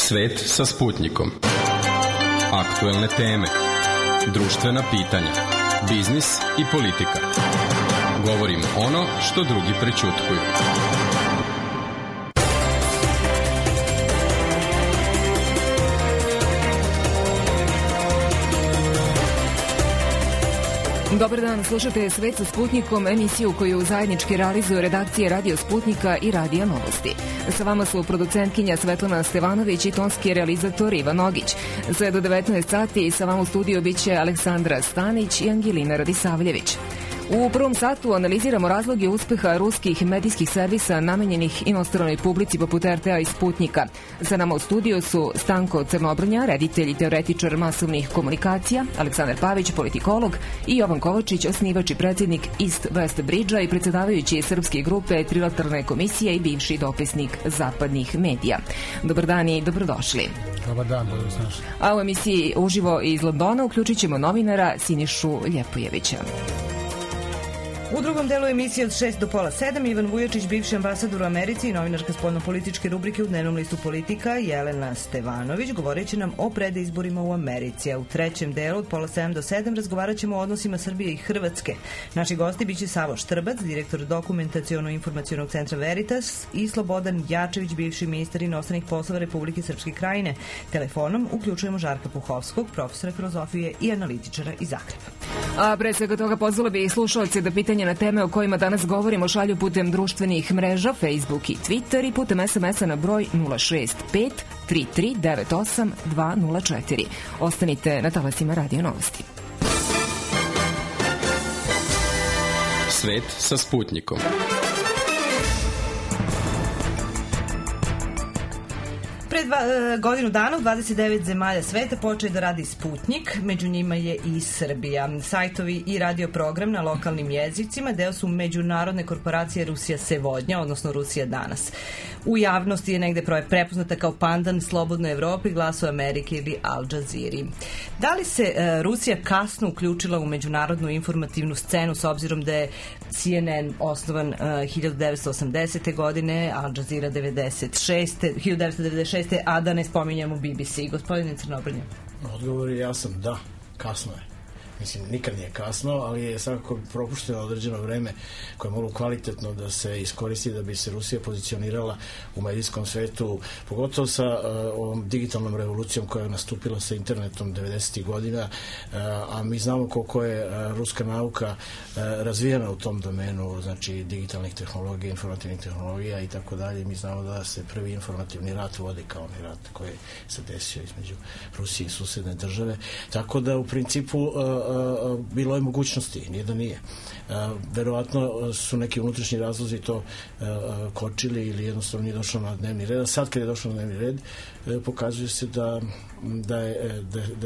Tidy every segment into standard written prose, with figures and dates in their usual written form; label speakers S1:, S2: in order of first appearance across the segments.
S1: Svet sa Sputnikom. Aktuelne teme, društvena pitanja, biznis i politika. Govorimo ono što drugi prećutkuju.
S2: Dobar dan, slušate Svet sa Sputnikom, emisiju koju zajednički realizuju redakcije Radio Sputnika i Radija Novosti. Sa vama su producentkinja Svetlana Stevanović i tonski realizator Ivan Nogić. Sve do 19 sati sa vama u studiju biće Aleksandra Stanić i Angelina Radisavljević. U prvom satu analiziramo razloge uspeha ruskih medijskih servisa namenjenih inostranoj publici poput RTA i Sputnika. Sa nama u studiju su Stanko Crnobrnja, reditelj i teoretičar masovnih komunikacija, Aleksandar Pavić, politikolog, i Jovan Kovačić, osnivač i predsjednik East West Bridge-a i predsjedavajući srpske grupe Trilateralne komisije i bivši dopisnik zapadnih medija. Dobar dan i dobrodošli.
S3: Dobar dan, dobrodošli.
S2: A u emisiji uživo iz Londona uključit ćemo novinara Sinišu Ljepojevića.
S4: U drugom delu emisije od 6 do pola 7 Ivan Vujačić, bivši ambasador u Americi i novinarka spoljnopolitičke rubrike u dnevnom listu Politika, Jelena Stevanović, govorit će nam o predizborima u Americi. A u trećem delu od pola 7 do 7 razgovarat ćemo o odnosima Srbije i Hrvatske. Naši gosti biće Savo Štrbac, direktor dokumentaciono-informacionog centra Veritas, i Slobodan Jačević, bivši ministar inostranih poslova Republike Srpske Krajine. Telefonom uključujemo Žarka Puhovskog, profesora filozofije i analitičara iz Zagreba.
S2: A pre svega toga pozvala bi slušalce da pitanje na teme o kojima danas govorimo šalju putem društvenih mreža, Facebook i Twitter i putem SMS-a na broj 065 3398 204. Ostanite na talasima Radio Novosti.
S1: Svet sa Sputnikom.
S4: Pred godinu dana u 29 zemalja sveta počeo da radi Sputnik, među njima je i Srbija. Sajtovi i radio program na lokalnim jezicima deo su međunarodne korporacije Rusija Sevodnja, odnosno Rusija danas. U javnosti je negde prepoznata kao pandan Slobodnoj Evropi, Glasu Amerike ili Al Jazeera. Da li se Rusija kasno uključila u međunarodnu informativnu scenu s obzirom da je CNN osnovan 1980. godine, Al Jazeera 1996. a da ne spominjamo BBC. Gospodine Crnobrnja.
S3: Odgovor je jasan, da, kasno je. Mislim, nikad nije kasno, ali je svakako propušteno određeno vreme koje je moglo kvalitetno da se iskoristi da bi se Rusija pozicionirala u medijskom svetu, pogotovo sa ovom digitalnom revolucijom koja je nastupila sa internetom 90. godina, a mi znamo koliko je ruska nauka razvijena u tom domenu, znači digitalnih tehnologija, informativnih tehnologija i tako dalje. Mi znamo da se prvi informativni rat vodi kao onaj rat koji se desio između Rusije i susedne države. Tako da u principu bilo je mogućnosti, nije da nije. Verovatno su neki unutrašnji razlozi to kočili ili jednostavno nije došlo na dnevni red. A sad kad je došlo na dnevni red, pokazuje se da je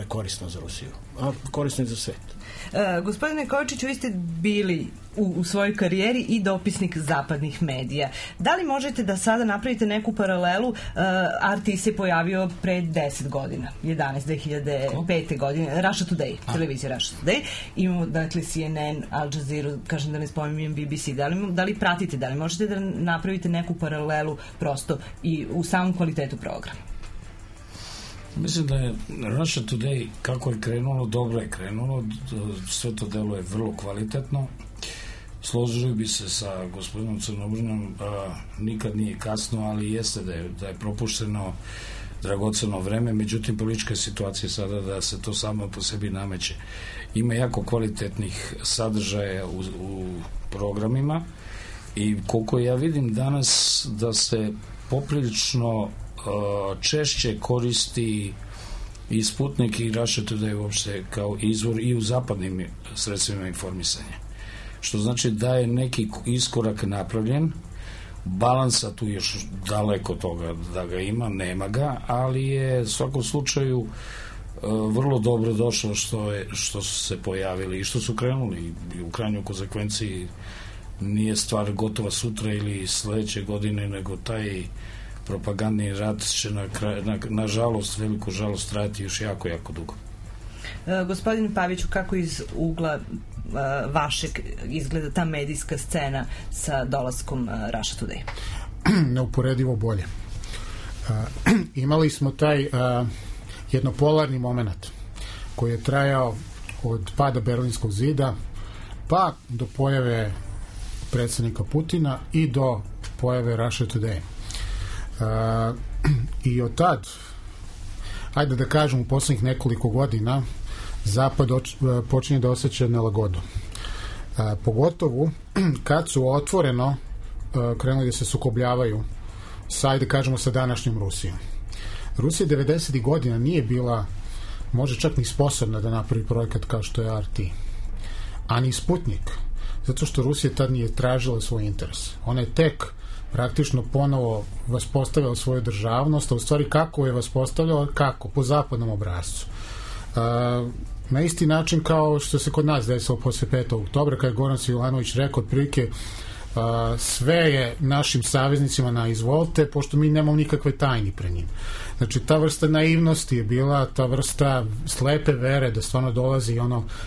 S3: korisno za Rusiju, a korisno i za svet.
S4: Gospodine Kovačiću, vi ste bili u svojoj karijeri i dopisnik zapadnih medija. Da li možete da sada napravite neku paralelu? RT se pojavio pre 10 godina, 2005. godine, Russia Today, televizija Russia Today. Imamo, dakle, CNN, Al Jazeera, kažem da ne spominjem BBC. Da li pratite, da li možete da napravite neku paralelu prosto i u samom kvalitetu programa?
S5: Mislim da je Russia Today, kako je krenulo, dobro je krenulo, sve to delo je vrlo kvalitetno. Složio bi se sa gospodinom Crnobrnjom, nikad nije kasno, ali jeste da je propušteno dragoceno vreme, međutim politička situacija sada da se to samo po sebi nameće. Ima jako kvalitetnih sadržaja u programima i koliko ja vidim danas da se poprilično češće koristi i Sputnik i Russia Today uopšte kao izvor i u zapadnim sredstvima informisanja. Što znači da je neki iskorak napravljen, balansa tu još daleko toga da ga ima, nema ga, ali je u svakom slučaju vrlo dobro došlo što su se pojavili i što su krenuli i u krajnjoj konsekvenciji nije stvar gotova sutra ili sledeće godine, nego taj propagandni rat će na žalost, veliku žalost trajati još jako, jako dugo.
S4: Gospodin Paviću, kako iz ugla vašeg izgleda ta medijska scena sa dolaskom Russia Today?
S6: Neuporedivo bolje. imali smo taj jednopolarni moment koji je trajao od pada Berlinskog zida pa do pojave predsjednika Putina i do pojave Russia Today. I od tad, ajde da kažem, u posljednjih nekoliko godina Zapad počinje da osjeća nelagodu. Pogotovo kad su otvoreno krenuli da se sukobljavaju ajde kažemo sa današnjom Rusijom. Rusija 90. godina nije bila možda čak ni sposobna da napravi projekat kao što je RT. A ni Sputnik. Zato što Rusija tad nije tražila svoj interes. Ona je tek praktično ponovo vaspostavila svoju državnost, a u stvari kako je vaspostavljala? Kako? Po zapadnom obrascu. Na isti način kao što se kod nas desilo posle 5. oktobra, kada je Goran Svilanović rekao otprilike sve je našim saveznicima na izvolte, pošto mi nemamo nikakve tajni pre njim. Znači, ta vrsta naivnosti je bila, ta vrsta slepe vere da stvarno dolazi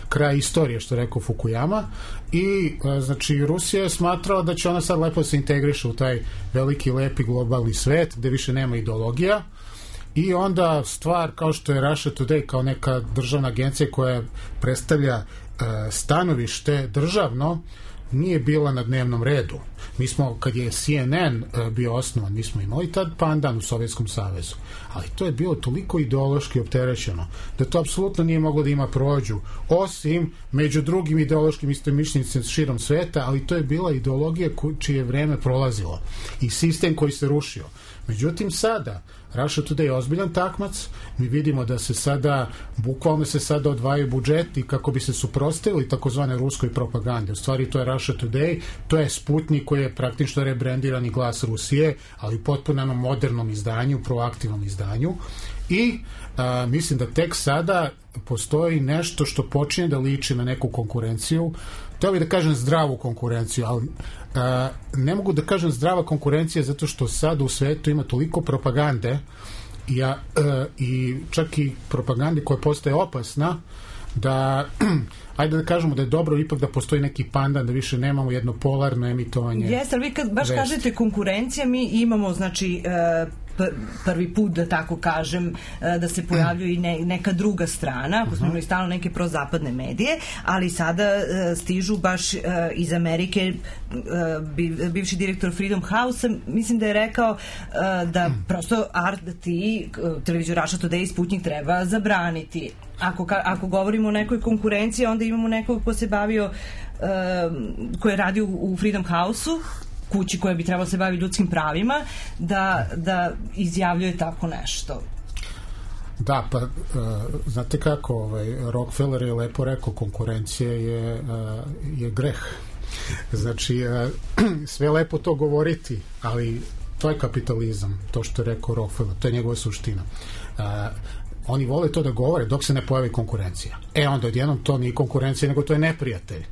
S6: kraj istorije, što je rekao Fukuyama, i znači Rusija je smatrala da će ona sad lepo se integriše u taj veliki, lepi globalni svet, gde više nema ideologija, i onda stvar kao što je Russia Today, kao neka državna agencija koja predstavlja stanovište državno, nije bila na dnevnom redu. Mi smo, kad je CNN bio osnovan, mi smo imali tad pandan u Sovjetskom savezu, ali to je bilo toliko ideološki opterećeno da to apsolutno nije moglo da ima prođu, osim među drugim ideološkim istomišljenicima širom sveta, ali to je bila ideologija čije vreme prolazilo i sistem koji se rušio. Međutim, sada Russia Today je ozbiljan takmac, mi vidimo da se sada, bukvalno se sada odvajaju budžeti kako bi se suprotstavili takozvane ruskoj propagandi. U stvari to je Russia Today, to je Sputnik koji je praktično rebrendirani glas Rusije, ali u potpuno modernom izdanju, proaktivnom izdanju, i mislim da tek sada postoji nešto što počinje da liči na neku konkurenciju. Htio bih da kažem zdravu konkurenciju, ali ne mogu da kažem zdrava konkurencija zato što sad u svetu ima toliko propagande i čak i propagande koja postaje opasna da ajde da kažemo da je dobro ipak da postoji neki pandan, da više nemamo jedno polarno emitovanje.
S4: Jeste, ali vi kad baš kažete konkurencija, mi imamo znači prvi put, da tako kažem, da se pojavljuje i neka druga strana, ako smo imali stalno neke prozapadne medije, ali sada stižu baš iz Amerike. Bivši direktor Freedom House mislim da je rekao da prosto RT, televiziju Russia Today i Sputnik treba zabraniti. Ako govorimo o nekoj konkurenciji, onda imamo nekog ko se bavio, ko je radio u Freedom House-u, kući koja bi trebala se baviti ljudskim pravima, da izjavljuje tako nešto.
S6: Da, pa znate kako, Rockefeller je lepo rekao, konkurencija je greh. Znači, sve lepo to govoriti, ali to je kapitalizam, to što je rekao Rockefeller, to je njegova suština. Oni vole to da govore dok se ne pojavi konkurencija. Onda odjednom to nije konkurencija, nego to je neprijatelj.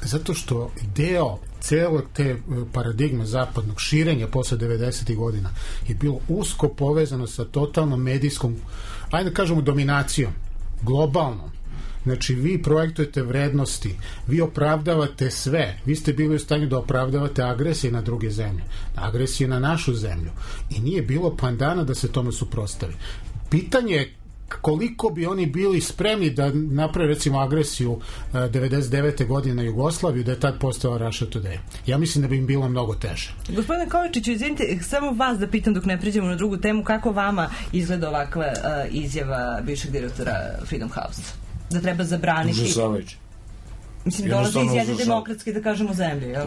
S6: Zato što deo cele te paradigme zapadnog širenja posle 90. godina je bilo usko povezano sa totalnom medijskom, ajde da kažemo, dominacijom, globalnom. Znači, vi projektujete vrednosti, vi opravdavate sve, vi ste bili u stanju da opravdavate agresije na druge zemlje, agresije na našu zemlju, i nije bilo pandana da se tome suprotstavi. Pitanje je koliko bi oni bili spremni da naprave recimo agresiju 99. godine na Jugoslaviju, da je tad postala Russia Today. Ja mislim da bi im bilo mnogo teže.
S4: Gospodine Kovačiću, izvinite, samo vas da pitam dok ne priđemo na drugu temu, kako vama izgleda ovakva izjava bivšeg direktora Freedom House? Da treba zabraniti...
S5: Užasavajući.
S4: Mislim, dolazi iz jedne demokratske, da kažemo, zemlje, jel?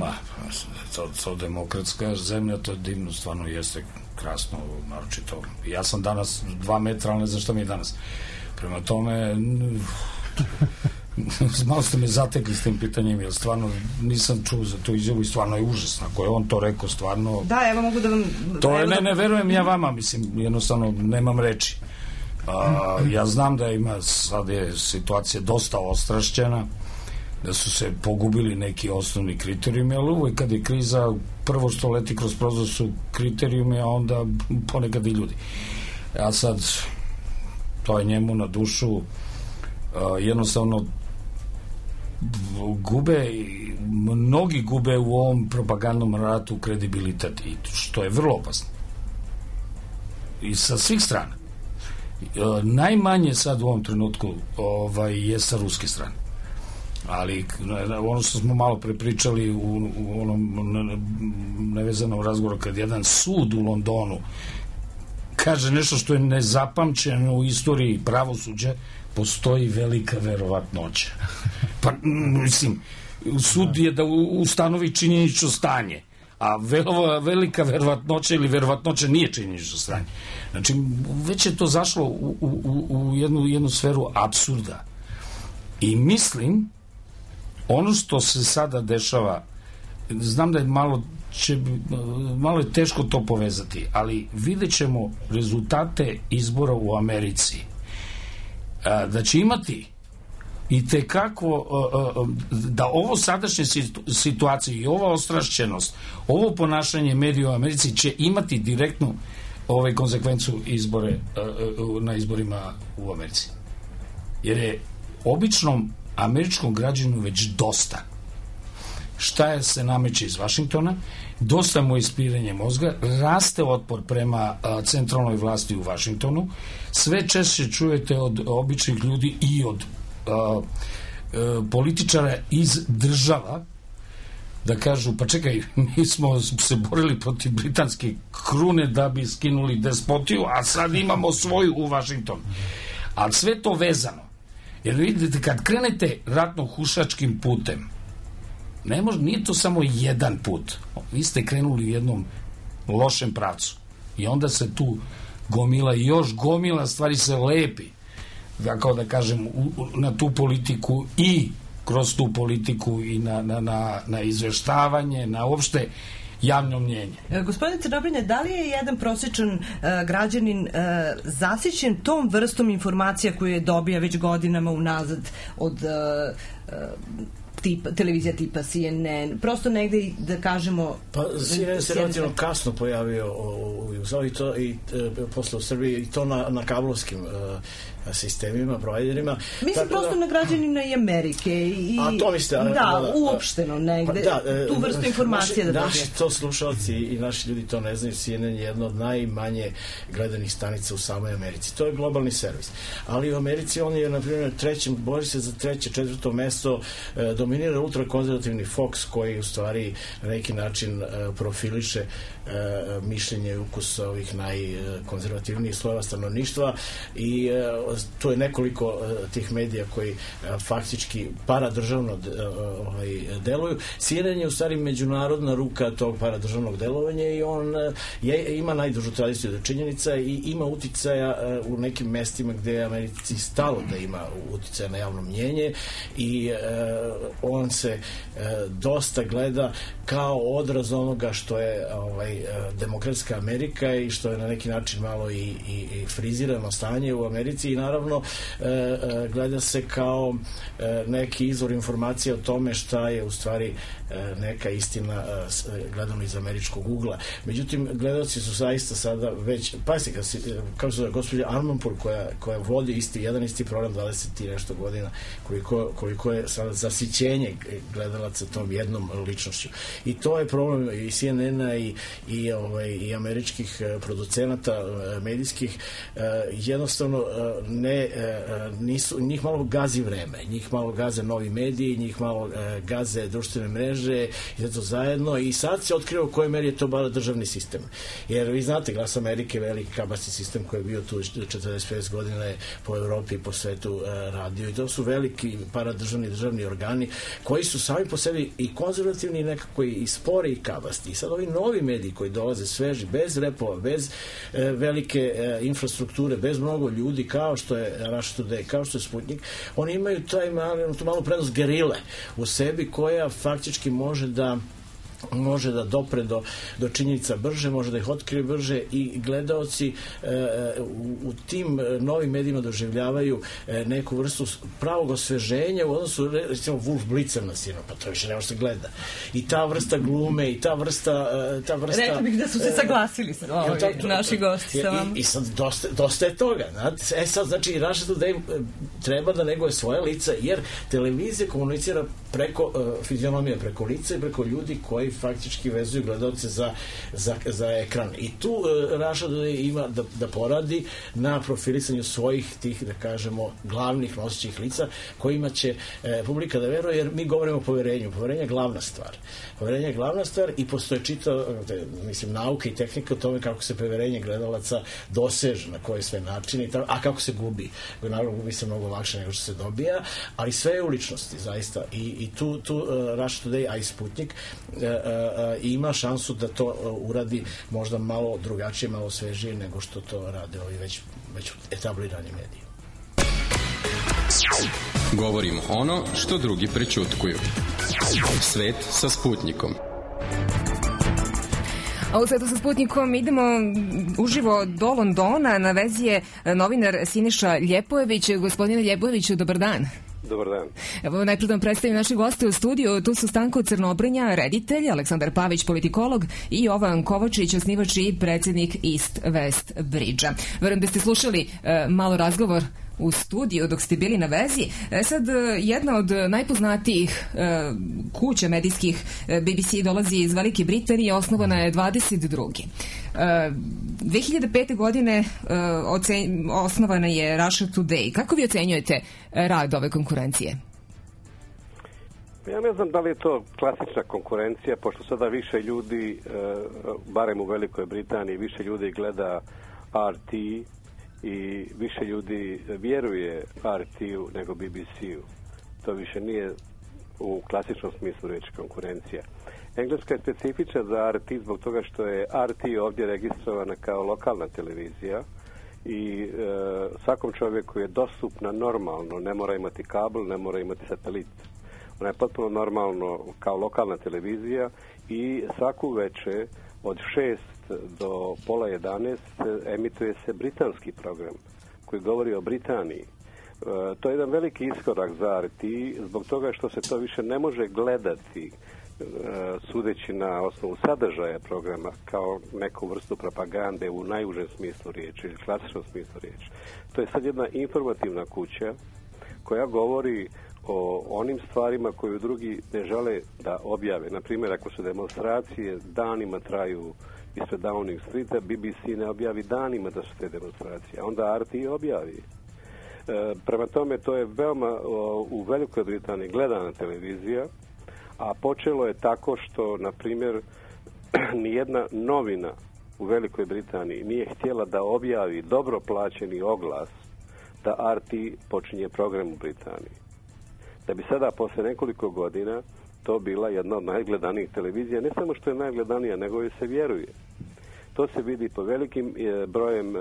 S5: To demokratska zemlja, to je divno, stvarno jeste krasno, naročito. Ja sam danas 2 metra, ali ne znam šta mi je danas. Prema tome, malo ste me zatekli s tim pitanjem, jer stvarno nisam čuo za tu izjavu i stvarno je užasno. Ako je on to rekao, stvarno...
S4: Da, evo mogu da vam...
S5: To je, ne verujem ja vama, mislim, jednostavno nemam reči. Ja znam da ima, sad je situacija dosta ostrašćena, da su se pogubili neki osnovni kriterijumi, ali uvijek kad je kriza, prvo što leti kroz prozor su kriterijumi, a onda ponekad i ljudi. A sad, to je njemu na dušu, jednostavno mnogi gube u ovom propagandnom ratu kredibilitet, i što je vrlo opasno. i sa svih strana. Najmanje sad u ovom trenutku je sa ruske strane. Ali ono što smo malo prepričali u onom nevezanom razgovoru, kad jedan sud u Londonu kaže nešto što je nezapamćeno u istoriji pravosuđa, postoji velika verovatnoća. Pa, mislim, sud je da ustanovi činjenično stanje, a velika verovatnoća ili verovatnoća nije činjenično stanje. Znači, već je to zašlo u jednu sferu apsurda. I mislim, ono što se sada dešava, znam da je malo je teško to povezati, ali vidjet ćemo rezultate izbora u Americi. Da će imati i tekako da ovo sadašnje situacije i ova ostrašćenost, ovo ponašanje medija u Americi će imati direktnu konsekvencu na izborima u Americi. Jer je običnom američkom građanu već dosta. Šta se nameće iz Vašingtona, dosta mu je ispiranje mozga, raste otpor prema centralnoj vlasti u Vašingtonu, sve češće čujete od običnih ljudi i od političara iz država da kažu, pa čekaj, mi smo se borili protiv britanske krune da bi skinuli despotiju, a sad imamo svoju u Vašingtonu. Ali sve to vezano. Jer vidite, kad krenete ratno-hušačkim putem, nije to samo jedan put. Vi ste krenuli u jednom lošem pravcu. I onda se tu gomila i još gomila stvari se lepi. Kao da kažem, na tu politiku i kroz tu politiku i na izveštavanje, na uopšte javno mnjenje.
S4: Gospodine Crnobrnja, da li je jedan prosječan građanin zasićen tom vrstom informacija koju je dobija već godinama unazad od televizija tipa CNN, prosto negde da kažemo... Pa
S3: CNN se relativno kasno pojavio u Jugoslaviji i posle u Srbiji i to na kablovskim sistemima, providerima.
S4: Mislim prosto na građanina i Amerike i...
S3: A to mislite...
S4: Da, uopšteno negde, tu vrstu informacije da dobije.
S3: Naši to slušalci i naši ljudi to ne znaju, CNN je jedna od najmanje gledanih stanica u samoj Americi. To je globalni servis. Ali u Americi on je, na primjer, bori se za treće, četvrto mesto, dominira ultrakonzervativni Fox koji u stvari na neki način profiliše mišljenje i ukus ovih najkonzervativnijih slojeva stanovništva i to je nekoliko tih medija koji faktički paradržavno deluju. CNN je u stvari međunarodna ruka tog paradržavnog delovanja i on ima najdužu tradiciju da činjenica i ima uticaja u nekim mestima gde je Americi stalo da ima uticaja na javno mnjenje i on se dosta gleda kao odraz onoga što je demokratska Amerika i što je na neki način malo i frizirano stanje u Americi i naravno gleda se kao neki izvor informacija o tome šta je u stvari neka istina gledano iz američkog ugla. Međutim, gledalci su zaista sada već, pazite, kao što je gospođa Armanpour koja vodi jedan isti program 20 i nešto godina, koliko je sada zasićenje gledalaca tom jednom ličnošću. I to je problem i CNN-a i američkih producenata medijskih, jednostavno njih malo gazi vreme, njih malo gaze novi mediji, njih malo gaze društvene mreže i zato zajedno i sad se otkriva u kojoj meri je to bar državni sistem. Jer vi znate, Glas Amerike, veliki kabasni sistem koji je bio tu 45 godina je po Evropi i po svetu radio i to su veliki paradržavni državni organi koji su sami po sebi i konzervativni i nekako i spori i kabasti. I sad ovi novi mediji koji dolaze sveži, bez repova, bez velike infrastrukture, bez mnogo ljudi, kao što je Russia Today, kao što je Sputnik, oni imaju tu malu prednost gerile u sebi koja faktički može da dopre do činjenica brže, može da ih otkrije brže i gledaoci u tim novim medijima doživljavaju neku vrstu pravog osveženja u odnosu, recimo, Wolf Blitzer na sinu, pa to više ne može se gleda. I ta vrsta glume i ta vrsta...
S4: Rekla bih da su se saglasili naši gosti sa vama.
S3: I sad dosta je toga. Sad, znači, Russia Today treba da neguje svoje lica, jer televizija komunicira preko fizionomije, preko lica i preko ljudi koji faktički vezuju gledalce za ekran. I tu Russia Today ima da poradi na profilisanju svojih tih, da kažemo, glavnih nosećih lica kojima će publika da veruje, jer mi govorimo o poverenju. Poverenje je glavna stvar. Poverenje je glavna stvar i postoje nauka i tehnika o tome kako se poverenje gledalaca doseže, na koji sve načini, a kako se gubi. Naravno, gubi se mnogo lakše nego što se dobija, ali sve je u ličnosti, zaista. I tu Russia Today, a i Sputnik ima šansu da to uradi možda malo drugačije, malo svežije nego što to rade ovi već etablirani mediji.
S1: Govorimo ono što drugi prećutkuju. Svet sa Sputnikom.
S2: A u Svetu sa Sputnikom idemo uživo do Londona. Na vezi je novinar Siniša Ljepojević. Gospodine Ljepojeviću, dobar dan.
S7: Dobar dan.
S2: Evo, najprije vam predstavim naše goste u studiju. Tu su Stanko Crnobrnja, reditelj, Aleksandar Pavić, politikolog, i Jovan Kovačić, osnivač i predsjednik East West Bridge-a. Verujem da ste slušali malo razgovor u studiju dok ste bili na vezi. Sad, jedna od najpoznatijih kuća medijskih, BBC, dolazi iz Velike Britanije, osnovana je 22. 2005. godine osnovana je Russia Today. Kako vi ocenjujete rad ove konkurencije?
S7: Ja ne znam da li je to klasična konkurencija, pošto sada više ljudi, barem u Velikoj Britaniji, više ljudi gleda RT i više ljudi vjeruje RT-u nego BBC-u. To više nije u klasičnom smislu reći konkurencija. Engleska je specifična za RT zbog toga što je RT ovdje registrovana kao lokalna televizija i svakom čovjeku je dostupna normalno, ne mora imati kabel, ne mora imati satelit. Ona je potpuno normalno kao lokalna televizija i svaku večer od 6 do pola 11 emituje se britanski program koji govori o Britaniji. To je jedan veliki iskorak za RT zbog toga što se to više ne može gledati sudeći na osnovu sadržaja programa kao neku vrstu propagande u najužem smislu riječi ili klasičnom smislu riječi. To je sad jedna informativna kuća koja govori o onim stvarima koju drugi ne žele da objave. Naprimjer, ako su demonstracije danima traju ispred Downing Streeta, BBC ne objavi danima da su te demonstracije, a onda RT objavi. Prema tome, to je veoma u Velikoj Britaniji gledana televizija, a počelo je tako što, na primjer, nijedna novina u Velikoj Britaniji nije htjela da objavi dobro plaćeni oglas da RT počinje program u Britaniji. Da bi sada, posle nekoliko godina, to bila jedna od najgledanijih televizija, ne samo što je najgledanija, nego i se vjeruje. To se vidi po velikim brojem,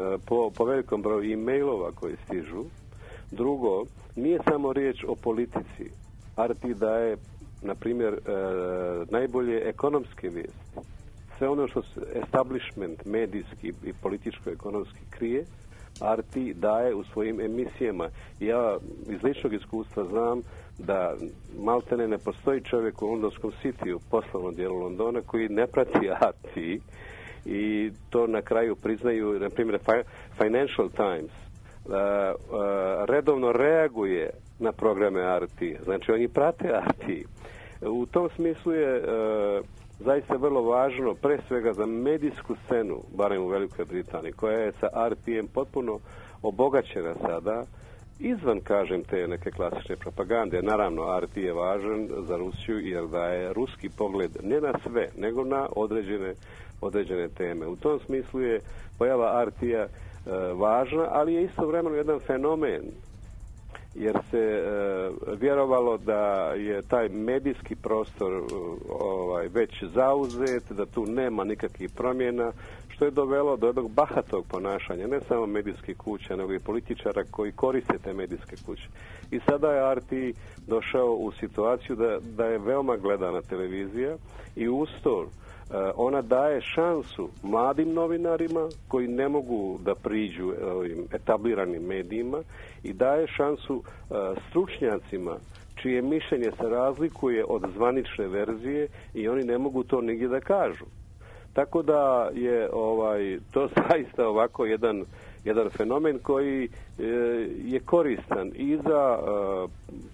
S7: po velikom broju e-mailova koji stižu. Drugo, nije samo riječ o politici. RT daje, na primjer, najbolje ekonomske vijesti. Sve ono što establishment medijski i političko-ekonomski krije, RT daje u svojim emisijama. Ja iz ličnog iskustva znam da maltene ne postoji čovjek u londonskom Cityu, poslovnom dijelu Londona, koji ne prati RT i to na kraju priznaju, na primjer, Financial Times redovno reaguje na programe RT. Znači, oni prate RT. U tom smislu je zaista vrlo važno, pre svega za medijsku scenu, barem u Velikoj Britaniji, koja je sa RT-em potpuno obogaćena sada, izvan, kažem, te neke klasične propagande. Naravno, RT je važan za Rusiju jer daje ruski pogled ne na sve, nego na određene teme. U tom smislu je pojava RT-a važna, ali je istovremeno jedan fenomen, jer se vjerovalo da je taj medijski prostor već zauzet, da tu nema nikakvih promjena, što je dovelo do jednog bahatog ponašanja, ne samo medijskih kuća, nego i političara koji koriste te medijske kuće. I sada je RT došao u situaciju da je veoma gledana televizija i uz to ona daje šansu mladim novinarima koji ne mogu da priđu ovim etabliranim medijima i daje šansu stručnjacima čije mišljenje se razlikuje od zvanične verzije i oni ne mogu to nigdje da kažu. Tako da je to zaista ovako jedan fenomen koji je koristan i za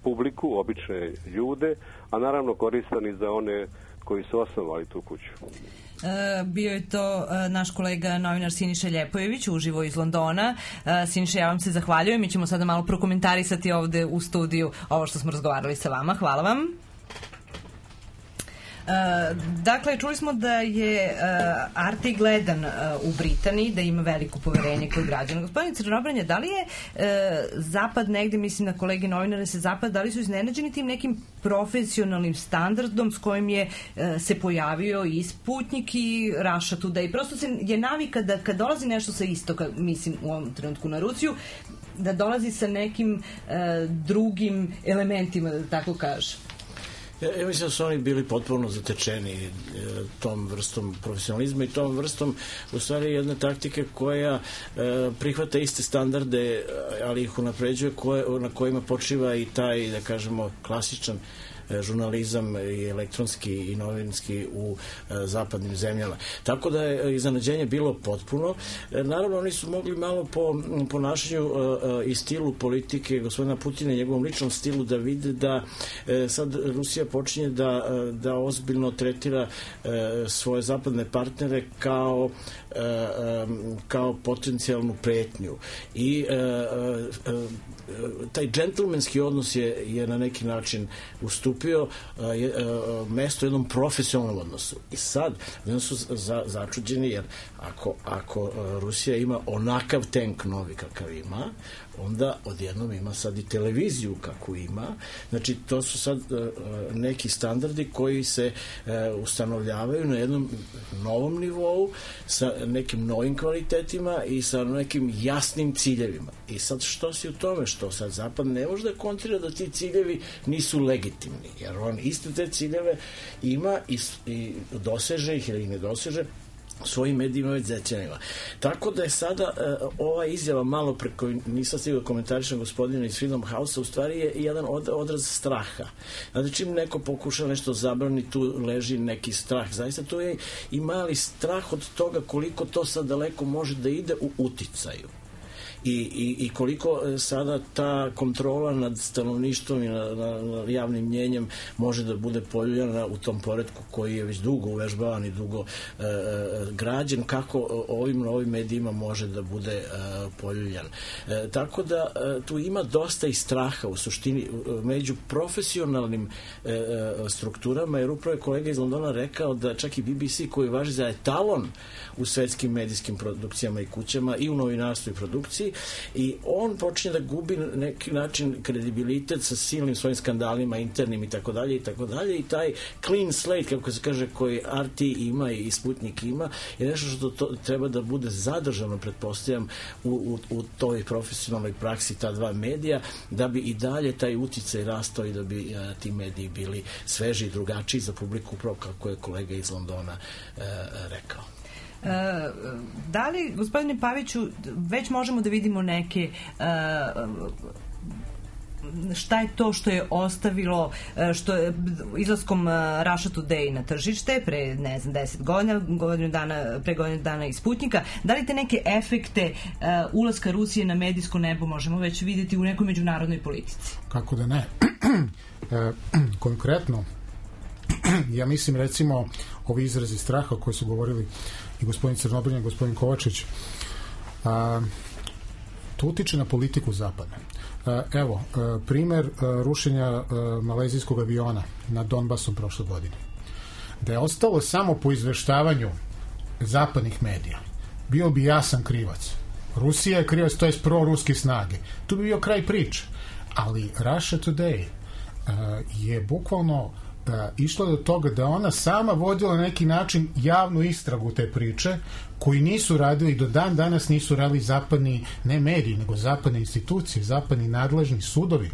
S7: publiku, obične ljude, a naravno koristan i za one koji su osnovali tu kuću.
S4: Bio je to naš kolega novinar Siniša Ljepojević uživo iz Londona. Siniša, ja vam se zahvaljujem. Mi ćemo sada malo prokomentarisati ovde u studiju ovo što smo razgovarali sa vama. Hvala vam. Dakle, čuli smo da je RT gledan u Britaniji, da ima veliko poverenje kod građana. Gospodin Crnobranja, da li je Zapad negde, mislim na kolege novinare se Zapad, da li su iznenađeni tim nekim profesionalnim standardom s kojim je se pojavio i Sputnik i Russia Today? Prosto je navika da kad dolazi nešto sa istoka, mislim u ovom trenutku na Rusiju, da dolazi sa nekim drugim elementima, da tako kažem.
S3: Ja mislim da su oni bili potpuno zatečeni tom vrstom profesionalizma i tom vrstom u stvari jedne taktike koja prihvata iste standarde, ali ih unapređuje, na kojima počiva i taj, da kažemo, klasičan žurnalizam i elektronski i novinski u zapadnim zemljama. Tako da je iznenađenje bilo potpuno. Naravno, oni su mogli malo po ponašanju i stilu politike gospodina Putina i njegovom ličnom stilu da vide da sad Rusija počinje da ozbiljno tretira svoje zapadne partnere kao potencijalnu pretnju. I taj džentlmenski odnos je na neki način ustupio mesto jednom profesionalnom odnosu. I sad su začuđeni, jer ako Rusija ima onakav tank novi kakav ima, onda odjednom ima sad i televiziju kakvu ima. Znači, to su sad neki standardi koji se ustanovljavaju na jednom novom nivou, sa nekim novim kvalitetima i sa nekim jasnim ciljevima. I sad što si u tome? Što sad Zapad ne može da kontrira da ti ciljevi nisu legitimni, jer on iste te ciljeve ima i doseže ih ili ne doseže svojim medijima već decenijama. Tako da je sada ova izjava malo preko, nisam stigao da komentarišem gospodina iz Freedom House-a, u stvari je jedan odraz straha. Znači, čim neko pokuša nešto zabrani, tu leži neki strah. Zaista to je i mali strah od toga koliko to sad daleko može da ide u uticaju. I koliko sada ta kontrola nad stanovništvom i nad javnim mnjenjem može da bude poljuljana u tom poretku koji je već dugo uvežbavan i dugo građen, kako ovim novim medijima može da bude poljuljan. Tako da tu ima dosta i straha u suštini među profesionalnim strukturama, jer upravo je kolega iz Londona rekao da čak i BBC, koji važi za etalon u svetskim medijskim produkcijama i kućama i u novinarstvu i produkciji, i on počinje da gubi na neki način kredibilitet sa silnim svojim skandalima internim i tako dalje i taj clean slate, kako se kaže, koji RT ima i Sputnik ima, je nešto što treba da bude zadržano, pretpostavljam, u toj profesionalnoj praksi ta dva medija, da bi i dalje taj uticaj rastao i da bi ti mediji bili sveži i drugačiji za publiku, upravo kako je kolega iz Londona rekao.
S4: Da li, gospodine Paviću, već možemo da vidimo neke šta je to što je ostavilo, što je izlaskom Russia Today na tržište pre, ne znam, 10 godina, pre godinu dana i Sputnika, da li te neke efekte ulaska Rusije na medijsko nebo možemo već vidjeti u nekoj međunarodnoj politici?
S6: Kako da ne? Konkretno, ja mislim, recimo, ovi izrazi straha koji su govorili i gospodin Crnobrnja i gospodin Kovačić, to utiče na politiku Zapada. Evo, primer rušenja malezijskog aviona nad Donbasom prošle godine. Da je ostalo samo po izveštavanju zapadnih medija, bio bi jasan krivac. Rusija je krivac, to je proruske snage. Tu bi bio kraj priče. Ali Russia Today je bukvalno išla do toga da ona sama vodila na neki način javnu istragu te priče, koji nisu radili, do dan danas nisu radili zapadni, ne mediji, nego zapadne institucije, zapadni nadležni sudovi.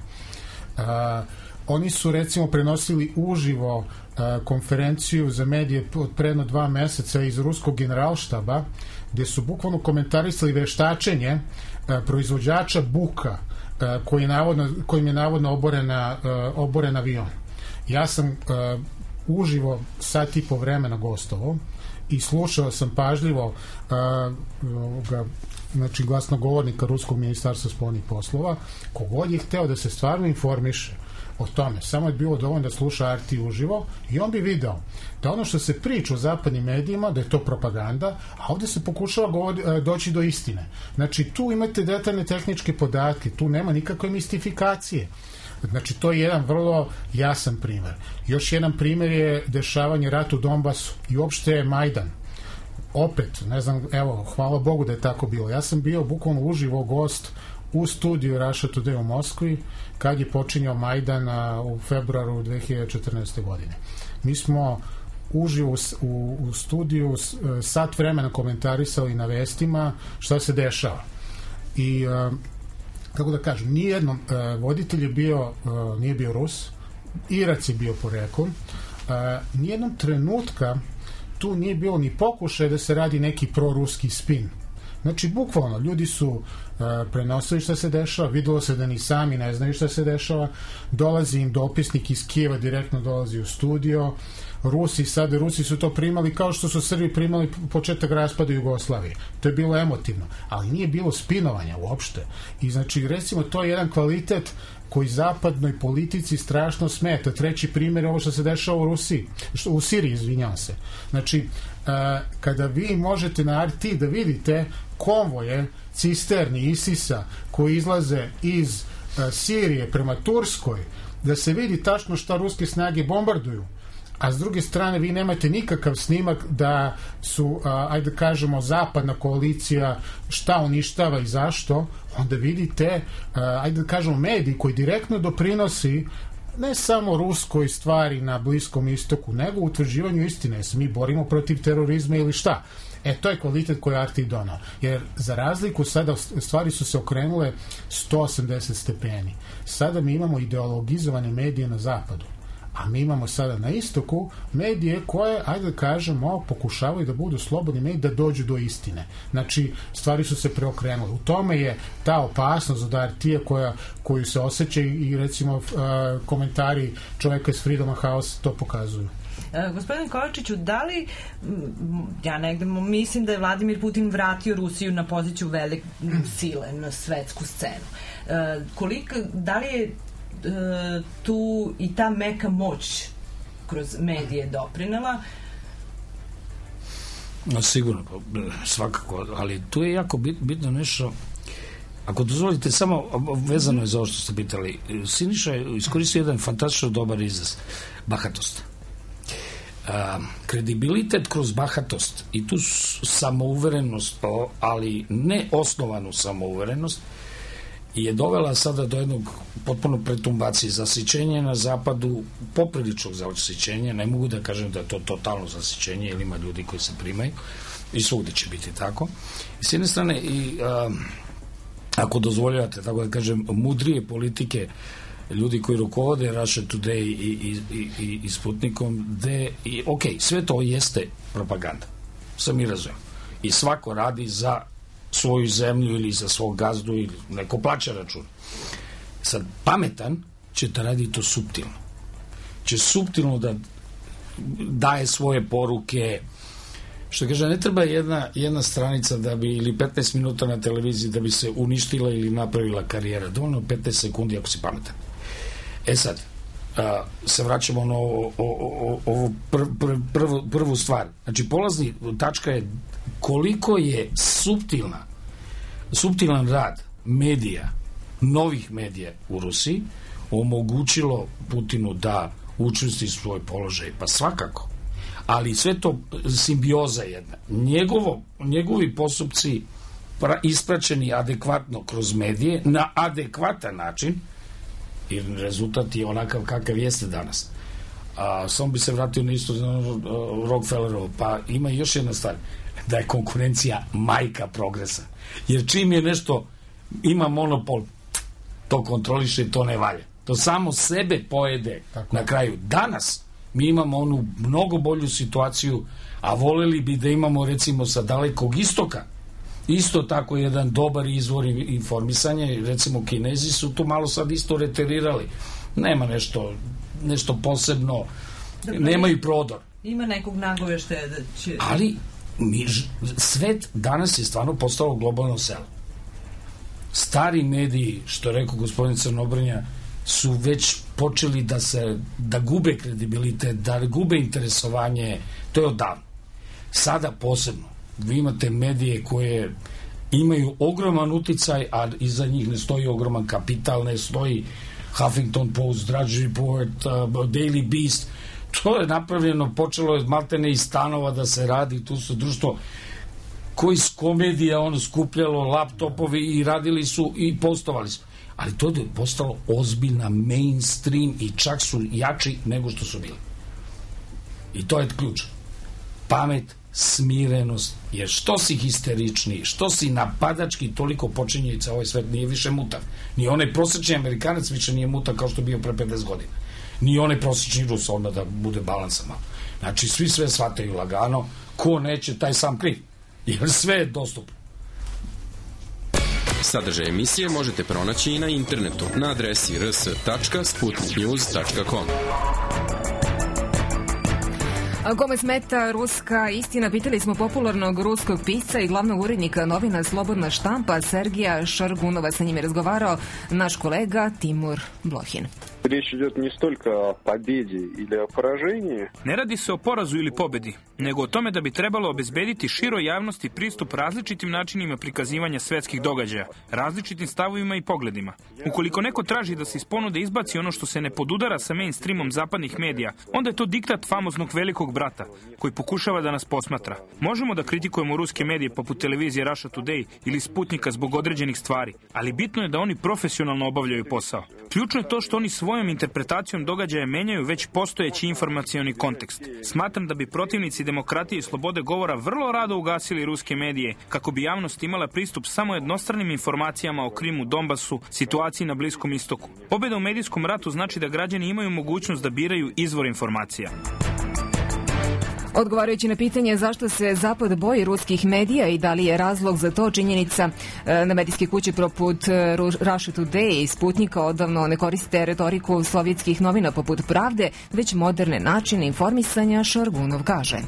S6: Oni su, recimo, prenosili uživo konferenciju za medije od predno 2 meseca iz ruskog generalštaba, gde su bukvalno komentarisali veštačenje proizvođača buka kojim je navodno oboren avion. Ja sam uživo sat i po vremena gostovao i slušao sam pažljivo znači glasnogovornika Ruskog ministarstva spoljnih poslova, kogod je hteo da se stvarno informiše o tome, samo je bilo dovoljno da sluša RT uživo i on bi video da ono što se priča u zapadnim medijima, da je to propaganda, a ovde se pokušava doći do istine. Znači, tu imate detaljne tehničke podatke, tu nema nikakve mistifikacije. Znači, to je jedan vrlo jasan primer. Još jedan primer je dešavanje rata u Donbasu i uopšte Majdan. Opet, ne znam, evo, hvala Bogu da je tako bilo. Ja sam bio bukvalno uživo gost u studiju Russia Today u Moskvi kad je počinjao Majdan u februaru 2014. godine. Mi smo uživo u studiju sat vremena komentarisali na vestima šta se dešava. I kako da kažem, nijednom voditelj je bio, nije bio Rus, Irac je bio poreklom, nijednom trenutka tu nije bilo ni pokušaj da se radi neki proruski spin. Znači, bukvalno, ljudi su prenosili šta se dešava, videlo se da ni sami ne znaju šta se dešava, dolazi im dopisnik iz Kijeva, direktno dolazi u studio, Rusi su to primali kao što su Srbi primali početak raspada Jugoslavije. To je bilo emotivno, ali nije bilo spinovanja uopšte. I znači, recimo, to je jedan kvalitet koji zapadnoj politici strašno smeta. Treći primjer je ovo što se dešava u Siriji, izvinjavam se. Znači, kada vi možete na RT da vidite konvoje cisterni ISIS-a koji izlaze iz Sirije prema Turskoj, da se vidi tačno šta ruske snage bombarduju, a s druge strane vi nemate nikakav snimak da su, ajde kažemo, zapadna koalicija šta uništava i zašto, onda vidite, ajde kažemo, mediji koji direktno doprinosi ne samo ruskoj stvari na Bliskom istoku, nego utvrđivanju istine. Se mi borimo protiv terorizma ili šta? To je kvalitet koji je RT donao. Jer za razliku sada stvari su se okrenule 180 stepeni. Sada mi imamo ideologizovane medije na zapadu. A mi imamo sada na istoku medije koje, ajde da kažemo, pokušavaju da budu slobodni mediji, da dođu do istine. Znači, stvari su se preokrenule. U tome je ta opasnost od RT-a koju se osjeća i recimo komentari čoveka iz Freedom House to pokazuju.
S4: Gospodin Kovačiću, da li, ja negde mislim da je Vladimir Putin vratio Rusiju na poziciju velike sile na svetsku scenu. Da li je tu i ta meka moć kroz medije doprinela?
S5: Sigurno, svakako, ali tu je jako bitno nešto. Ako dozvolite, samo vezano je za ovo što ste pitali, Siniša je iskoristio jedan fantastično dobar izraz, bahatost. Kredibilitet kroz bahatost i tu samouverenost, ali ne osnovanu samouverenost, je dovela sada do jednog potpuno pretumbacije, zasićenja na zapadu, popriličnog zasićenja, ne mogu da kažem da je to totalno zasićenje, jer ima ljudi koji se primaju i svugde će biti tako. I s jedne strane, ako dozvoljavate, tako da kažem, mudrije politike, ljudi koji rukovode Russia Today i Sputnikom, ok, sve to jeste propaganda, sam mi razumijem. I svako radi za svoju zemlju ili za svog gazdu ili neko plaća račun. Sad, pametan će da radi to suptilno. Će suptilno da daje svoje poruke. Što kaže, ne treba jedna stranica da bi, ili 15 minuta na televiziji da bi se uništila ili napravila karijera. Dovoljno 15 sekundi ako si pametan. Sad, se vraćamo na ovu prvu stvar. Znači, polazni tačka je koliko je suptilan rad medija, novih medija u Rusiji omogućilo Putinu da učvrsti svoj položaj. Pa svakako. Ali sve to simbioza jedna. Njegovi postupci ispraćeni adekvatno kroz medije na adekvatan način, i rezultat je onakav kakav jeste danas. Samo bi se vratio na isto Rockefellerovo, pa ima još jedna stvar, da je konkurencija majka progresa. Jer čim je nešto ima monopol, to kontroliše i to ne valja. To samo sebe pojede na kraju. Danas mi imamo onu mnogo bolju situaciju, a voleli bi da imamo recimo sa Dalekog istoka isto tako jedan dobar izvor informisanja. Recimo Kinezi su tu malo sad isto reterirali. Nema nešto posebno, nemaju prodor.
S4: Ima nekog nagoveštaja da će...
S5: Ali Svet danas je stvarno postalo globalno selo. Stari mediji, što je rekao gospodin Crnobrnja, su već počeli da gube kredibilitet, da gube interesovanje, to je odavno. Sada posebno, vi imate medije koje imaju ogroman uticaj, a iza njih ne stoji ogroman kapital, ne stoji Huffington Post, Drudge Report, Daily Beast. To je napravljeno, počelo je maltene iz stanova da se radi, tu su društvo koji s komedija skupljalo laptopovi i radili su i postovali su. Ali to je postalo ozbiljna mainstream i čak su jači nego što su bili. I to je ključ. Pamet, smirenost, jer što si histeričniji, što si napadački, toliko počinjenica, ovaj svet nije više mutav. Ni onaj prosječni Amerikanac više nije mutav kao što bio pre 50 godina. Ni onaj prosječni Rus, onda da bude balansa malo. Znači, svi sve shvataju lagano, ko neće, taj sam kriv. Jer sve je dostupno.
S1: Sadržaj emisije možete pronaći i na internetu na adresi rs.sputniknews.com.
S2: Kome smeta ruska istina, pitali smo popularnog ruskog pisca i glavnog urednika novina Slobodna štampa Sergija Šargunova. Sa njim je razgovarao naš kolega Timur Blohin.
S8: Речь идет не столько о победе или о поражении.
S9: Ne radi se o porazu ili pobedi, nego o tome da bi trebalo obezbediti široj javnosti pristup različitim načinima prikazivanja svetskih događaja, različitim stavovima i pogledima. Ukoliko neko traži da se iz ponude izbaci ono što se ne podudara sa mainstreamom zapadnih medija, onda je to diktat famoznog velikog brata, koji pokušava da nas posmatra. Možemo da kritikujemo ruske medije poput televizije Russia Today ili Sputnika zbog određenih stvari, ali bitno je da oni profesionalno obavljaju posao. Ključno je to što oni svojom interpretacijom događaja menjaju već postojeći informacioni kontekst. Smatram da bi protivnici demokratije i slobode govora vrlo rado ugasili ruske medije kako bi javnost imala pristup samo jednostranim informacijama o Krimu, Donbasu, situaciji na Bliskom istoku. Pobjeda u medijskom ratu znači da građani imaju mogućnost da biraju izvor informacija.
S2: Odgovarajući na pitanje zašto se Zapad boji ruskih medija i da li je razlog za to činjenica na medijske kuće poput Russia Today i Sputnika odavno ne koriste retoriku sovjetskih novina poput Pravde, već moderne načine informisanja, Šargunov kaže.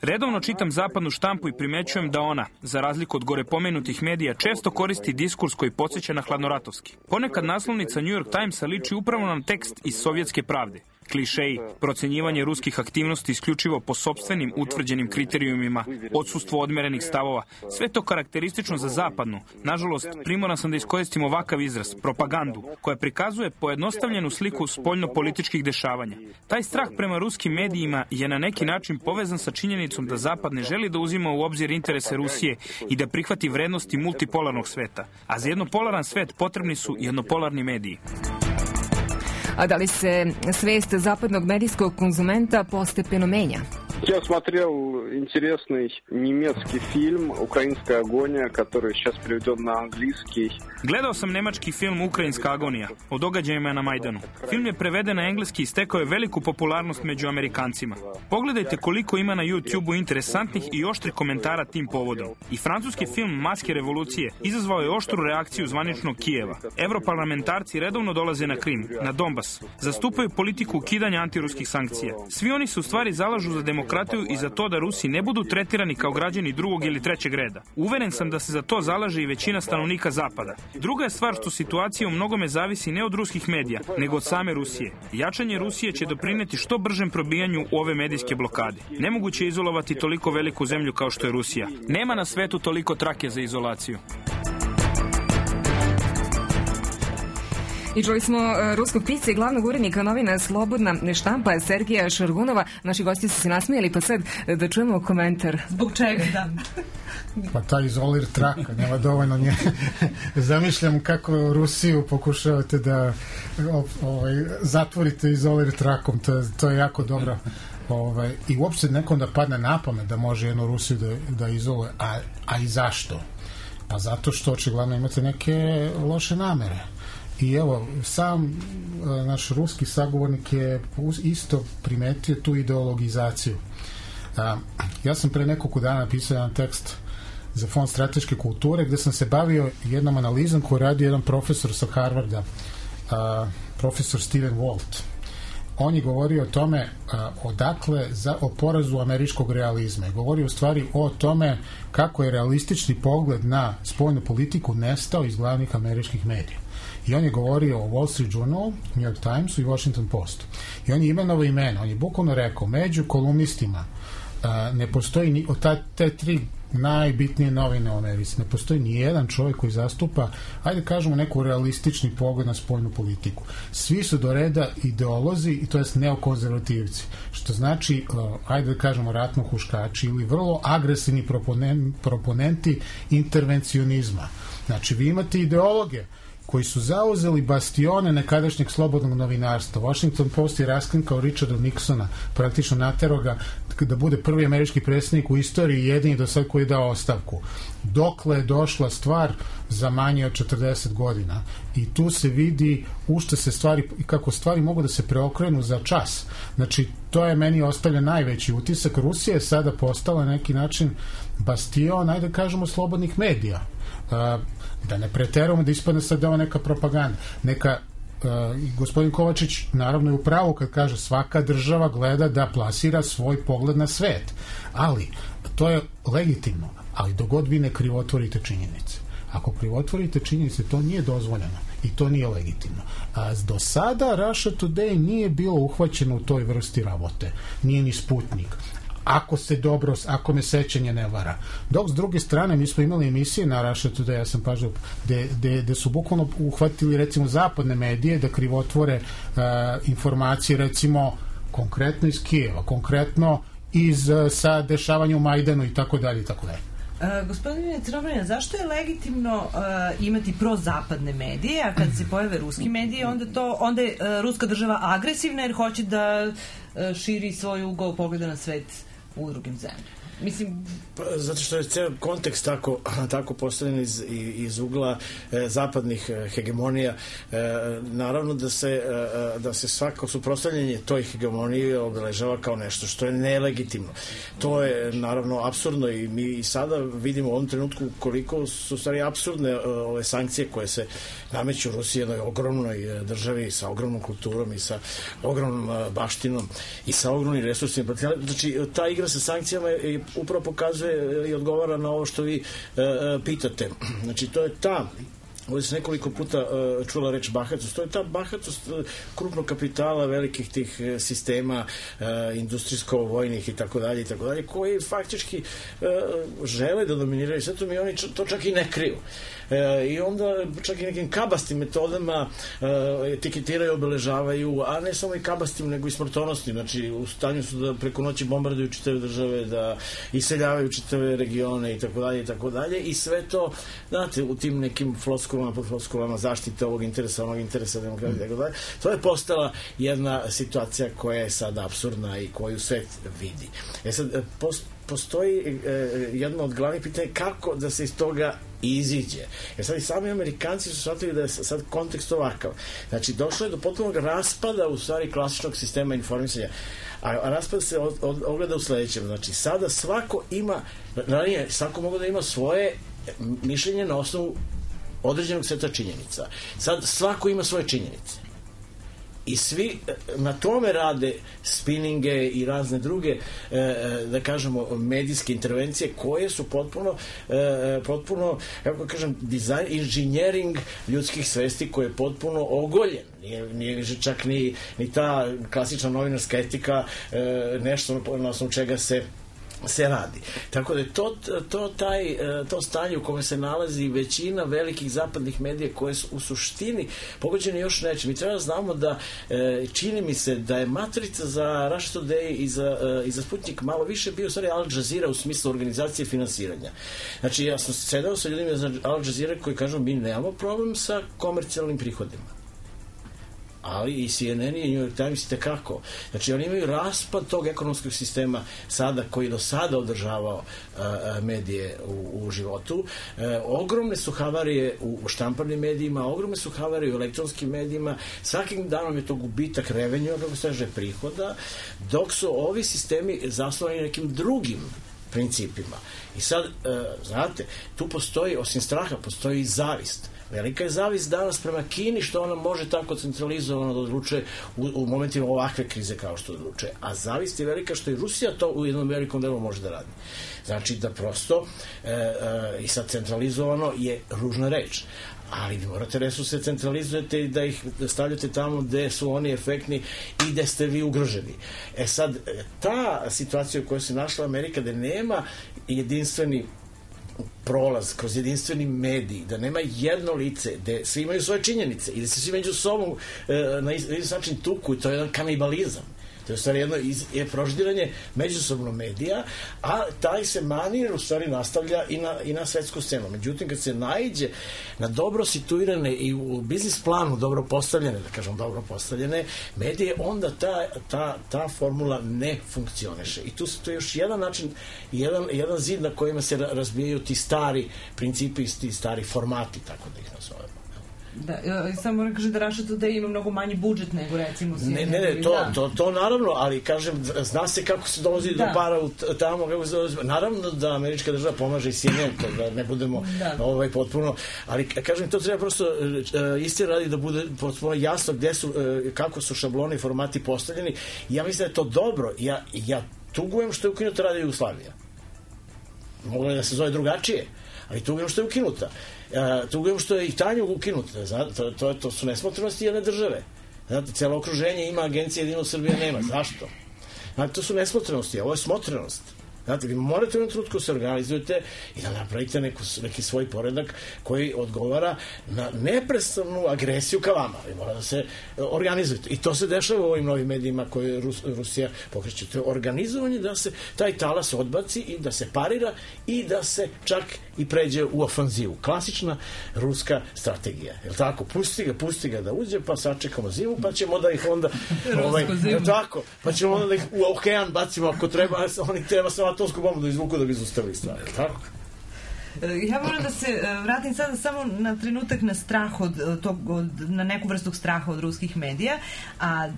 S9: Redovno čitam zapadnu štampu i primećujem da ona, za razliku od gore pomenutih medija, često koristi diskurs koji podsjeća na hladnoratovski. Ponekad naslovnica New York Timesa liči upravo na tekst iz sovjetske Pravde. Klišeji, procenjivanje ruskih aktivnosti isključivo po sopstvenim utvrđenim kriterijumima, odsustvo odmerenih stavova, sve to karakteristično za zapadnu. Nažalost, primoran sam da iskoristim ovakav izraz, propagandu, koja prikazuje pojednostavljenu sliku spoljno-političkih dešavanja. Taj strah prema ruskim medijima je na neki način povezan sa činjenicom da Zapad ne želi da uzima u obzir interese Rusije i da prihvati vrednosti multipolarnog sveta. A za jednopolaran svet potrebni su jednopolarni mediji.
S2: A da li se svest zapadnog medijskog konzumenta postepeno menja?
S8: Я смотрел интересный немецкий фильм «Украинская агония», который сейчас переведен на английский.
S9: Gledao sam nemački film Ukrajinska agonija o događajima na Majdanu. Film je preveden na engleski i stekao je veliku popularnost među Amerikancima. Pogledajte koliko ima na YouTube-u interesantnih i oštrih komentara tim povodom. I francuski film Maske revolucije izazvao je oštru reakciju zvaničnog Kijeva. Evroparlamentarci redovno dolaze na Krim, na Donbas. Zastupaju politiku ukidanja antiruskih sankcija. Svi oni se u stvari zalažu za demokratiju i za to da Rusi ne budu tretirani kao građani drugog ili trećeg reda. Uveren sam da se za to zalaže i većina stanovnika Zapada. Druga je stvar što situacija u mnogome zavisi ne od ruskih medija, nego od same Rusije. Jačanje Rusije će doprineti što bržem probijanju ove medijske blokade. Nemoguće je izolovati toliko veliku zemlju kao što je Rusija. Nema na svetu toliko trake za izolaciju.
S2: I čuli smo ruskog pisca i glavnog urednika novina Slobodna štampa Sergija Šargunova. Naši gosti su se nasmijali, pa sad da čujemo komentar.
S4: Zbog čega, da?
S6: Pa ta izolir traka, nema dovoljno nje. Zamišljam kako Rusiju pokušavate da zatvorite izolir trakom, to je jako dobro. I uopšte nekom da padne na pamet da može jednu Rusiju da izoluje, a i zašto? Pa zato što očigledno imate neke loše namere. I evo, sam naš ruski sagovornik je isto primetio tu ideologizaciju. Ja sam pre nekoliko dana napisao jedan tekst za Fond strateške kulture gde sam se bavio jednom analizom koju radi jedan profesor sa Harvarda, profesor Steven Walt. on je govorio o tome odakle o porazu američkog realizma. Govorio u stvari o tome kako je realistični pogled na spoljnu politiku nestao iz glavnih američkih medija. I on je govorio o Wall Street Journal, New York Timesu i Washington Postu. I on je imenovao imena. On je bukvalno rekao, među kolumnistima ne postoji od te tri najbitnije novine u Americi. Ne postoji ni jedan čovjek koji zastupa, ajde kažemo, neku realistični pogled na spoljnu politiku. Svi su do reda ideolozi i to jest neokonzervativci. Što znači, ajde da kažemo, ratno huškači ili vrlo agresivni proponenti intervencionizma. Znači, vi imate ideologe koji su zauzeli bastione nekadašnjeg slobodnog novinarstva. Washington Post je raskrinkao Richarda Nixona, praktično naterao ga da bude prvi američki predsjednik u istoriji, jedini do sad koji je dao ostavku. Dokle je došla stvar za manje od 40 godina. I tu se vidi u što se stvari, kako stvari mogu da se preokrenu za čas. Znači, to je meni ostavlja najveći utisak. Rusija je sada postala na neki način bastion, ajde da kažemo, slobodnih medija. Da ne preterujemo da ispadne sad da je ovo neka propaganda. Gospodin Kovačić naravno je u pravu kad kaže svaka država gleda da plasira svoj pogled na svet. Ali, to je legitimno. Ali dogod vi ne krivotvorite činjenice. Ako krivotvorite činjenice, to nije dozvoljeno i to nije legitimno. A do sada Russia Today nije bilo uhvaćeno u toj vrsti rabote. Nije ni Sputnik. Ako me sećanje ne vara. Dok s druge strane mi smo imali emisije na Russia Today, ja sam pažnjao, gde su bukvalno uhvatili recimo zapadne medije da krivotvore informacije recimo konkretno iz Kijeva, konkretno iz sa dešavanja u Majdanu i tako dalje i tako dalje.
S4: Gospodine Crnobranja, zašto je legitimno imati prozapadne medije, a kad se pojave ruski mediji, onda je ruska država agresivna jer hoće da širi svoj ugao pogleda na svet u drugim zemljama? Mislim...
S3: Zato što je ceo kontekst tako postavljen iz ugla zapadnih hegemonija. Naravno da se svako suprotstavljanje toj hegemoniji obeležava kao nešto što je nelegitimno. To je naravno apsurdno i mi sada vidimo u ovom trenutku koliko su stvari apsurdne ove sankcije koje se nameću Rusiji, jednoj ogromnoj državi sa ogromnom kulturom i sa ogromnom baštinom i sa ogromnim resursima. Znači, ta igra sa sankcijama upravo pokazuje i odgovara na ovo što vi pitate. Znači, to je ta, ovdje se nekoliko puta čula reč bahatost, to je ta bahatost krupnog kapitala, velikih tih sistema industrijsko-vojnih i tako dalje, koji faktički žele da dominiraju svetom i oni to čak i ne kriju. I onda čak i nekim kabastim metodama etiketiraju, obeležavaju, a ne samo i kabastim, nego i smrtonosnim. Znači, u stanju su da preko noći bombarduju čitave države, da iseljavaju čitave regione i tako dalje. I sve to, znate, u tim nekim floskulama zaštite ovog interesa, onog interesa, demokratije i tako dalje. To je postala jedna situacija koja je sada apsurdna i koju svet vidi. Sad, postoji jedno od glavnih pitanja kako da se iz toga iziđe. Sad i sami Amerikanci su shvatili da je sad kontekst ovakav. Znači, došlo je do potpunog raspada u stvari klasičnog sistema informisanja. A raspad se ogleda u sledećem. Znači, sada svako mogu da ima svoje mišljenje na osnovu određenog seta činjenica. Sad svako ima svoje činjenice. I svi na tome rade spininge i razne druge, da kažemo, medijske intervencije koje su potpuno, kako kažem, dizajn, inženjering ljudskih svesti koji je potpuno ogoljen. Nije čak ni ta klasična novinarska etika nešto na osnovu čega se radi. Tako da je to stanje u kome se nalazi većina velikih zapadnih medija koje su u suštini pogođene još nečim. Mi treba da znamo da čini mi se da je matrica za Russia Today i za Sputnik malo više bio u stvari Al Jazeera u smislu organizacije finansiranja. Znači, ja sam sedao sa ljudima za Al Jazeera koji kažu mi nemamo problem sa komercijalnim prihodima. Ali i CNN i New York Times i tekako. Znači, oni imaju raspad tog ekonomskog sistema sada, koji do sada održavao medije u životu. Ogromne su havarije u štamparnim medijima, ogromne su havarije u elektronskim medijima. Svakim danom je to gubitak revenue, kako se kaže, prihoda, dok su ovi sistemi zasnovani nekim drugim principima. I sad, znate, tu postoji, osim straha, postoji i zavist. Velika je zavist danas prema Kini što ona može tako centralizovano da odlučuje u momentima ovakve krize kao što odlučuje. A zavist je velika što i Rusija to u jednom velikom delu može da radi. Znači da prosto i sad centralizovano je ružna reč. Ali vi morate resurse centralizujete i da ih stavljate tamo gde su oni efektni i gde ste vi ugroženi. Sad, ta situacija u kojoj se našla Amerika, da nema jedinstveni prolaz kroz jedinstveni medij, da nema jedno lice, gde svi imaju svoje činjenice i da se svi među sobom na isti način tuku, i to je jedan kanibalizam. To je u stvari jedno proždiranje međusobno medija, a taj se manir u stvari nastavlja i na svetsku scenu. Međutim, kad se naiđe na dobro situirane i u biznis planu dobro postavljene, da kažem dobro postavljene medije, onda ta formula ne funkcioniše. I tu je još jedan način, jedan zid na kojima se razbijaju ti stari principi, ti stari formati, tako da ih nazovemo.
S4: Da, samo moram kažem da Russia Today ima mnogo manji budžet nego recimo
S3: ne, to naravno, ali kažem, zna se kako se dolazi do para tamo, kako se dolazi, naravno da američka država pomaže i CNN, da ne budemo potpuno, ali kažem, to treba prosto istine radi da bude potpuno jasno gde su, kako su šabloni i formati postavljeni. Ja mislim da je to dobro. Ja tugujem što je ukinuta Radio Jugoslavija. Moglo je da se zove drugačije, ali tugujem što je ukinuta. Tugujem što je i Tanjug ukinuta. To su nesmotrenosti jedne države. Znate, cijelo okruženje ima agencije, jedino Srbija nema. Zašto? Znate, to su nesmotrenosti, a ovo je smotrenost. Znate, vi morate u jednom trenutku se organizujete i da napravite neki svoj poredak koji odgovara na neprestanu agresiju ka vama. Vi morate da se organizujete. I to se dešava u ovim novim medijima koje Rusija pokreće. To je organizovanje da se taj talas odbaci i da se parira i da se čak i pređe u ofanzivu. Klasična ruska strategija. Je li tako? Pusti ga da uđe, pa sačekamo zimu, pa ćemo da ih onda tako, pa ćemo onda da ih u okean bacimo ako treba, oni treba samo atomsku bombu da izvuku da bi izustavili stvari. Je li tako?
S4: Ja moram da se vratim sada samo na trenutak na strah na neku vrstu straha od ruskih medija, a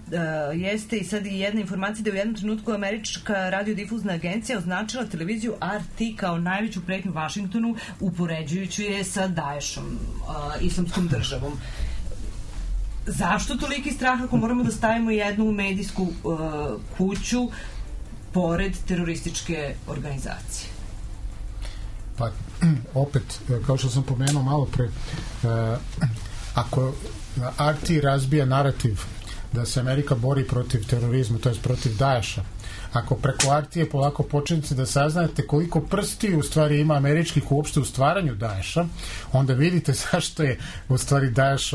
S4: jeste i sad i jedna informacija da je u jednom trenutku američka radiodifuzna agencija označila televiziju RT kao najveću pretnju Vašingtonu, upoređujući je sa Daeshom, islamskom državom. Zašto toliki strah ako moramo da stavimo jednu medijsku kuću pored terorističke organizacije?
S6: Pa, opet, kao što sam pomenuo malo pre, ako RT razbija narativ da se Amerika bori protiv terorizma, to je protiv Daesha, ako preko RT-a polako počinjete da saznate koliko prstiju u stvari ima američkih uopšte u stvaranju Daesha, onda vidite zašto je u stvari Daesh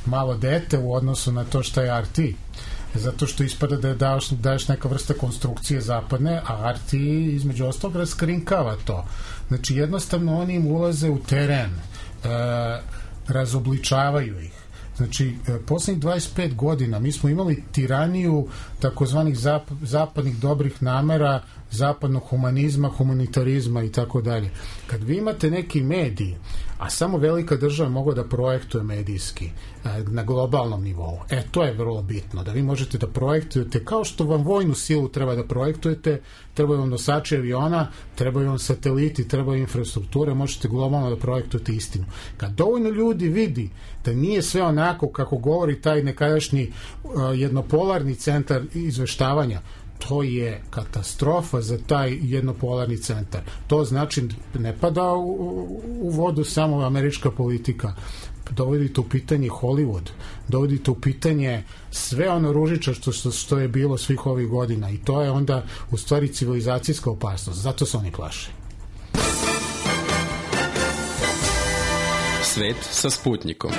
S6: malo dete u odnosu na to što je RT. Zato što ispada da je Daesh neka vrsta konstrukcije zapadne, a RT između ostalog raskrinkava to. Znači jednostavno oni im ulaze u teren, razobličavaju ih. Znači, poslednjih 25 godina mi smo imali tiraniju takozvanih zapadnih dobrih namera, zapadnog humanizma, humanitarizma i tako dalje. Kad vi imate neki mediji, a samo velika država mogla da projektuje medijski na globalnom nivou, to je vrlo bitno, da vi možete da projektujete kao što vam vojnu silu treba da projektujete, trebaju vam nosači aviona, trebaju vam sateliti, trebaju infrastrukture, možete globalno da projektujete istinu. Kad dovoljno ljudi vidi da nije sve onako kako govori taj nekadašnji jednopolarni centar izveštavanja, to je katastrofa za taj jednopolarni centar. To znači ne pada u vodu samo američka politika. Dovodite u pitanje Hollywood, dovodite u pitanje sve ono ružičasto što je bilo svih ovih godina i to je onda u stvari civilizacijska opasnost. Zato se oni plaše.
S1: Svet sa Sputnikom.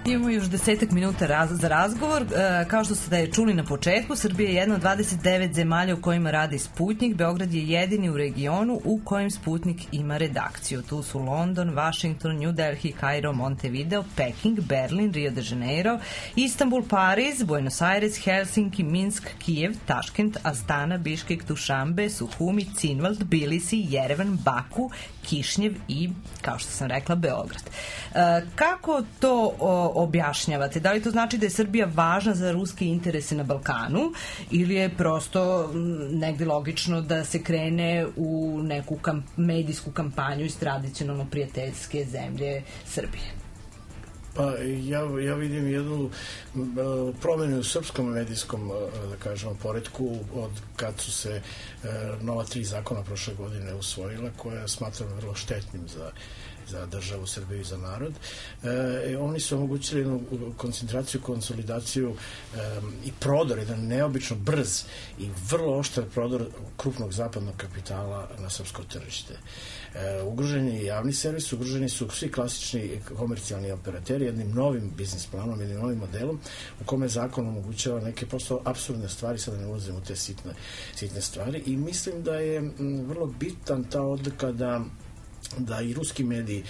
S4: Imamo još 10 minuta za razgovor. Kao što ste da je čuli na početku, Srbija je jedna od 29 zemalja u kojima radi Sputnik. Beograd je jedini u regionu u kojem Sputnik ima redakciju. Tu su London, Washington, New Delhi, Kairo, Montevideo, Peking, Berlin, Rio de Janeiro, Istanbul, Pariz, Buenos Aires, Helsinki, Minsk, Kijev, Taškent, Astana, Biškek, Dušanbe, Suhumi, Cinvald, Tbilisi, Jerevan, Baku, Kišnjev i, kao što sam rekla, Beograd. Kako to objašnjavate? Da li to znači da je Srbija važna za ruske interese na Balkanu ili je prosto negde logično da se krene u neku medijsku kampanju iz tradicionalno prijateljske zemlje Srbije?
S3: Pa ja vidim jednu promenu u srpskom medijskom, da kažemo, poretku od kad su se nova 3 zakona prošle godine usvojila, koja smatram vrlo štetnim za državu Srbiju i za narod. Oni su omogućili jednu koncentraciju, konsolidaciju i prodor, jedan neobično brz i vrlo oštar prodor krupnog zapadnog kapitala na srpsko tržište. Ugrožen je javni servis, ugroženi su svi klasični komercijalni operateri jednim novim biznis planom, jednim novim modelom u kome zakon omogućava neke prosto apsurdne stvari, sada ne ulazim u te sitne stvari, i mislim da je vrlo bitan ta odlika da i ruski mediji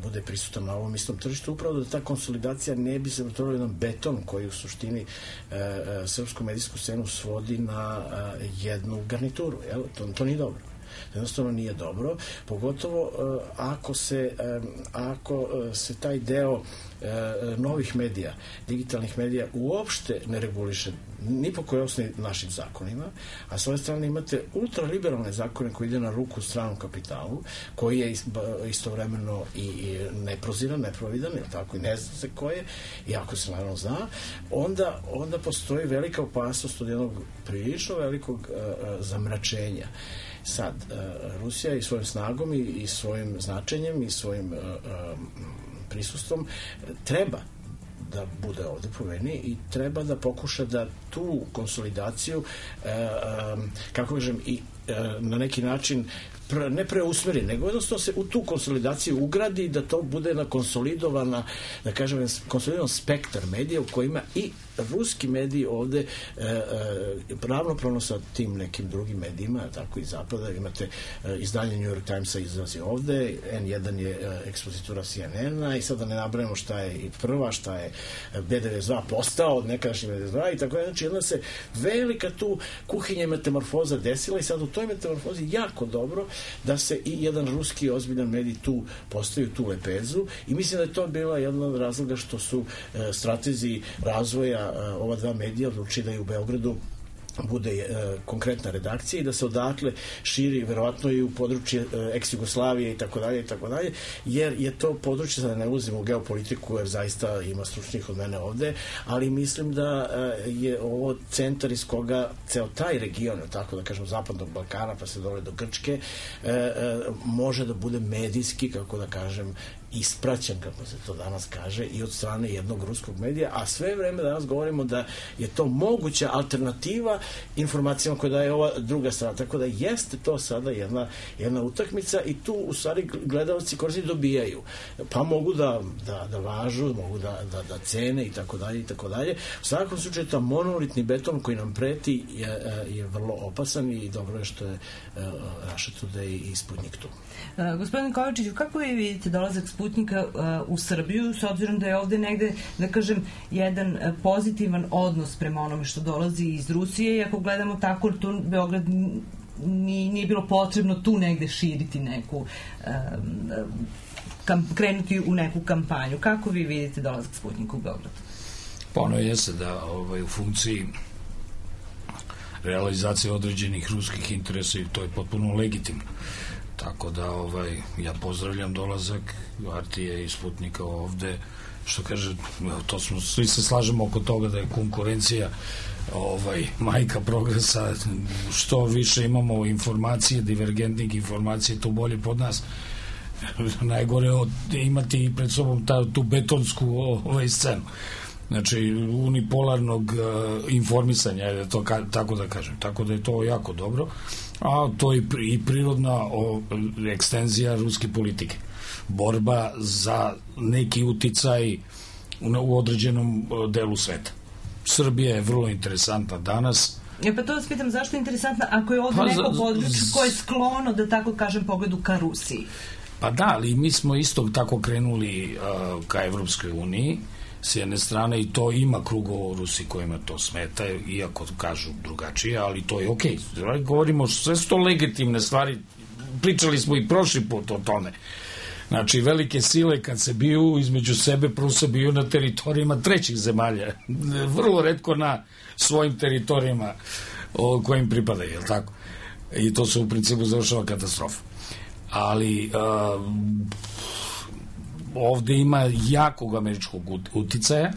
S3: bude prisutan na ovom istom tržištu, upravo da ta konsolidacija ne bi se pretvorila jedan beton koji u suštini srpsku medijsku scenu svodi na jednu garnituru. To nije dobro. Jednostavno nije dobro, pogotovo ako se taj deo novih medija, digitalnih medija uopšte ne reguliše ni po kojoj osnovi našim zakonima, a s ove strane imate ultraliberalne zakone koji ide na ruku stranom kapitalu, koji je istovremeno i neproziran, neprovidan, ili tako, i ne zna se ko je, i ako se naravno zna, onda postoji velika opasnost od jednog prilično velikog zamračenja. Sad, Rusija i svojim snagom i svojim značenjem i svojim prisustvom treba da bude ovde po meni i treba da pokuša da tu konsolidaciju kako kažem i na neki način ne preusmeri, nego jednostavno se u tu konsolidaciju ugradi, da to bude na konsolidovana, da kažem, konsolidovan spektar medija u kojima i ruski mediji ovde ravnopravno sa tim nekim drugim medijima, tako i zapada, imate izdanje New York Timesa izlazi ovde, N1 je ekspozitura CNN-a i sada ne nabrajamo šta je i prva, šta je B92 postao od nekadašnji B92 i tako je. Znači, jedna se velika tu kuhinja metamorfoza desila i sad u toj metamorfozi jako dobro da se i jedan ruski ozbiljan medij tu postavi tu lepezu i mislim da je to bila jedna od razloga što su stratezi razvoja ova dva medija odlučili da je u Beogradu bude konkretna redakcija i da se odatle širi verovatno i u područje ex-Jugoslavije i tako dalje, jer je to područje, sada ne ulazim u geopolitiku jer zaista ima stručnih od mene ovde, ali mislim da je ovo centar iz koga ceo taj region, tako da kažem, zapadnog Balkana pa se dole do Grčke, može da bude medijski, kako da kažem, ispraćen, kako se to danas kaže, i od strane jednog ruskog medija, a sve vreme danas govorimo da je to moguća alternativa informacijama koje daje ova druga strana, tako da jeste to sada jedna utakmica i tu u stvari gledalci korisnici dobijaju, pa mogu da važu, mogu da cene i tako dalje. U svakom slučaju ta monolitni beton koji nam preti je vrlo opasan i dobro je što je Russia Today i Sputnik tu.
S4: Gospodin Kovačiću, kako vi vidite dolazak Sputnika u Srbiju, s obzirom da je ovde negde, da kažem, jedan pozitivan odnos prema onome što dolazi iz Rusije, i ako gledamo tako, tu Beograd nije bilo potrebno tu negde širiti neku krenuti u neku kampanju. Kako vi vidite dolazak Sputnika u Beograd?
S5: Pa ono jeste da u funkciji realizacije određenih ruskih interesa i to je potpuno legitimno. Tako da ja pozdravljam dolazak Artije i Sputnika ovde, što kaže, to smo, svi se slažemo oko toga da je konkurencija majka progresa, što više imamo informacije, divergentnih informacije, to bolje pod nas. Najgore imati pred sobom tu betonsku scenu. Znači, unipolarnog informisanja, to tako da kažem. Tako da je to jako dobro, a to je i prirodna ekstenzija ruske politike. Borba za neki uticaj u određenom delu sveta. Srbija je vrlo interesantna danas.
S4: Pa to vas pitam, zašto je interesantna ako je ovdje neko područje koje je sklono, da tako kažem, pogledu ka Rusiji?
S5: Pa da, ali mi smo isto tako krenuli ka Evropskoj uniji s jedne strane i to ima krugova u Rusiji kojima to smeta, iako kažu drugačije, ali to je okej. Govorimo, sve su to legitimne stvari, pričali smo i prošli put o tome. Znači, velike sile kad se biju između sebe, prvo se biju na teritorijama trećih zemalja. Vrlo retko na svojim teritorijama kojim pripadaju, je li tako? I to se u principu završava katastrofa. Ali ovde ima jakog američkog uticaja,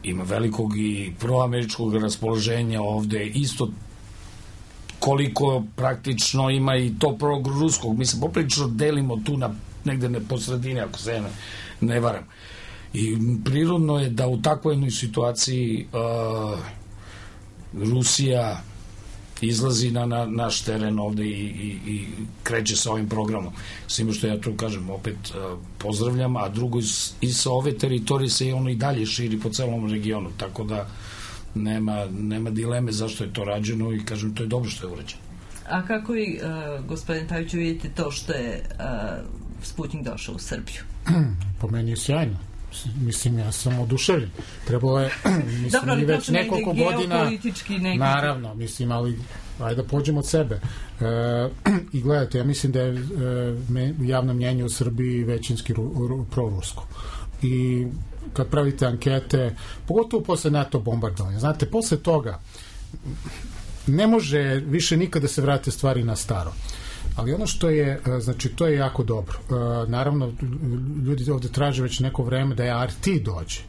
S5: ima velikog i proameričkog raspoloženja ovde, isto koliko praktično ima i to pro-ruskog. Mi se poprilično delimo tu negde po sredini, ako se ne varam. I prirodno je da u takvoj jednoj situaciji Rusija izlazi na naš teren ovde i kreće sa ovim programom. Svima što ja tu kažem, opet pozdravljam, a drugo i sa ove teritorije se ono i dalje širi po celom regionu, tako da nema dileme zašto je to rađeno i kažem, to je dobro što je urađeno.
S4: A kako i, gospodin Paviću, vidite to što je Sputnik došao u Srbiju?
S6: Po meni je sjajno. Mislim, ja sam oduševljen. Trebalo je, mislim, i već nekoliko godina, naravno, mislim, ali ajde da pođemo od sebe. I gledajte, ja mislim da je javno mnjenje u Srbiji većinski prorusko. I kad pravite ankete, pogotovo posle NATO bombardovanja, znate, posle toga ne može više nikada se vrate stvari na staro. Ali ono što je, znači, to je jako dobro. Naravno, ljudi ovde traže već neko vreme da je RT dođe.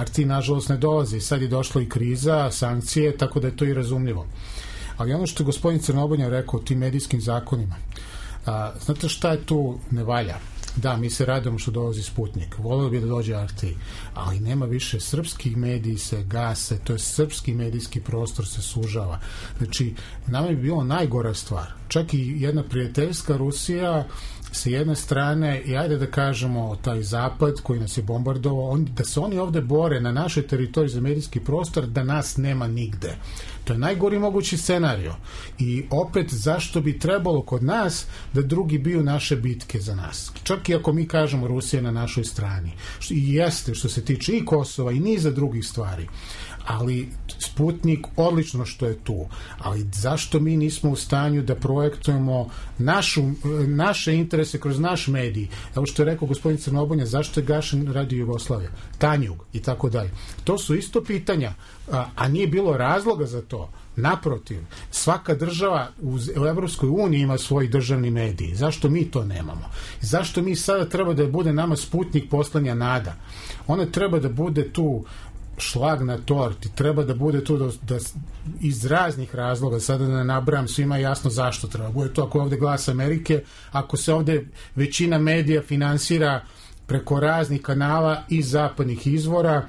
S6: RT, nažalost, ne dolazi. Sad je došla i kriza, sankcije, tako da je to i razumljivo. Ali ono što je gospodin Crnobonja rekao o tim medijskim zakonima, znate šta je tu ne valja? Da, mi se radimo što dolazi Sputnik. Volio bi da dođe RT, ali nema više. Srpski mediji se gase, to je srpski medijski prostor se sužava. Znači, nama bi bilo najgora stvar. Čak i jedna prijateljska Rusija sa jedne strane, i ajde da kažemo taj zapad koji nas je bombardovao, da se oni ovde bore na našoj teritoriji za medijski prostor, da nas nema nigde. To je najgori mogući scenario. I opet, zašto bi trebalo kod nas da drugi biju naše bitke za nas? Čak i ako mi kažemo Rusija na našoj strani. I jeste što se tiče i Kosova i niza drugih stvari. Ali Sputnik, odlično što je tu. Ali zašto mi nismo u stanju da projektujemo naše interese kroz naš medij? Evo što je rekao gospodin Crnobonja, zašto je gašen Radio Jugoslavija? Tanjug i tako dalje. To su isto pitanja, a nije bilo razloga za to. Naprotiv, svaka država u Evropskoj uniji ima svoj državni medij. Zašto mi to nemamo? Zašto mi sada treba da bude nama Sputnik poslanja nada? Ona treba da bude tu šlag na torti, treba da bude tu da iz raznih razloga, sada da ne nabrajam, svima jasno zašto treba. Bude to ako je ovde Glas Amerike, ako se ovde većina medija finansira preko raznih kanala i zapadnih izvora,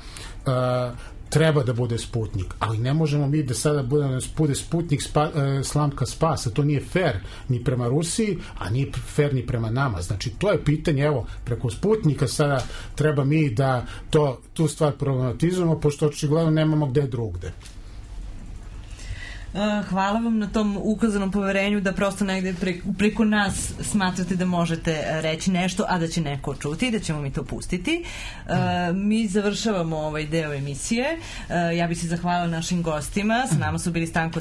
S6: treba da bude Sputnik, ali ne možemo mi da sada bude Sputnik slamka spasa, to nije fair ni prema Rusiji, a nije fair ni prema nama. Znači, to je pitanje, evo, preko Sputnika sada treba mi da tu stvar problematizujemo, pošto očigledno nemamo gde drugde.
S4: Hvala vam na tom ukazanom poverenju da prosto negde preko nas smatrate da možete reći nešto, a da će neko čuti i da ćemo mi to pustiti. Mi završavamo ovaj deo emisije. Ja bih se zahvalila našim gostima. Sa nama su bili Stanko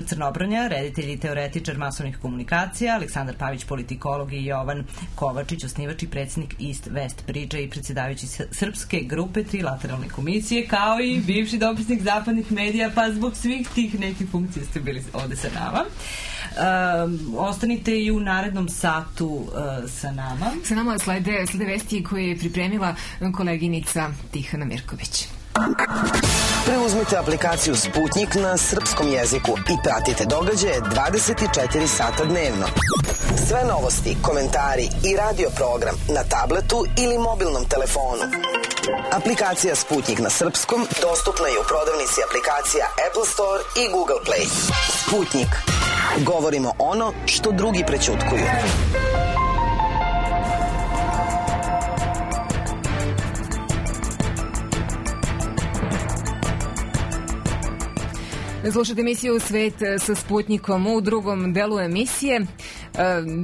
S4: Crnobronja, reditelj i teoretičar masovnih komunikacija, Aleksandar Pavić, politikolog, i Jovan Kovačić, osnivač i predsjednik East West Bridge i predsjedavajući srpske grupe Trilateralne komisije, kao i bivši dopisnik zapadnih medija, pa zbog svih tih nekih funkcije ste bili ovde sa nama. Ostanite i u narednom satu sa nama.
S2: Sa nama slede vesti koje je pripremila koleginica Tihana Mirković.
S10: Preuzmite aplikaciju Sputnik na srpskom jeziku i pratite događaje 24 sata dnevno. Sve novosti, komentari i radio program na tabletu ili mobilnom telefonu. Aplikacija Sputnik na srpskom dostupna je u prodavnici aplikacija Apple Store i Google Play. Sputnik. Govorimo ono što drugi prećutkuju.
S2: Slušajte emisiju Svet sa Sputnikom u drugom delu emisije.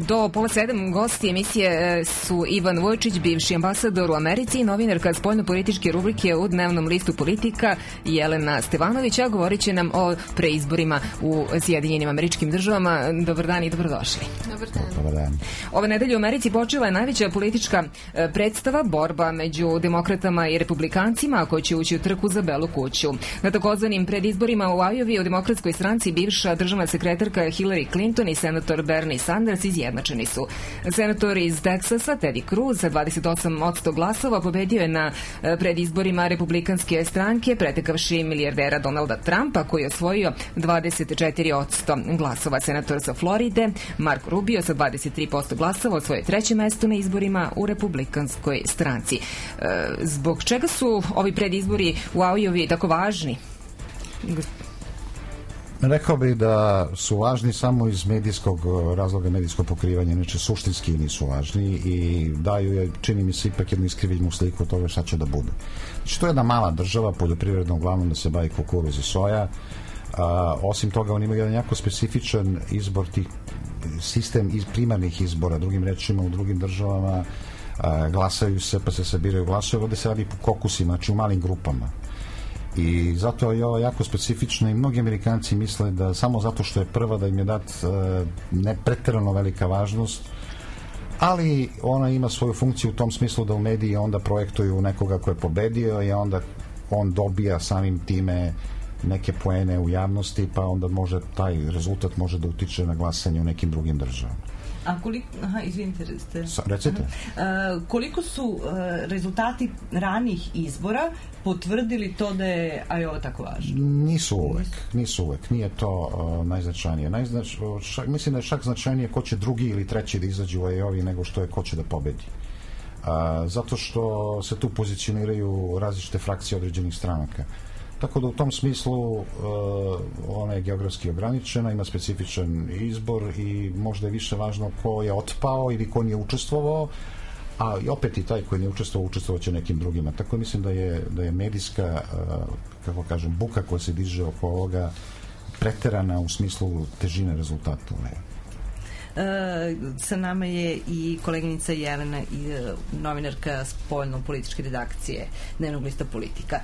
S2: Do pola 7 gosti emisije su Ivan Vujčić, bivši ambasador u Americi i novinarka spoljno-političke rubrike u dnevnom listu Politika Jelena Stevanović, a govorit će nam o preizborima u Sjedinjenim Američkim Državama. Dobar dan i dobrodošli.
S11: Dobar dan.
S2: Ove nedelje u Americi počela je najveća politička predstava, borba među demokratama i republikancima koji će ući u trku za Belu kuću. Na takozvanim predizborima u Iowi u demokratskoj stranci bivša državna sekretarka Hillary Clinton i senator Bernie Sanders izjednačeni su. Senator iz Teksasa Teddy Cruz sa 28% glasova pobedio je na predizborima republikanske stranke, pretekavši milijardera Donalda Trumpa koji je osvojio 24% glasova. Senator sa Floride Marco Rubio sa 23% glasova osvojio treće mesto na izborima u republikanskoj stranci. Zbog čega su ovi predizbori u Iowi tako važni?
S11: Rekao bih da su važni samo iz medijskog razloga, medijskog pokrivanja, inače suštinski nisu važni i daju je, čini mi se, ipak jednu iskrivljenu sliku od toga šta će da bude. Znači, to je jedna mala država, poljoprivredno uglavnom da se bavi kukuruz i soja. Osim toga, oni imaju jedan jako specifičan izbor tih sistem iz primarnih izbora, drugim rečima u drugim državama glasaju se, pa se sabiraju glasove, ovde se radi po kokusima, znači u malim grupama. I zato je ovo jako specifično i mnogi Amerikanci misle da samo zato što je prva da im je dat ne preterano velika važnost, ali ona ima svoju funkciju u tom smislu da u mediji onda projektuju nekoga ko je pobedio i onda on dobija samim time neke poene u javnosti, pa onda može taj rezultat može da utiče na glasanje u nekim drugim državama.
S4: A koliko, izvinite,
S11: recite.
S4: Koliko su rezultati ranih izbora potvrdili to da je Iowa tako važno?
S11: Nisu uvek. Nije to najznačajnije. Mislim da je čak značajnije ko će drugi ili treći da izađe u Iowa nego što je ko će da pobedi. Zato što se tu pozicioniraju različite frakcije određenih stranaka. Tako da u tom smislu ona je geografski ograničena, ima specifičan izbor i možda je više važno ko je otpao ili ko nije učestvovao, a i opet i taj koji nije učestvovao će nekim drugima. Tako mislim da je medijska, kako kažem, buka koja se diže oko ovoga preterana u smislu težine rezultata.
S4: Sa nama je i koleginica Jelena, novinarka spoljno-političke redakcije dnevnog lista Politika.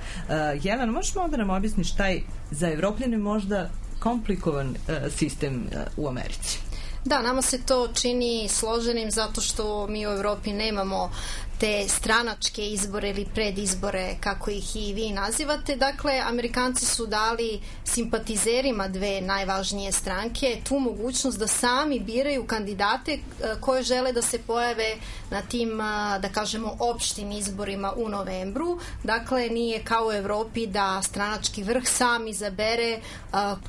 S4: Jelena, možeš malo da nam objasniš taj za Evropljane možda komplikovan sistem u Americi?
S12: Da, nama se to čini složenim zato što mi u Evropi nemamo te stranačke izbore ili predizbore, kako ih i vi nazivate. Dakle, Amerikanci su dali simpatizerima dve najvažnije stranke tu mogućnost da sami biraju kandidate koje žele da se pojave na tim, da kažemo, opštim izborima u novembru. Dakle, nije kao u Evropi da stranački vrh sam izabere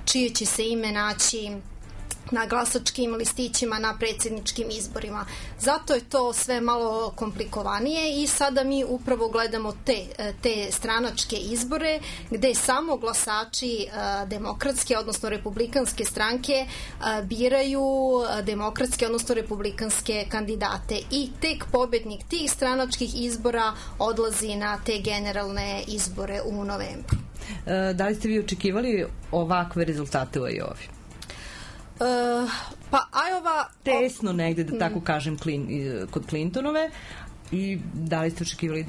S12: čije će se ime naći na glasačkim listićima na predsjedničkim izborima. Zato je to sve malo komplikovanije i sada mi upravo gledamo te stranačke izbore gde samo glasači demokratske, odnosno republikanske stranke biraju demokratske, odnosno republikanske kandidate i tek pobednik tih stranačkih izbora odlazi na te generalne izbore u novembru.
S4: Da li ste vi očekivali ovakve rezultate u Iowa?
S12: Pa Iowa
S4: tesno negde, da tako kažem, kod Clintonove, i da li ste očekivali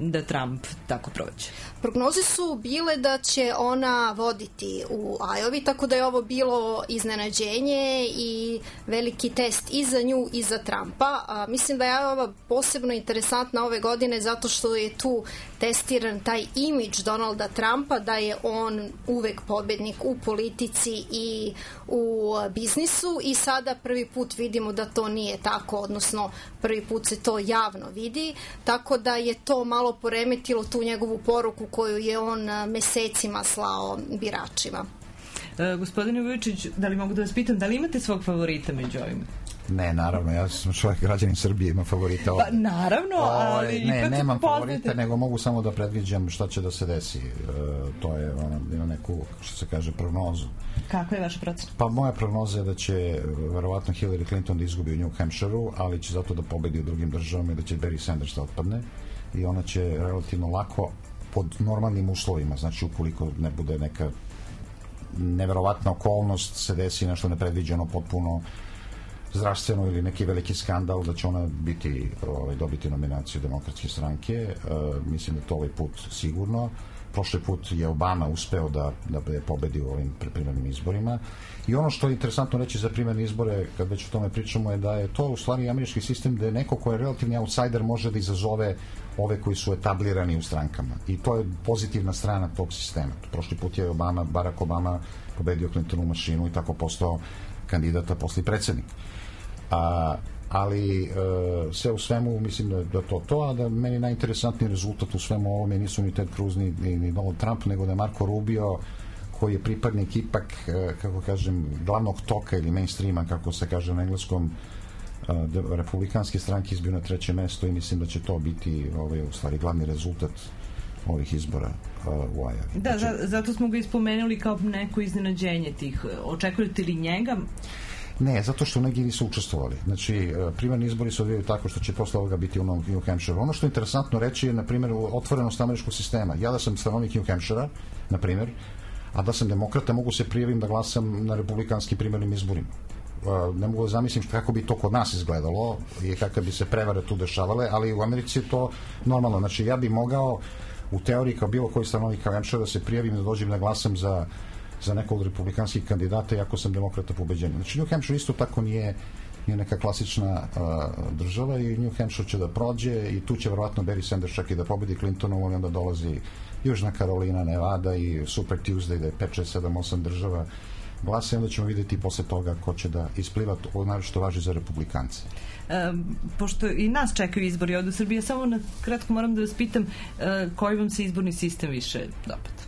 S4: da Trump tako prođe?
S12: Prognoze su bile da će ona voditi u Iowa, tako da je ovo bilo iznenađenje i veliki test i za nju i za Trumpa. Mislim da je Iowa posebno interesantna ove godine zato što je tu testiran taj imidž Donalda Trumpa da je on uvek pobednik u politici i u biznisu i sada prvi put vidimo da to nije tako, odnosno prvi put se to javno vidi, tako da je to malo poremetilo tu njegovu poruku koju je on mesecima slao biračima.
S4: Gospodine Vujčić, da li mogu da vas pitam, da li imate svog favorita među ovima?
S11: Ne, naravno, ja sam čovjek, građanin Srbije, ima favorita ovdje.
S4: Pa, naravno, ali
S11: ne, nemam favorita, nego mogu samo da predviđam šta će da se desi. To je, ima neku, što se kaže, prognozu.
S4: Kakva je vaša procena?
S11: Pa moja prognoza je da će verovatno Hillary Clinton da izgubi u New Hampshireu, ali će zato da pobedi u drugim državama i da će Bernie Sanders da otpadne i ona će relativno lako pod normalnim uslovima, znači ukoliko ne bude neka neverovatna okolnost se desi nešto nepredviđeno, potpuno zdravstveno ili neki veliki skandal, da će ona dobiti nominaciju Demokratske stranke. Mislim da to ovaj put sigurno. Prošli put je Obama uspeo da pobedi u ovim primarnim izborima. I ono što je interesantno reći za primarne izbore, kad već o tome pričamo, je da je to u stvari američki sistem da je neko ko je relativni outsider može da izazove ove koji su etablirani u strankama. I to je pozitivna strana tog sistema. Prošli put je Barack Obama pobedio Clintonu mašinu i tako postao kandidata posle predsjednik. Ali sve u svemu mislim da to, a da meni najinteresantniji rezultat u svemu ovome nisu ni Ted Cruz ni Donald Trump, nego da je Marco Rubio, koji je pripadnik ipak, kako kažem, glavnog toka ili mainstreama, kako se kaže na engleskom, republikanske stranke izbio na 3. mesto i mislim da će to biti u stvari glavni rezultat ovih izbora u Ajavi.
S4: Da, zato smo ga ispomenuli kao neko iznenađenje tih. Očekujete li njega?
S11: Ne, zato što neki nisu učestvovali. Znači, primarni izbori se odvijaju tako što će posle ovoga biti u New Hampshire. Ono što je interesantno reći je, na primjer, otvorenost američkog sistema. Ja da sam stanovnik New Hampshire, na primjer, a da sam demokrata, mogu se prijavim da glasam na republikanskim primarnim izborima. Ne mogu da zamislim kako bi to kod nas izgledalo i kakve bi se prevare tu dešavale, ali u Americi je to normalno. Znači, ja bi mogao u teoriji kao bilo koji stanovnik New Hampshire da se prijavim da dođem da glasam za nekog od republikanskih kandidata, iako sam demokrata pobeđenja. Znači, New Hampshire isto tako nije neka klasična država i New Hampshire će da prođe i tu će verovatno Barry Sanders čak i da pobedi Clintonovu, onda dolazi Južna Karolina, Nevada i Super Tuesday, da je 5, 6, 7, 8 država glasa i onda ćemo vidjeti posle toga ko će da ispliva, naročito važi za republikance.
S4: Pošto i nas čekaju izbori ovdje u Srbiji, samo na kratko moram da vas pitam koji vam se izborni sistem više dopada?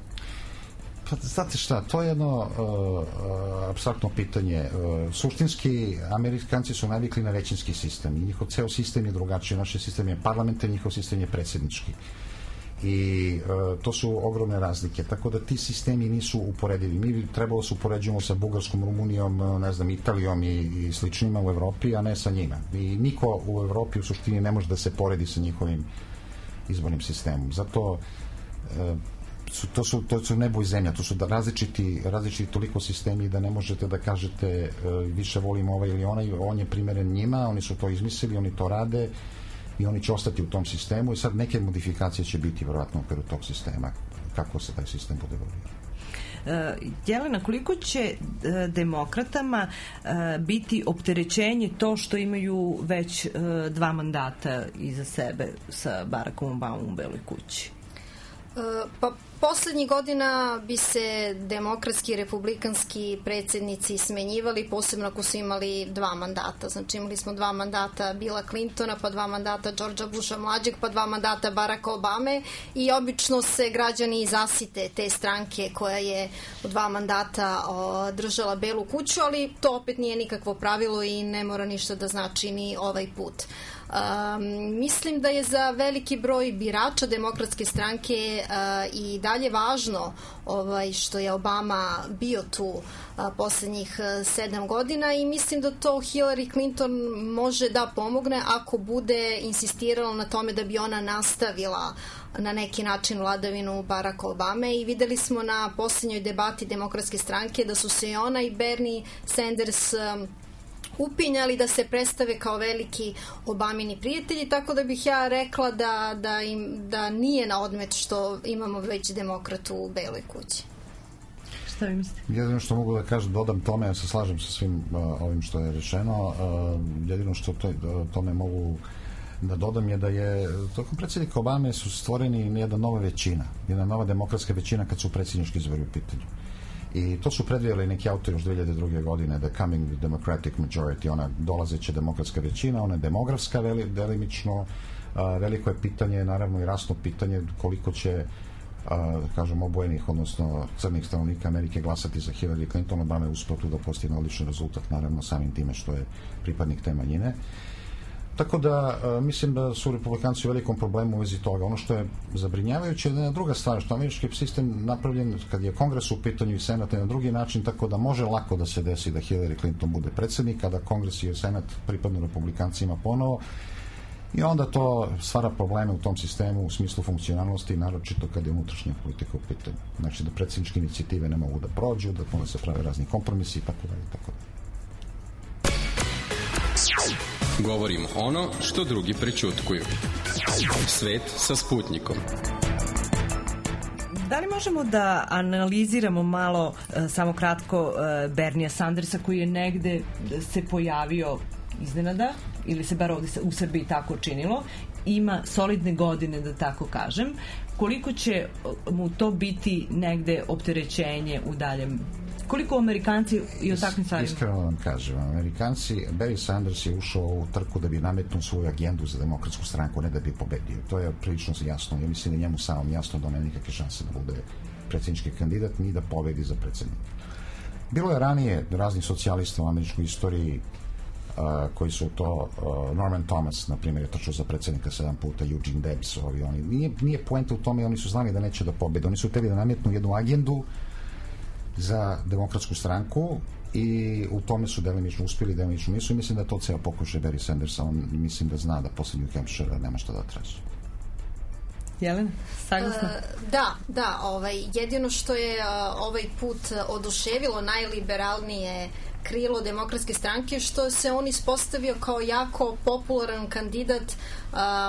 S11: Pa, znate šta, to je jedno apstraktno pitanje. Suštinski, Amerikanci su navikli na većinski sistem i njihov ceo sistem je drugačiji. Naš sistem je parlamentarni, njihov sistem je predsjednički. I to su ogromne razlike. Tako da ti sistemi nisu uporedivi. Mi trebalo se upoređujemo sa Bugarskom, Rumunijom, ne znam, Italijom i sličnima u Evropi, a ne sa njima. I niko u Evropi u suštini ne može da se poredi sa njihovim izbornim sistemom. Zato to su nebo i zemlja, to su različiti toliko sistemi da ne možete da kažete više volim ovaj ili onaj, on je primeren njima, oni su to izmislili, oni to rade i oni će ostati u tom sistemu i sad neke modifikacije će biti vjerojatno u okviru tog sistema, kako se taj sistem bude evoluira.
S4: Jelena, koliko će demokratama biti opterećenje to što imaju već 2 mandata iza sebe sa Barackom Obamom u Beloj kući?
S12: Pa poslednjih godina bi se demokratski i republikanski predsjednici smenjivali, posebno ako su imali 2 mandata. Znači imali smo 2 mandata Billa Clintona, pa 2 mandata Georgea Busha mlađeg, pa 2 mandata Baracka Obame i obično se građani zasite te stranke koja je u 2 mandata držala Belu kuću, ali to opet nije nikakvo pravilo i ne mora ništa da znači ni ovaj put. Mislim da je za veliki broj birača demokratske stranke i dalje važno što je Obama bio tu poslednjih 7 godina i mislim da to Hillary Clinton može da pomogne ako bude insistirala na tome da bi ona nastavila na neki način vladavinu Baracka Obame i videli smo na posljednjoj debati demokratske stranke da su se i ona i Bernie Sanders upinjali da se predstave kao veliki Obamini prijatelji, tako da bih ja rekla da nije na odmet što imamo već demokratu u Beloj kući.
S4: Šta vi mislite?
S11: Jedino što mogu da kažem, dodam tome, ja se slažem sa svim ovim što je rečeno, jedino što tome mogu da dodam je da je tokom predsjednika Obame su stvoreni jedna nova većina, jedna nova demokratska većina kad su predsjednički izbori u pitanju. I to su predvidjeli neki autori još 2002. godine, the coming democratic majority, ona dolazeća demokratska većina, ona je demografska delimično, veliko je pitanje, naravno i rasno pitanje koliko će, kažem, obojenih, odnosno crnih stanovnika Amerike glasati za Hillary Clinton. Obama je uspeo tu da postigne odličan rezultat, naravno samim time što je pripadnik te manjine. Tako da mislim da su republikanci u velikom problemu u vezi toga. Ono što je zabrinjavajuće je jedna druga stvar, što američki sistem napravljen kad je Kongres u pitanju i Senat na drugi način, tako da može lako da se desi da Hillary Clinton bude predsjednik, a da Kongres i Senat pripadnu republikancima ponovo. I onda to stvara probleme u tom sistemu u smislu funkcionalnosti, naročito kad je unutrašnja politika u pitanju. Znači da predsjedničke inicijative ne mogu da prođu, da onda se prave razni kompromisi i tako dalje, tako dalje.
S1: Govorimo ono što drugi prećutkuju. Svet sa Sputnikom.
S4: Da li možemo da analiziramo malo, samo kratko, Bernija Sandersa koji je negde se pojavio iznenada, ili se bar ovdje u Srbiji tako činilo, ima solidne godine, da tako kažem. Koliko će mu to biti negde opterećenje u daljem? Koliko Amerikanci i o takvim stvarima?
S11: Iskreno vam kažem, Amerikanci, Barry Sanders je ušao u trku da bi nametnuo svoju agendu za demokratsku stranku, ne da bi pobedio. To je prilično jasno. Ja mislim da njemu samom jasno da nema nikakve šanse da bude predsjednički kandidat ni da pobedi za predsjednika. Bilo je ranije raznih socijalista u američkoj istoriji koji su to, Norman Thomas, na primjer, je trčao za predsjednika 7 puta, Eugene Debs, oni. Nije poenta u tome, oni su znali da neće da pobede. Oni su hteli da nametnu jednu agendu za demokratsku stranku i u tome su delimično uspjeli, delimično nisu, i mislim da to ceo pokušaj Barry Sandersa, on mislim da zna da posle New Hampshire nema šta da traži.
S4: Jelena, saglasno?
S12: Da, jedino što je ovaj put oduševilo najliberalnije krilo demokratske stranke, što se on ispostavio kao jako popularan kandidat,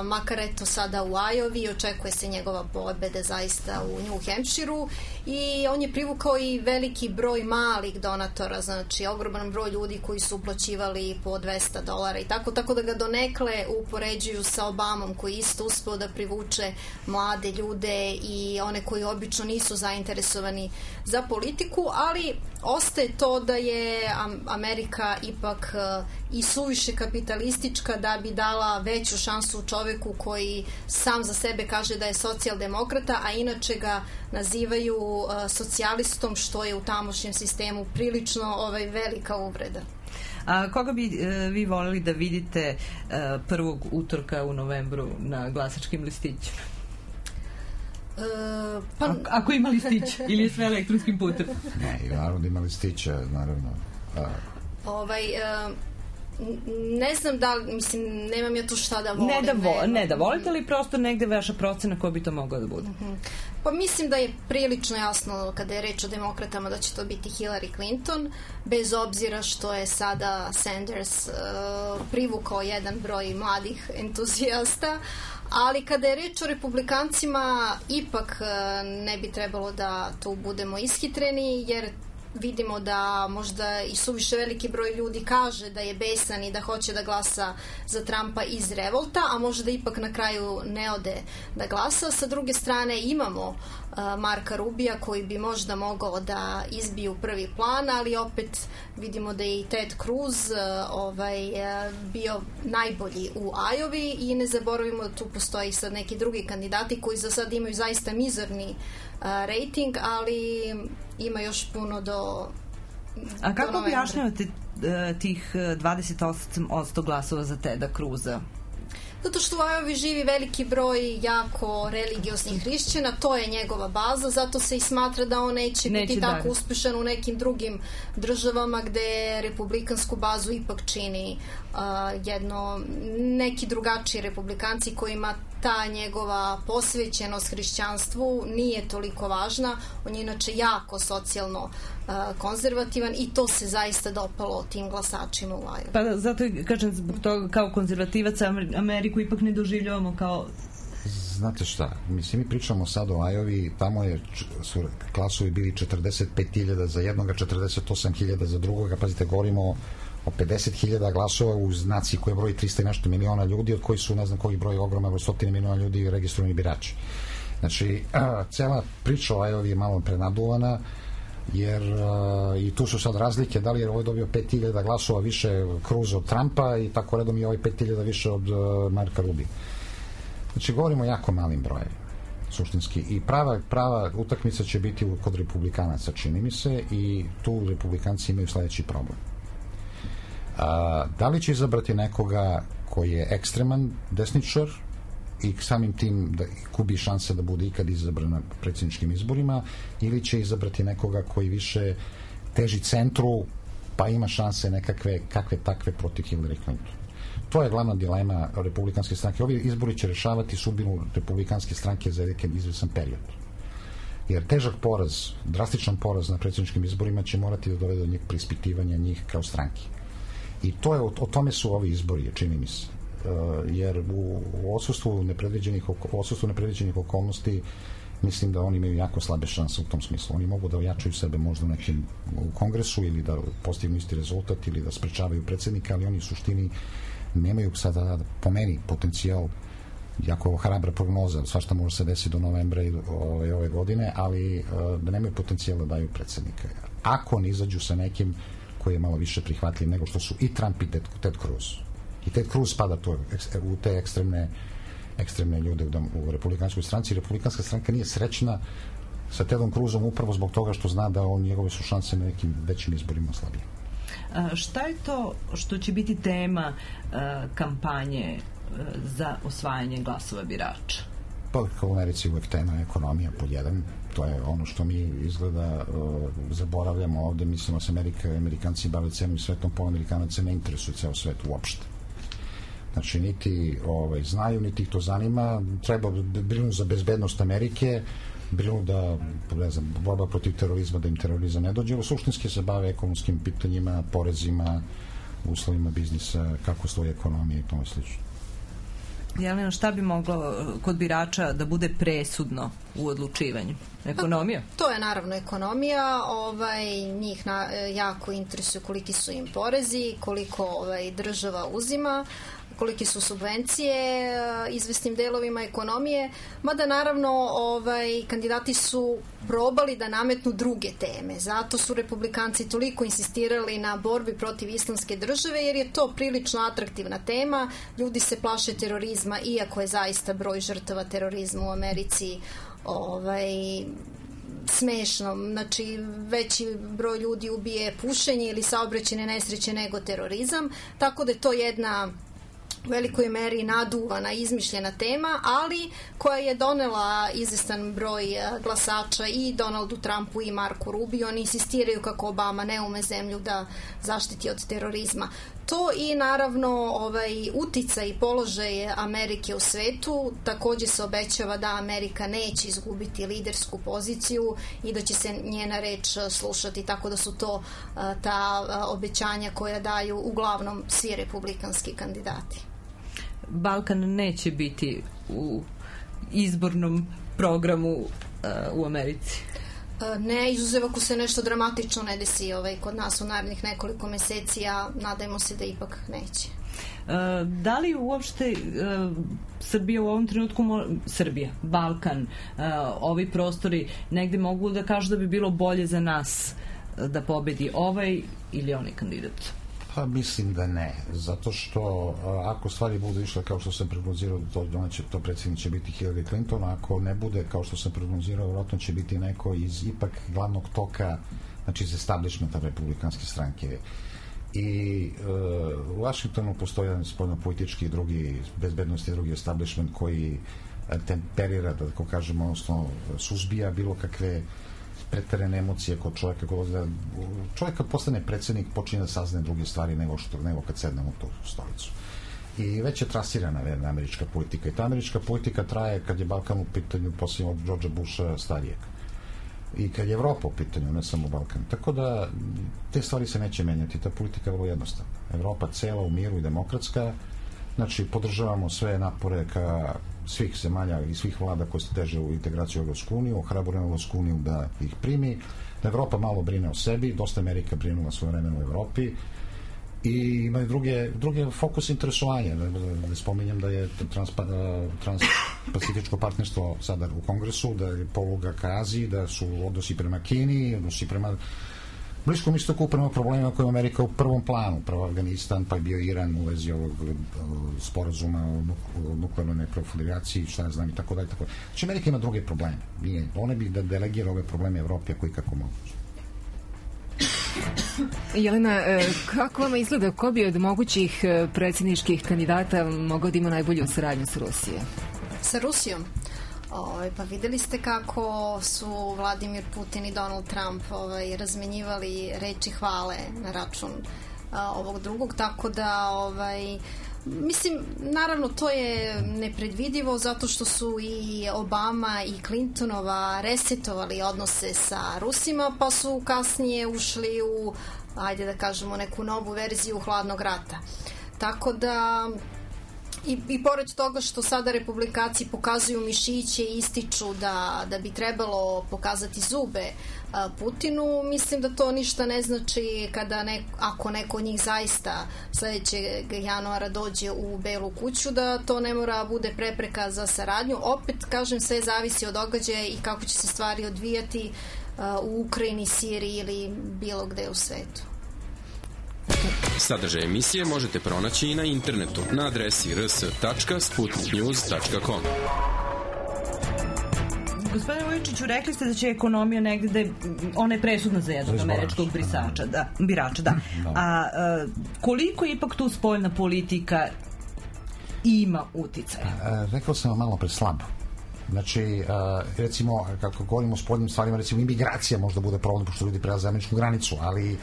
S12: makar eto sada u Iowa, očekuje se njegova pobeda zaista u New Hampshireu, i on je privukao i veliki broj malih donatora, znači ogroman broj ljudi koji su uplaćivali po $200 i tako da ga donekle upoređuju sa Obamom, koji isto uspeo da privuče mlade ljude i one koji obično nisu zainteresovani za politiku, ali ostaje to da je Amerika ipak i suviše kapitalistička da bi dala veću šansu čoveku koji sam za sebe kaže da je socijaldemokrata, a inače ga nazivaju socijalistom, što je u tamošnjem sistemu prilično velika uvreda.
S4: A koga bi vi voleli da vidite prvog utorka u novembru na glasačkim listićima? Ako ima listić ili je sve elektronskim putem?
S11: Ne, naravno da ima listića, naravno.
S12: Ne znam da li, mislim, nemam ja tu šta da volim.
S4: Ne da volite, ali prosto negde vaša procena ko bi to mogao da bude?
S12: Pa mislim da je prilično jasno kada je reč o demokratama da će to biti Hillary Clinton, bez obzira što je sada Sanders privukao jedan broj mladih entuzijasta, ali kada je reč o republikancima ipak ne bi trebalo da tu budemo ishitreni, jer vidimo da možda i suviše veliki broj ljudi kaže da je besan i da hoće da glasa za Trumpa iz revolta, a možda ipak na kraju ne ode da glasa. Sa druge strane imamo Marka Rubija koji bi možda mogao da izbije u prvi plan, ali opet vidimo da je i Ted Cruz bio najbolji u Iowa, i ne zaboravimo da tu postoji sad neki drugi kandidati koji za sad imaju zaista mizerni rating, ali ima još puno do...
S4: A kako objašnjavate tih 28% glasova za Teda Cruza?
S12: Zato što u Iowa živi veliki broj jako religioznih hrišćana, to je njegova baza, zato se i smatra da on neće biti tako uspešan u nekim drugim državama gde republikansku bazu ipak čini neki drugačiji republikanci kojima ta njegova posvećenost hrišćanstvu nije toliko važna. On je inače jako socijalno konzervativan i to se zaista dopalo tim glasačima u Iowa.
S4: Pa zato kažem, zbog toga kao konzervativac Ameriku ipak ne doživljavamo kao...
S11: Znate šta, mislim, mi pričamo sad o Iowa, tamo su glasovi bili 45.000 za jednoga, 48.000 za drugoga, pazite, govorimo o 50.000 glasova u naciji koja broji 300 i nešto miliona ljudi, od koji su, ne znam koji broj, ogroman broj, 100 miliona ljudi registrovani birači. Znači, cela priča o Iowa je malo prenaduvana, jer i tu su sad razlike, da li je ovaj dobio 5.000 glasova više Cruza od Trumpa i tako redom i ovaj 5.000 više od Marka Rubija. Znači, govorimo o jako malim brojevima, suštinski, i prava utakmica će biti kod republikanaca, čini mi se, i tu republikanci imaju sledeći problem. Da li će izabrati nekoga koji je ekstreman desničar i samim tim da gubi šanse da bude ikad izabran na predsjedničkim izborima, ili će izabrati nekoga koji više teži centru pa ima šanse nekakve takve protiv Hillary Clinton. To je glavna dilema republikanske stranke. Ovi izbori će rešavati sudbinu republikanske stranke za jedan izvesan period. Jer težak poraz, drastičan poraz na predsjedničkim izborima će morati da dovede do njih preispitivanja njih kao stranke. I to je, o tome su ovi izbori, čini mi se. Jer u odsustvu nepredviđenih okolnosti mislim da oni imaju jako slabe šanse u tom smislu. Oni mogu da ojačaju sebe možda u kongresu ili da postignu isti rezultat ili da sprečavaju predsjednika, ali oni u suštini nemaju sada, po meni, potencijal, jako hrabra prognoza, svašta može se desiti do novembra ove godine, ali da nemaju potencijal da daju predsjednika. Ako ne izađu sa nekim koji je malo više prihvatljiv nego što su i Trump i Ted Cruz. I Ted Cruz spada u te ekstremne ljude u republikanskoj stranci. Republikanska stranka nije srećna sa Tedom Cruzom upravo zbog toga što zna da njegove su šanse na nekim većim izborima slabije.
S4: Šta je to što će biti tema kampanje za osvajanje glasova birača?
S11: Pa u Americi uvek tema ekonomija pod jedan. To je ono što mi izgleda zaboravljamo ovde. Mislimo se Amerikanci bave celim svetom, po Amerikanaca ne interesuje ceo svet uopšte. Znači, niti znaju, niti ih to zanima. Treba brinu za bezbednost Amerike, brinu da, ne znam, borba protiv terorizma, da im terorizam ne dođe. Suštinski se bave ekonomskim pitanjima, porezima, uslovima biznisa, kako stoji ekonomija i tome slično.
S4: Jelena, šta bi moglo kod birača da bude presudno u odlučivanju? Ekonomija?
S12: To je naravno ekonomija. Njih jako interesuje koliki su im porezi, koliko država uzima, kolike su subvencije izvesnim delovima ekonomije, mada naravno kandidati su probali da nametnu druge teme. Zato su republikanci toliko insistirali na borbi protiv islamske države, jer je to prilično atraktivna tema. Ljudi se plaše terorizma, iako je zaista broj žrtava terorizma u Americi smešno. Znači, veći broj ljudi ubije pušenje ili saobraćajne nesreće nego terorizam, tako da je to jedna u velikoj meri naduvana, izmišljena tema, ali koja je donela izvestan broj glasača i Donaldu Trumpu i Marku Rubiju. Oni insistiraju kako Obama ne ume zemlju da zaštiti od terorizma. To i naravno uticaj i položaj Amerike u svetu. Takođe se obećava da Amerika neće izgubiti lidersku poziciju i da će se njena reč slušati, tako da su to ta obećanja koja daju uglavnom svi republikanski kandidati.
S4: Balkan neće biti u izbornom programu u Americi.
S12: Ne, izuzev ako se nešto dramatično ne desi kod nas u narednih nekoliko meseci, a nadajmo se da ipak neće.
S4: Da li uopšte Srbija u ovom trenutku, Balkan, ovi prostori negde mogu da kažu da bi bilo bolje za nas da pobedi ovaj ili onaj kandidat?
S11: Pa mislim da ne, zato što ako stvari budu išle kao što sam prognozirao, to predsjednik će biti Hillary Clinton, ako ne bude kao što sam prognozirao, vjerojatno će biti neko iz ipak glavnog toka, znači iz establishmenta republikanske stranke. I u Washingtonu postoji jedan spoljno-politički i drugi bezbednosti, drugi establishment koji temperira, da tako kažemo, odnosno suzbija bilo kakve preterane emocije kod čovjeka. Čovjek kad postane predsjednik počinje da saznaje druge stvari nego kad sedne u tu stolicu. I već je trasirana američka politika. I ta američka politika traje kad je Balkan u pitanju posljednje od Georgea Busha starijeg. I kad je Evropa u pitanju, ne samo Balkan. Tako da te stvari se neće menjati. Ta politika je vrlo jednostavna. Evropa cela u miru i demokratska. Znači, podržavamo sve napore ka svih zemalja i svih vlada koje se teže u integraciju u Evropsku uniju, ohrabrujemo Evropsku uniju da ih primi, da Evropa malo brine o sebi, dosta Amerika brinula svoje vremena u Evropi i imaju druge fokus interesovanja. Ne spominjem da je transpacifičko partnerstvo sada u Kongresu, da je poluga ka Aziji, da su odnosi prema Kini, odnosi prema Bliskom istoku, prema problemima koje je Amerika u prvom planu, prvo Afganistan, pa je bio Iran u vezi ovog sporazuma o nuklearnoj neproliferaciji, šta ja znam i tako dalje. Znači, Amerika ima druge probleme. One bi da delegira ove probleme Evropi, ako i kako mogu.
S2: Jelena, kako vama izgleda, ko bi od mogućih predsjedničkih kandidata mogao da ima najbolju saradnju sa Rusijom?
S12: Sa Rusijom? Pa videli ste kako su Vladimir Putin i Donald Trump razmenjivali reči hvale na račun ovog drugog, tako da Mislim, naravno to je nepredvidivo zato što su i Obama i Clintonova resetovali odnose sa Rusima, pa su kasnije ušli u, ajde da kažemo, neku novu verziju hladnog rata. Tako da i pored toga što sada republikanci pokazuju mišiće i ističu da bi trebalo pokazati zube Putinu, mislim da to ništa ne znači ako neko od njih zaista sledećeg januara dođe u Belu kuću, da to ne mora bude prepreka za saradnju. Opet, kažem, sve zavisi od događaja i kako će se stvari odvijati u Ukrajini, Siriji ili bilo gde u svetu.
S1: Sadržaj emisije možete pronaći i na internetu na adresi rs.sputniknews.com.
S4: Gospodine Vujičiću, rekli ste da će ekonomija negde, ona je presudna za jednog američkog birača, da. A koliko ipak tu spoljna politika ima uticaja?
S11: Rekao sam vam malo pre slabo. Znači, recimo, kako govorimo o spoljnim stvarima, recimo imigracija možda bude problem, pošto ljudi prelaze američku granicu, ali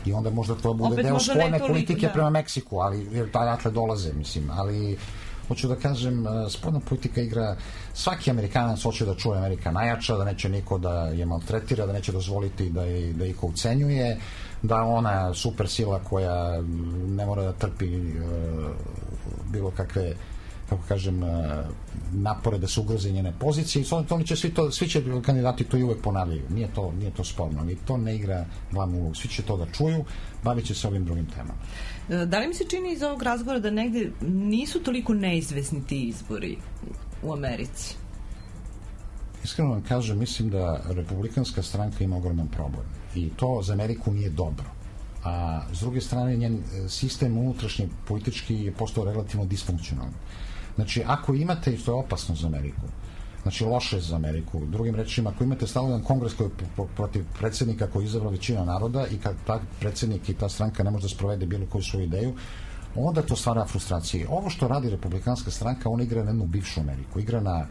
S11: i onda možda to bude opet deo spoljne politike prema Meksiku, ali jer odatle dolaze, mislim, ali hoću da kažem, spoljna politika igra, svaki Amerikanac hoće da čuje Amerika najjača, da neće niko da je maltretira, da neće dozvoliti da ih ucenjuje, da ona super sila koja ne mora da trpi bilo kakve, kako kažem, napore da se ugroze njene pozicije i svi će kandidati to i uvek ponavljaju. Nije to sporno, ali to ne igra glavnu ulogu. Svi će to da čuju, bavit će se ovim drugim temama.
S4: Da li mi se čini iz ovog razgovora da negde nisu toliko neizvesni ti izbori u Americi?
S11: Iskreno vam kažem, mislim da republikanska stranka ima ogroman problem i to za Ameriku nije dobro. A s druge strane, njen sistem unutrašnji politički je postao relativno disfunkcionalan. Znači, ako imate, i to je opasno za Ameriku, znači loše za Ameriku, drugim rečima, ako imate stalan kongres koji je protiv predsjednika koji je izabrao većina naroda i kad ta predsjednik i ta stranka ne može da sprovede bilo koju svoju ideju, onda to stvara frustracije. Ovo što radi republikanska stranka, ona igra na jednu bivšu Ameriku, igra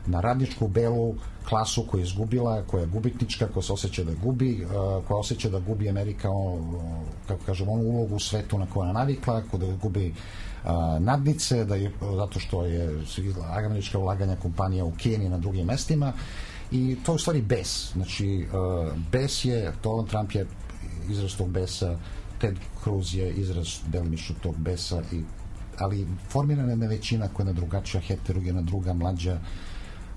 S11: na radničku belu klasu koja je izgubila, koja je gubitnička, koja se osjeća da gubi, koja osjeća da gubi Amerika, kako kažem, onu ulogu u svetu na koju je navikla, da gubi nadnice, zato što je američka ulaganja kompanija u Kini na drugim mestima i to je u stvari bes. Znači, bes je, Donald Trump je izraz tog besa, Ted Cruz je izraz delimično tog besa, ali formirana je većina koja je na drugačija, heterogena, druga, mlađa,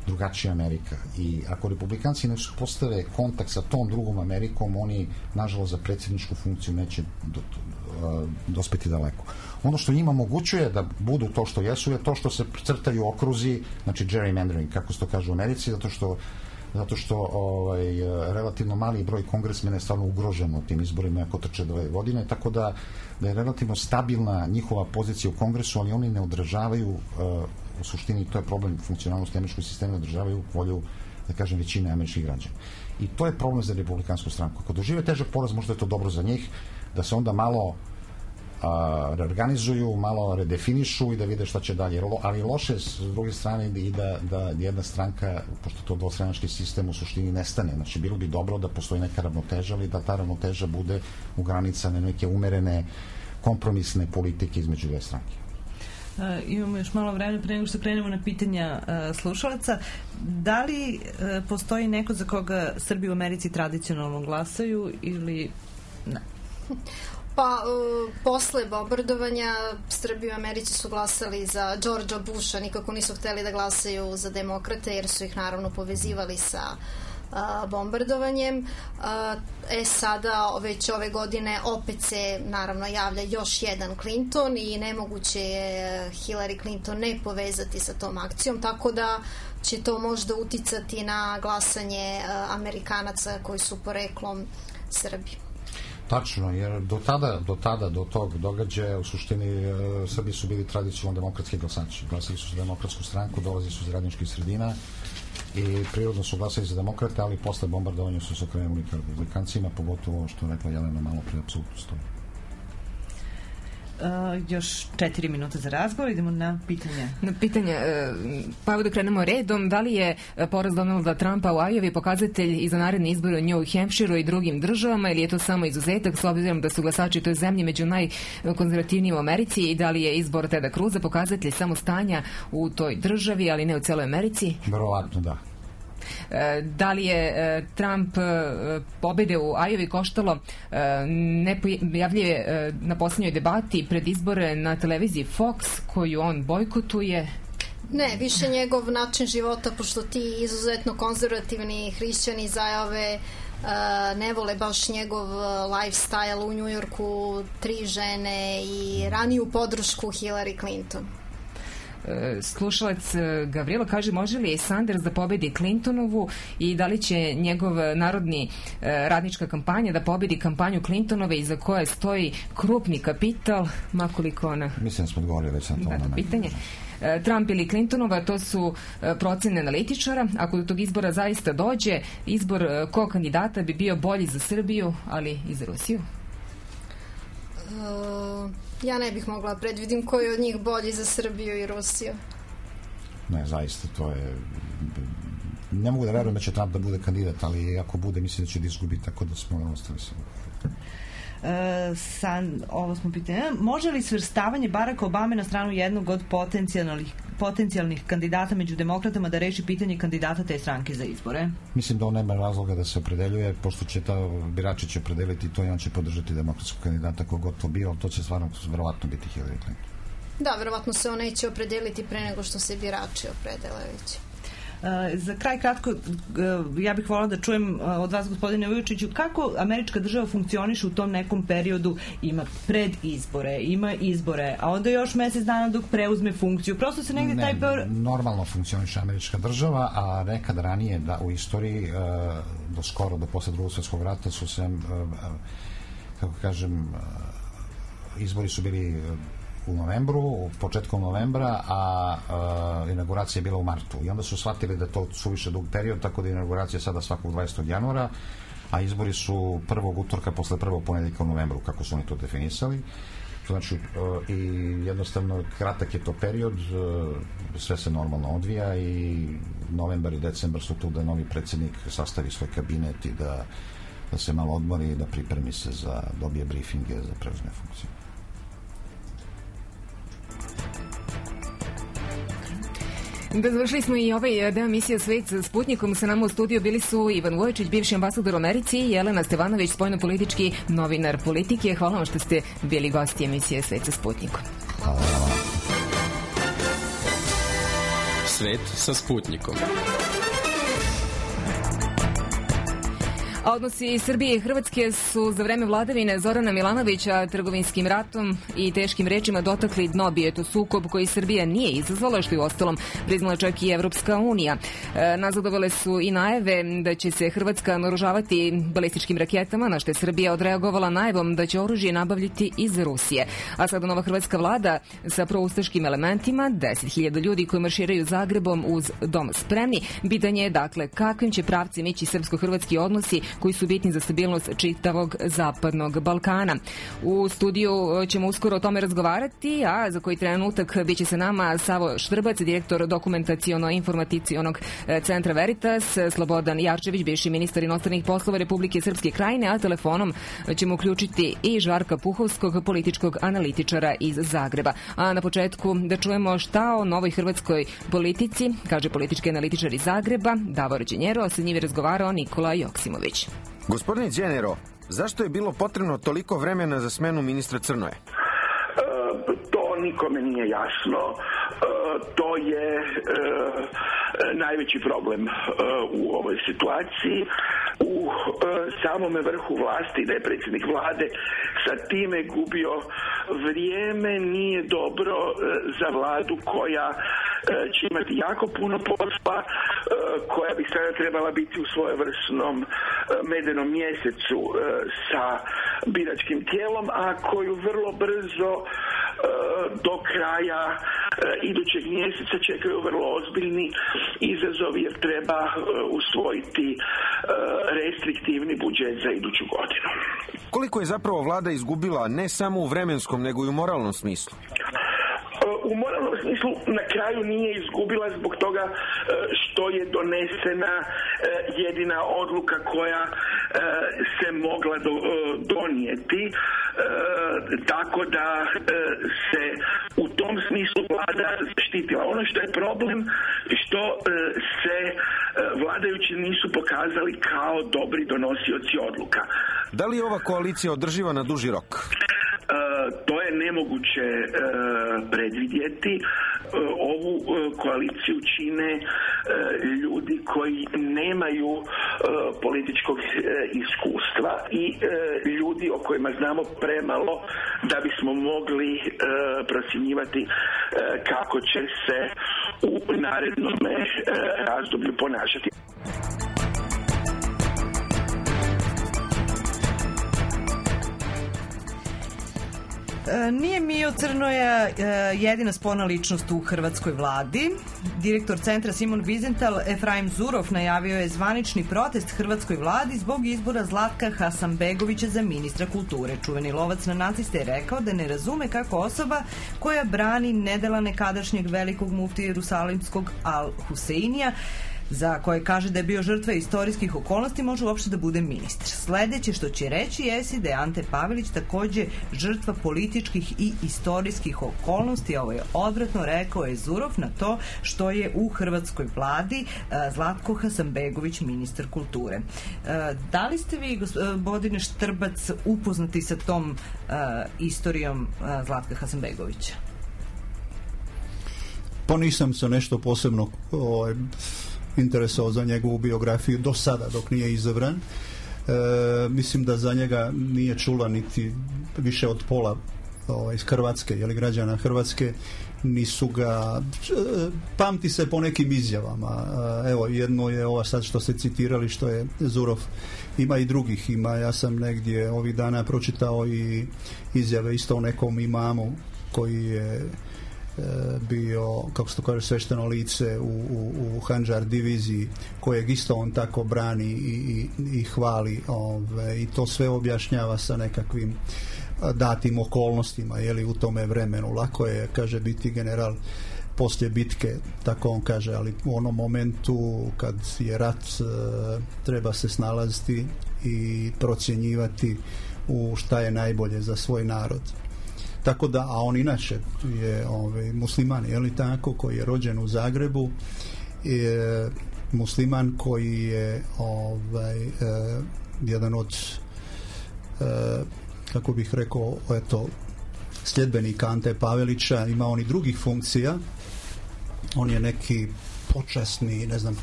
S11: drugačija Amerika. I ako republikanci ne postave kontakt sa tom drugom Amerikom, oni, nažalost, za predsjedničku funkciju neće dospeti daleko. Ono što njima omogućuje da budu to što jesu je to što se crtaju okruzi, znači gerrymandering, kako se to kaže u Americi, zato što relativno mali broj kongresmena je stvarno ugrožen u tim izborima ako trče 2 godine, tako da je relativno stabilna njihova pozicija u kongresu, ali oni ne odražavaju, u suštini to je problem funkcionalnosti američkog sistema, ne odražavaju volju, da kažem, većine američkih građana. I to je problem za republikansku stranku. Ako dožive težak poraz, možda je to dobro za njih, da se onda malo reorganizuju, malo redefinišu i da vide šta će dalje. Ali loše s druge strane i da jedna stranka, pošto to dvostranački sistem u suštini nestane. Znači, bilo bi dobro da postoji neka ravnoteža, ali da ta ravnoteža bude u granicama neke umerene kompromisne politike između dve stranke.
S4: Imamo još malo vremena pre nego što krenemo na pitanja slušalaca. Da li postoji neko za koga Srbi u Americi tradicionalno glasaju ili ne?
S12: Pa, posle bombardovanja Srbi u Americi su glasali za Georgea Busha, nikako nisu hteli da glasaju za demokrate jer su ih naravno povezivali sa bombardovanjem. Sada, već ove godine, opet se naravno javlja još jedan Clinton i nemoguće je Hillary Clinton ne povezati sa tom akcijom, tako da će to možda uticati na glasanje Amerikanaca koji su poreklom Srbi.
S11: Tačno, jer do tog događaja u suštini Srbi su bili tradicionalno demokratski glasači. Glasili su za demokratsku stranku, dolazili su iz radničkih sredina i prirodno su glasili za demokrate, ali posle bombardovanja su se okrenuli ka republikancima, pogotovo što je rekla Jelena malo pre, apsolutno stoji.
S4: Još 4 minuta za razgovor, idemo na pitanje.
S2: Pa evo da krenemo redom. Da li je poraz Donalda Trumpa u Ajovi pokazatelj i za naredne izbore u New Hampshireu i drugim državama, ili je to samo izuzetak, s obzirom da su glasači u toj zemlji među najkonzervativnijim u Americi, i da li je izbor Teda Cruza pokazatelj samo stanja u toj državi, ali ne u celoj Americi?
S11: Verovatno da.
S2: Da li je Trump pobede u Ajovi koštalo nepojavljuje na posljednjoj debati pred izbore na televiziji Fox, koju on bojkotuje?
S12: Ne, više njegov način života, pošto ti izuzetno konzervativni hrišćani iz Ajove ne vole baš njegov lifestyle u Njujorku, 3 žene i raniju podršku Hillary Clinton.
S2: Slušalac Gavrilo kaže, može li Sanders da pobedi Clintonovu i da li će njegov narodni radnička kampanja da pobedi kampanju Clintonove iza koje stoji krupni kapital, makoliko ona...
S11: Mislim da smo odgovorili već na to.
S2: Pitanje. Trump ili Clintonova, to su procene analitičara. Ako do tog izbora zaista dođe, izbor kog kandidata bi bio bolji za Srbiju, ali i za Rusiju?
S12: Ja ne bih mogla predvidim koji je od njih bolji za Srbiju i Rusiju.
S11: Ne, zaista, to je... Ne mogu da verujem da će Trump da bude kandidat, ali ako bude, mislim da će da izgubi, tako da smo ostali samo.
S4: Ovo smo pitanje. Može li svrstavanje Baracka Obame na stranu jednog od potencijalnih kandidata među demokratama da reši pitanje kandidata te stranke za izbore?
S11: Mislim da on nema razloga da se opredeljuje, pošto će birači će opredeliti to i on će podržati demokratskog kandidata kogod to bio, ali to će stvarno verovatno biti Hillary Clinton.
S12: Da, verovatno se on neće opredeliti pre nego što se birači opredele već.
S4: Za kraj kratko, ja bih voljela da čujem od vas, gospodine Vujočiću, kako američka država funkcioniše u tom nekom periodu, ima predizbore, ima izbore, a onda još mesec dana dok preuzme funkciju. Prosto se negdje taj...
S11: Normalno funkcioniše američka država, a nekad ranije u istoriji, do posle Drugog svjetskog rata su se, kako kažem, izbori su bili u novembru, početkom novembra, a inauguracija je bila u martu. I onda su shvatili da to suviše dug period, tako da inauguracija je sada svakog 20. januara, a izbori su prvog utorka posle prvog ponedjeljka u novembru, kako su oni to definisali. Znači, i jednostavno kratak je to period, sve se normalno odvija i novembar i decembar su tu da novi predsjednik sastavi svoj kabinet i da se malo odmori i da pripremi se dobije briefinge za preuzme funkciju.
S2: Da, završili smo i ovaj deo emisije Svet sa Sputnikom. Sa nama u studiju bili su Ivan Vujočić, bivši ambasador u Americi, i Jelena Stevanović, spoljnopolitički novinar Politike. Hvala vam što ste bili gosti emisije Svet sa Sputnikom.
S1: Svet sa Sputnikom.
S2: A odnosi Srbije i Hrvatske su za vreme vladavine Zorana Milanovića trgovinskim ratom i teškim rečima dotakli dno. Bio je to sukob koji Srbija nije izazvala, što je uostalom priznala čak i Evropska unija. Nazadovale su i najave da će se Hrvatska naoružavati balističkim raketama, na što je Srbija odreagovala najavom da će oružje nabavljati iz Rusije. A sada nova hrvatska vlada sa proustaškim elementima, 10.000 ljudi koji marširaju Zagrebom uz Dom spremni. Pitanje je, dakle, kakvim će pravcem ići srpsko-hrvatski odnosi koji su bitni za stabilnost čitavog zapadnog Balkana. U studiju ćemo uskoro o tome razgovarati, a za koji trenutak bit će se nama Savo Štrbac, direktor dokumentaciono-informaticionog centra Veritas, Slobodan Jarčević, bivši ministar inostranih poslova Republike Srpske Krajine, a telefonom ćemo uključiti i Žarka Puhovskog, političkog analitičara iz Zagreba. A na početku da čujemo šta o novoj hrvatskoj politici kaže politički analitičar iz Zagreba, Davor Đenjero, a sa njim je razgovarao Nikola Joksimović.
S13: Gospodine Đenjero, zašto je bilo potrebno toliko vremena za smenu ministra Crnoje?
S14: To nikome nije jasno. To je najveći problem u ovoj situaciji. U samome vrhu vlasti, da je predsjednik vlade sa time gubio vrijeme, nije dobro za vladu koja će imati jako puno posla, koja bi sada trebala biti u svojevrsnom medenom mjesecu sa biračkim tijelom, a koju vrlo brzo do kraja idućeg mjeseca čekaju vrlo ozbiljni izazovi jer treba usvojiti restriktivni budžet za iduću godinu.
S13: Koliko je zapravo vlada izgubila ne samo u vremenskom nego i u moralnom smislu?
S14: U moralnom smislu na kraju nije izgubila zbog toga što je donesena jedina odluka koja se mogla donijeti, tako da se u tom smislu vlada zaštitila. Ono što je problem, što se vladajući nisu pokazali kao dobri donosioci odluka.
S13: Da li je ova koalicija održiva na duži rok?
S14: To je nemoguće predvidjeti. Ovu koaliciju čine ljudi koji nemaju političkog iskustva i ljudi o kojima znamo premalo da bismo mogli procjenjivati kako će se u narednom razdoblju ponašati.
S4: Nije Mio Crnoja jedina sporna ličnost u hrvatskoj vladi. Direktor centra Simon Wiesenthal, Efraim Zurov, najavio je zvanični protest hrvatskoj vladi zbog izbora Zlatka Hasanbegovića za ministra kulture. Čuveni lovac na naciste je rekao da ne razume kako osoba koja brani nedela nekadašnjeg velikog muftije Jerusalimskog Al-Huseinija, za koje kaže da je bio žrtva istorijskih okolnosti, može uopšte da bude ministar. Sledeće što će reći jesi da je Ante Pavelić takođe žrtva političkih i istorijskih okolnosti. Ovo je odvratno, rekao je Zurov na to što je u hrvatskoj vladi Zlatko Hasanbegović ministar kulture. Da li ste vi, gospodine Štrbac, upoznati sa tom istorijom Zlatka Hasanbegovića?
S15: Pa nisam se nešto posebno interesovao za njegovu biografiju do sada dok nije izabran. Mislim da za njega nije čula niti više od pola iz Hrvatske, jeli građana Hrvatske, nisu ga pamti se po nekim izjavama. Evo, jedno je ova sad što ste citirali, što je Zurov, ima i drugih, ja sam negdje ovih dana pročitao i izjave isto o nekom imamu koji je bio, kako se to kaže, svešteno lice u Handžar diviziji, kojeg isto on tako brani i hvali, i to sve objašnjava sa nekakvim datim okolnostima, u tome vremenu. Lako je, kaže, biti general poslije bitke, tako on kaže, ali u onom momentu kad je rat, treba se snalaziti i procjenjivati u šta je najbolje za svoj narod. Tako da, a on inače je musliman, tako, koji je rođen u Zagrebu, je musliman koji je jedan od kako bih rekao, sljedbenika Ante Pavelića. Ima on i drugih funkcija. On je neki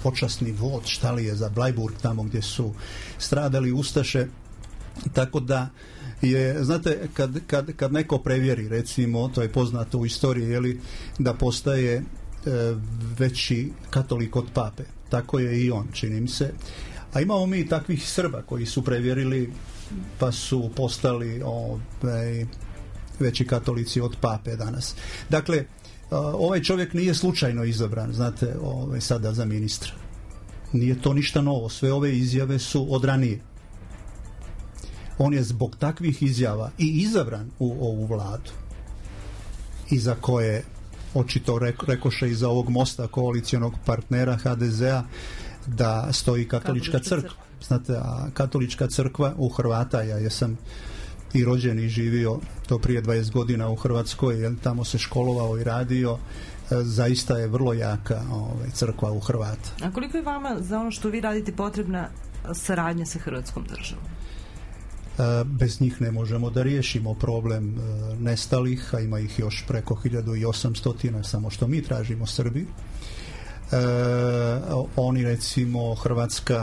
S15: počasni vod, šta li je, za Blajburg, tamo gdje su stradali ustaše. Tako da je, znate, kad neko prevjeri, recimo, to je poznato u istoriji, da postaje veći katolik od pape. Tako je i on, čini mi se. A imamo mi takvih Srba koji su prevjerili pa su postali veći katolici od pape danas. Dakle, ovaj čovjek nije slučajno izabran, znate, sada za ministra. Nije to ništa novo. Sve ove izjave su od ranije. On je zbog takvih izjava i izabran u ovu vladu, iza koje očito rekoše iza ovog mosta koalicijonog partnera HDZ-a da stoji katolička crkva. Znate, a katolička crkva u Hrvata, ja jesam i rođen i živio to prije 20 godina u Hrvatskoj, tamo se školovao i radio, zaista je vrlo jaka crkva u Hrvata.
S4: A koliko je vama za ono što vi radite potrebna saradnja sa Hrvatskom državom?
S15: Bez njih ne možemo da riješimo problem nestalih, a ima ih još preko 1800, samo što mi tražimo Srbi. Oni, recimo,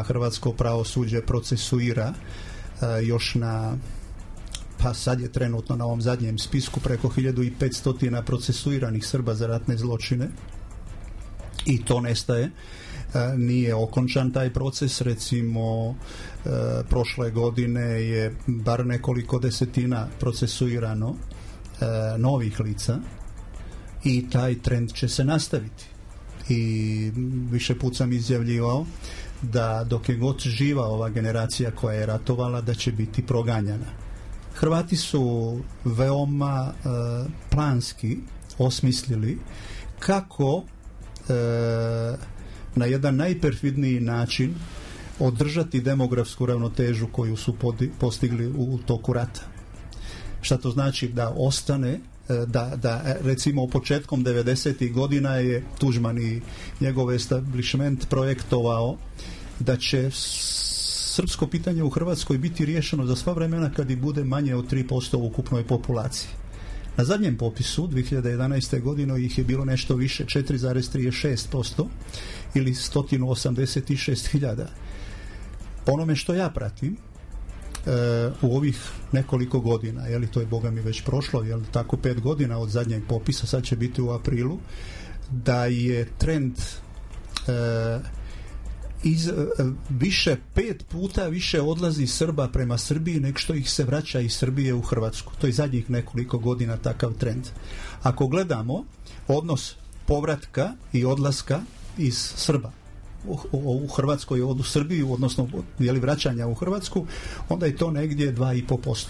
S15: hrvatsko pravosuđe procesuira još pa sad je trenutno na ovom zadnjem spisku preko 1500 procesuiranih Srba za ratne zločine i to nestaje. Nije okončan taj proces, recimo prošle godine je bar nekoliko desetina procesuirano novih lica i taj trend će se nastaviti. I više put sam izjavljivao da dok je god živa ova generacija koja je ratovala, da će biti proganjana. Hrvati su veoma planski osmislili kako na jedan najperfidniji način održati demografsku ravnotežu koju su postigli u toku rata. Šta to znači? Da ostane, da recimo početkom 90. godina je Tuđman i njegov establishment projektovao da će srpsko pitanje u Hrvatskoj biti riješeno za sva vremena kad i bude manje od 3% u ukupnoj populaciji. Na zadnjem popisu 2011. godine ih je bilo nešto više, 4,36% ili 186.000. Po onome što ja pratim, u ovih nekoliko godina, je li to je Boga mi već prošlo, je li tako 5 godina od zadnjeg popisa, sad će biti u aprilu, da je trend više 5 puta više odlazi Srba prema Srbiji nego što ih se vraća iz Srbije u Hrvatsku. To je zadnjih nekoliko godina takav trend. Ako gledamo odnos povratka i odlaska iz Srba u Hrvatskoj u Srbiju, odnosno vraćanja u Hrvatsku, onda je to negdje 2,5%.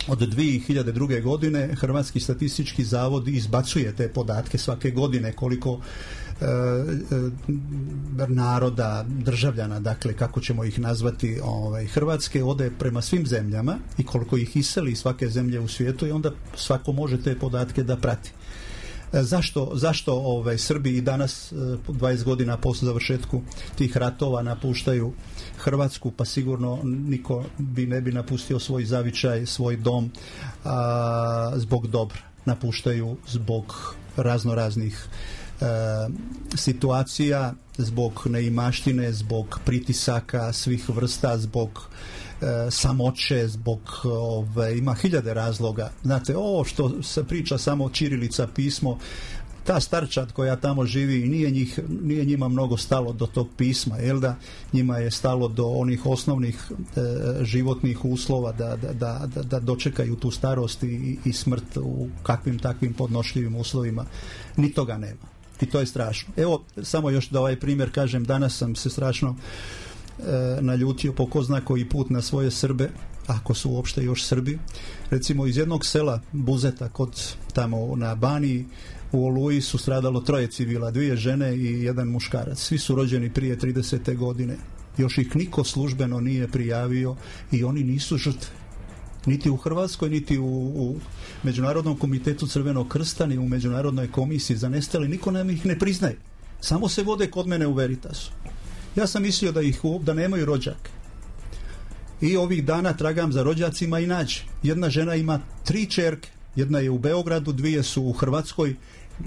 S15: Od 2002. godine Hrvatski statistički zavod izbacuje te podatke svake godine koliko naroda, državljana, dakle kako ćemo ih nazvati, Hrvatske ode prema svim zemljama i koliko ih iseli svake zemlje u svijetu i onda svako može te podatke da prati. Zašto Srbi i danas 20 godina posle završetku tih ratova napuštaju Hrvatsku? Pa sigurno niko ne bi napustio svoj zavičaj, svoj dom zbog dobra. Napuštaju zbog raznoraznih situacija, zbog neimaštine, zbog pritisaka svih vrsta, zbog samoće, zbog ima hiljade razloga. Znate, ovo što se priča samo ćirilica, pismo, ta starčad koja tamo živi, nije njima mnogo stalo do tog pisma, jel da? Njima je stalo do onih osnovnih životnih uslova da dočekaju tu starost i smrt u kakvim takvim podnošljivim uslovima. Ni toga nema. I to je strašno. Evo, samo još da ovaj primjer kažem, danas sam se strašno naljutio po ko zna koji put na svoje Srbe, ako su uopšte još Srbi. Recimo iz jednog sela Buzeta kod tamo na Baniji u Oluji su stradalo 3 civila, 2 žene i 1 muškarac. Svi su rođeni prije 30. godine. Još ih niko službeno nije prijavio i oni nisu žrtve. Niti u Hrvatskoj, niti u Međunarodnom komitetu Crvenog krsta, ni u Međunarodnoj komisiji za nestale, niko nam ih ne priznaje. Samo se vode kod mene u Veritasu. Ja sam mislio da nemaju rođake. I ovih dana tragam za rođacima i nađe. Jedna žena ima 3 ćerke. Jedna je u Beogradu, 2 su u Hrvatskoj.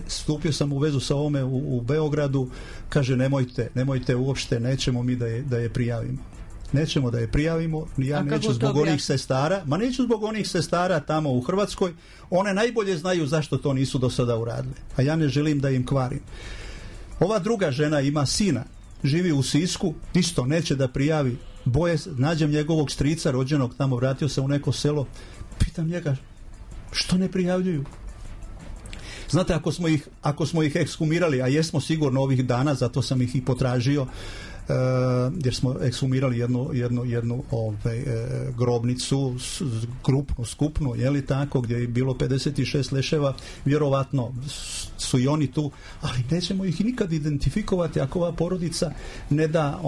S15: Stupio sam u vezu sa ovome u Beogradu. Kaže, nemojte uopšte, nećemo mi da je prijavimo. Nećemo da je prijavimo, ja neću zbog onih sestara, neću zbog onih sestara tamo u Hrvatskoj, one najbolje znaju zašto to nisu do sada uradile, a ja ne želim da im kvarim. Ova druga žena ima sina, živi u Sisku, isto neće da prijavi, nađem njegovog strica rođenog tamo, vratio se u neko selo, pitam njega, što ne prijavljuju? Znate, ako smo ih ekshumirali, a jesmo sigurno ovih dana, zato sam ih i potražio, jer smo ekshumirali jednu grobnicu skupnu, je li tako, gdje je bilo 56 leševa, vjerovatno su i oni tu, ali nećemo ih nikad identifikovati ako ova porodica ne da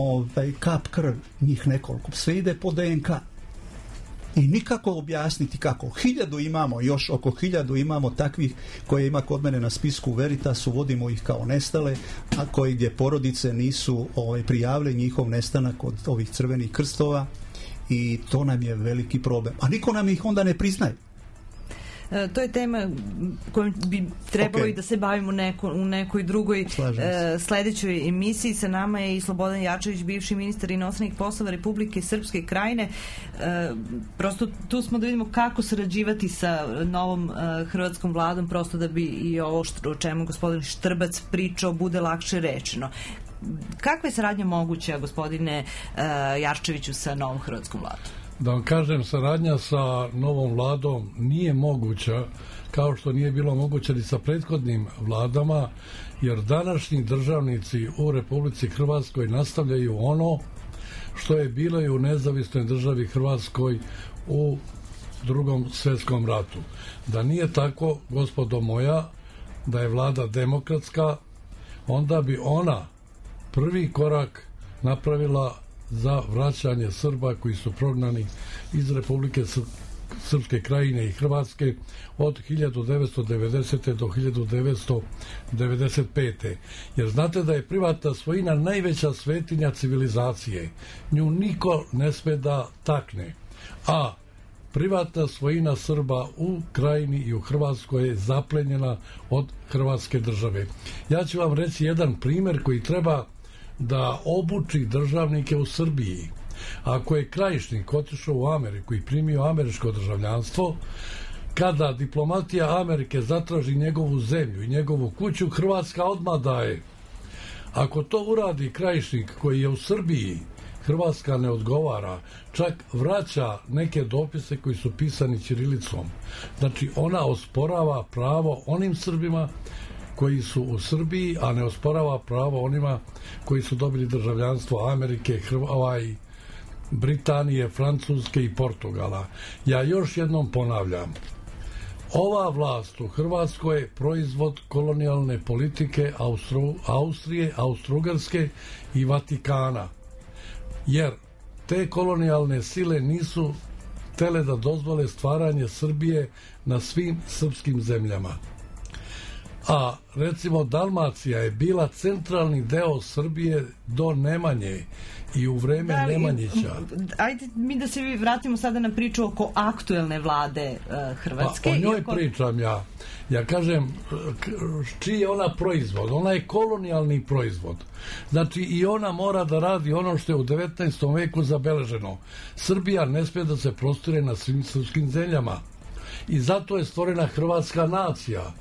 S15: kap krv, njih nekoliko, sve ide po DNK. I nikako objasniti kako. 1000 imamo, još oko 1000 imamo takvih koje ima kod mene na spisku Veritasu, vodimo ih kao nestale, a koji gdje porodice nisu prijavile njihov nestanak od ovih crvenih krstova i to nam je veliki problem. A niko nam ih onda ne priznaje.
S4: To je tema kojom bi trebalo i da se bavimo u nekoj drugoj sledećoj emisiji. Sa nama je i Slobodan Jarčević, bivši ministar inostranih poslova Republike Srpske Krajine. Prosto tu smo da vidimo kako sarađivati sa novom hrvatskom vladom, prosto da bi i ovo o čemu gospodin Štrbac pričao bude lakše rečeno. Kakva je saradnja moguća, gospodine Jarčeviću, sa novom hrvatskom vladom?
S16: Da vam kažem, saradnja sa novom vladom nije moguća, kao što nije bilo moguće ni sa prethodnim vladama, jer današnji državnici u Republici Hrvatskoj nastavljaju ono što je bilo i u nezavisnoj državi Hrvatskoj u Drugom svjetskom ratu. Da nije tako, gospodo moja, da je vlada demokratska, onda bi ona prvi korak napravila za vraćanje Srba koji su prognani iz Republike Srpske krajine i Hrvatske od 1990. do 1995. Jer znate da je privatna svojina najveća svetinja civilizacije. Nju niko ne sme da takne. A privatna svojina Srba u krajini i u Hrvatskoj je zaplenjena od Hrvatske države. Ja ću vam reći jedan primjer koji treba da obuči državnike u Srbiji. Ako je Krajišnik otišao u Ameriku i primio američko državljanstvo, kada diplomatija Amerike zatraži njegovu zemlju i njegovu kuću, Hrvatska odmah daje. Ako to uradi Krajišnik koji je u Srbiji, Hrvatska ne odgovara, čak vraća neke dopise koji su pisani ćirilicom. Znači ona osporava pravo onim Srbima koji su u Srbiji, a ne osporava pravo onima koji su dobili državljanstvo Amerike, Britanije, Francuske i Portugala. Ja još jednom ponavljam, ova vlast u Hrvatskoj je proizvod kolonijalne politike Austrije, Austro-Ugarske i Vatikana. Jer te kolonijalne sile nisu htele da dozvole stvaranje Srbije na svim srpskim zemljama. A recimo Dalmacija je bila centralni deo Srbije do Nemanje i u vreme Nemanjića.
S4: Ajde mi da se vratimo sada na priču oko aktuelne vlade Hrvatske.
S16: O njoj pričam ja. Ja kažem, čiji je ona proizvod? Ona je kolonijalni proizvod. Znači i ona mora da radi ono što je u 19. veku zabeleženo. Srbija ne smije da se prostire na svim srpskim zemljama. I zato je stvorena hrvatska nacija.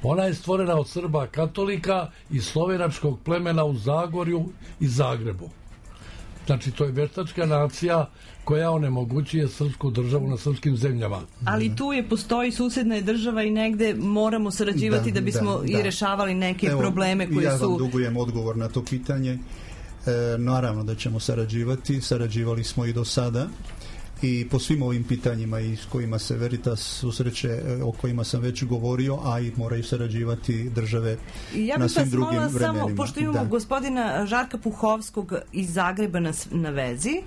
S16: Ona je stvorena od Srba katolika i slovenačkog plemena u Zagorju i Zagrebu. Znači, to je veštačka nacija koja onemogućuje srpsku državu na srpskim zemljama.
S4: Ali tu postoji susedna država i negde moramo sarađivati da bismo i rešavali neke probleme koji su...
S15: Ja vam dugujem odgovor na to pitanje. Naravno da ćemo sarađivali smo i do sada. I po svim ovim pitanjima i s kojima se Veritas susreće, o kojima sam već govorio, a i moraju sarađivati države na svim drugim vremenima.
S4: Samo, pošto imamo gospodina Žarka Puhovskog iz Zagreba na vezi.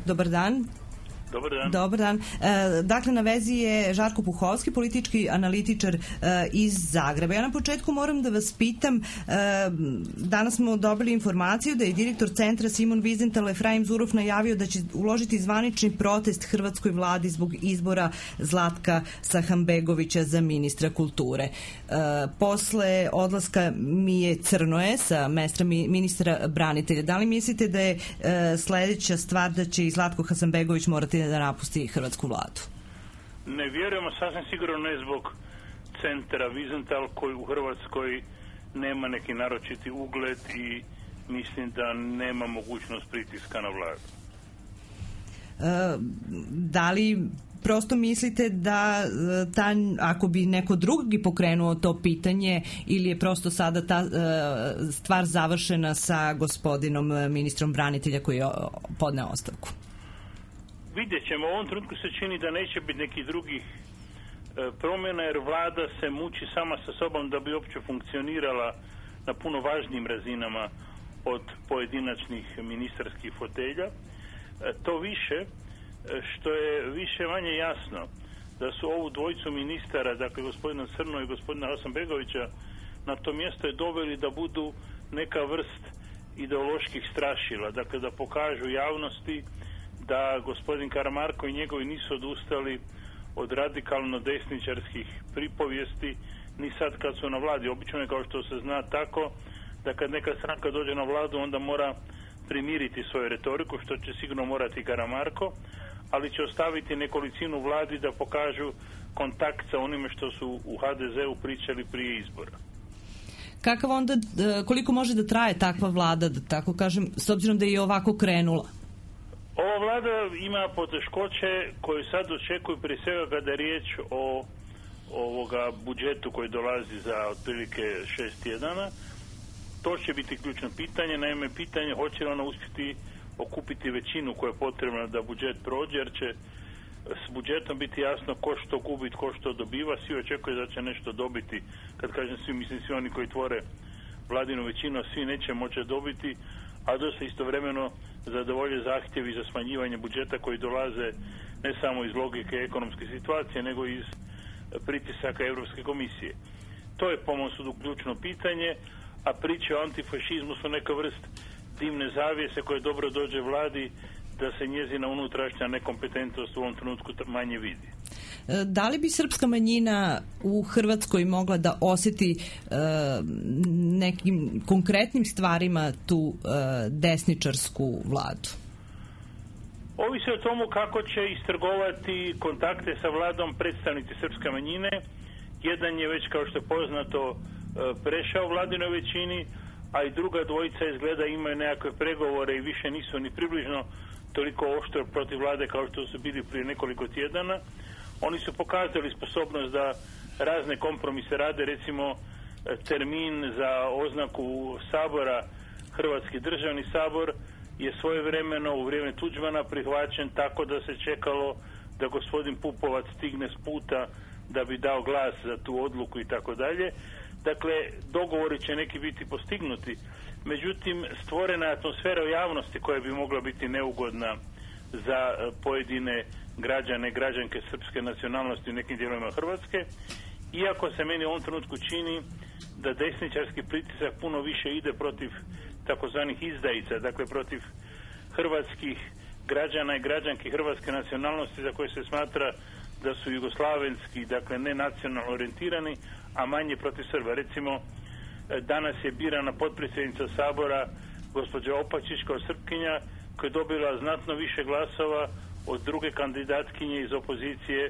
S4: Dobar dan. Dobar dan. Dakle, na vezi je Žarko Puhovski, politički analitičar iz Zagreba. Ja na početku moram da vas pitam, danas smo dobili informaciju da je direktor centra Simon Wiesenthal Efraim Zurov najavio da će uložiti zvanični protest hrvatskoj vladi zbog izbora Zlatka Sahanbegovića za ministra kulture. Posle odlaska Mije Crnoje sa mesta ministra branitelja, da li mislite da je sledeća stvar da će i Zlatko Hasanbegović morati da napusti hrvatsku vladu?
S17: Ne vjerujemo, sasvim sigurno ne zbog centra Wiesenthal koji u Hrvatskoj nema neki naročiti ugled i mislim da nema mogućnost pritiska na vladu.
S4: Da li prosto mislite da ako bi neko drugi pokrenuo to pitanje ili je prosto sada ta stvar završena sa gospodinom ministrom branitelja koji je podneo ostavku?
S17: Vidjet ćemo, u ovom trenutku se čini da neće biti nekih drugih promjena jer vlada se muči sama sa sobom da bi uopće funkcionirala na puno važnijim razinama od pojedinačnih ministarskih fotelja. To više što je više manje jasno da su ovu dvojicu ministara, dakle gospodina Crno i gospodina Hasanbegovića, na to mjesto je doveli da budu neka vrst ideoloških strašila, dakle da pokažu javnosti da gospodin Karamarko i njegovi nisu odustali od radikalno desničarskih pripovijesti ni sad kad su na vladi. Obično je, kao što se zna, tako da kad neka stranka dođe na vladu onda mora primiriti svoju retoriku, što će sigurno morati Karamarko, ali će ostaviti nekolicinu vladi da pokažu kontakt sa onime što su u HDZ-u pričali prije izbora.
S4: Kakav onda, koliko može da traje takva vlada, da tako kažem, s obzirom da je i ovako krenula?
S17: Ova vlada ima poteškoće koje sad očekuju prije svega kada je riječ o ovoga budžetu koji dolazi za otprilike 6 tjedana. To će biti ključno pitanje, naime pitanje hoće li ona uspjeti okupiti većinu koja je potrebna da budžet prođe, jer će s budžetom biti jasno ko što gubi, ko što dobiva. Svi očekuju da će nešto dobiti. Kad kažem svi, mislim svi oni koji tvore vladinu većinu, svi neće moći dobiti, a dosta istovremeno zadovolje zahtjevi za smanjivanje budžeta koji dolaze ne samo iz logike ekonomske situacije, nego iz pritisaka Europske komisije. To je po mom sudu ključno pitanje, a priče o antifašizmu su neka vrst dimne zavjese koje dobro dođe vladi da se njezina unutrašnja nekompetentnost u ovom trenutku manje vidi.
S4: Da li bi srpska manjina u Hrvatskoj mogla da osjeti nekim konkretnim stvarima tu desničarsku vladu?
S17: Ovisi o tomu kako će istrgovati kontakte sa vladom predstavnici srpske manjine. Jedan je već, kao što je poznato, prešao vladinoj većini, a i druga dvojica izgleda imaju nekakve pregovore i više nisu ni približno toliko oštro protiv vlade kao što su bili prije nekoliko tjedana. Oni su pokazali sposobnost da razne kompromise rade, recimo termin za oznaku sabora, Hrvatski državni sabor, je svojevremeno u vrijeme Tuđmana prihvaćen tako da se čekalo da gospodin Pupovac stigne s puta da bi dao glas za tu odluku i tako dalje. Dakle, dogovori će neki biti postignuti. Međutim, stvorena je atmosfera u javnosti koja bi mogla biti neugodna za pojedine građane, građanke srpske nacionalnosti u nekim dijelovima Hrvatske. Iako se meni u ovom trenutku čini da desničarski pritisak puno više ide protiv takozvanih izdajica, dakle protiv hrvatskih građana i građanki hrvatske nacionalnosti za koje se smatra da su jugoslavenski, dakle ne nacionalno orijentirani, a manje protiv Srba. Recimo, danas je birana potpredsjednica Sabora gospođa Opačić kao Srpkinja, koja je dobila znatno više glasova od druge kandidatkinje iz opozicije,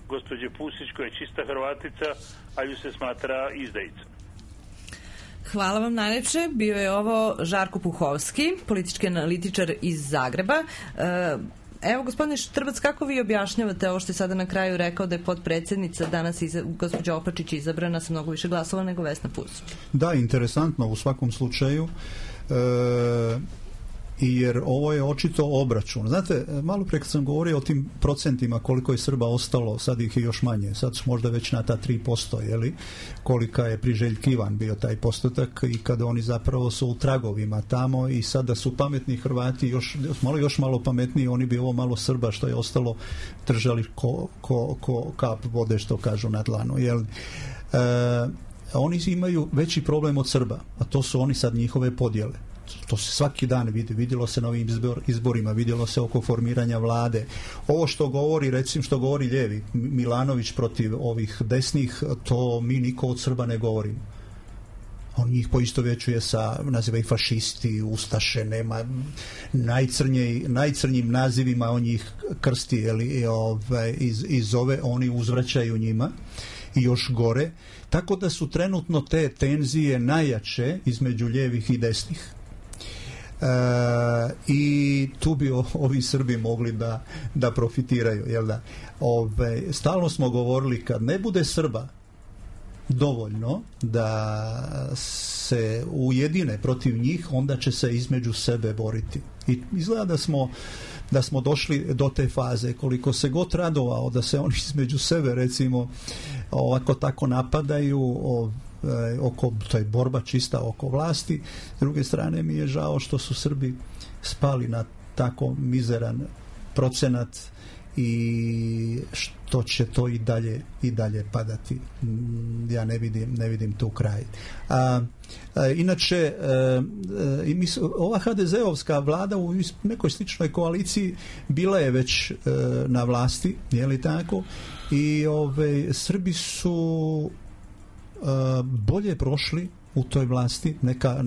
S17: gospođe Pusić, koja je čista Hrvatica, a ju se smatra izdajicom.
S4: Hvala vam najlepše. Bio je ovo Žarko Puhovski, politički analitičar iz Zagreba. Evo, gospodine Štrbac, kako vi objašnjavate ovo što je sada na kraju rekao da je potpredsjednica danas gospođa Opačić izabrana sa mnogo više glasova nego Vesna Pusić?
S15: Da, interesantno u svakom slučaju. Jer ovo je očito obračun. Znate, malo prije kad sam govorio o tim procentima koliko je Srba ostalo, sad ih je još manje, sad su možda već na ta 3%, jeli, kolika je priželjkivan bio taj postotak i kada oni zapravo su u tragovima tamo i sada su pametni Hrvati još malo pametniji, oni bi ovo malo Srba što je ostalo držali ko kap vode, što kažu na dlanu, jeli. Oni imaju veći problem od Srba, a to su oni sad njihove podjele. To se svaki dan vidi, vidjelo se na ovim izborima, vidjelo se oko formiranja vlade. Ovo što govori, recimo što govori lijevi, Milanović protiv ovih desnih, to mi niko od Srba ne govorimo. On njih poistovjećuje sa, naziva ih fašisti, ustaše, nema najcrnjim nazivima, on njih krsti i zove, oni uzvraćaju njima i još gore. Tako da su trenutno te tenzije najjače između lijevih i desnih. I tu bi ovi Srbi mogli da profitiraju, jel da? Stalno smo govorili, kad ne bude Srba dovoljno da se ujedine protiv njih, onda će se između sebe boriti. I izgleda da smo došli do te faze. Koliko se god radovao da se oni između sebe, recimo, ovako tako napadaju, to je borba čista oko vlasti. S druge strane mi je žao što su Srbi spali na tako mizeran procenat i što će to i dalje padati. Ja ne vidim tu kraj. Inače, ova HDZ-ovska vlada u nekoj sličnoj koaliciji bila je već na vlasti, je li tako? I Srbi su bolje prošli u toj vlasti neka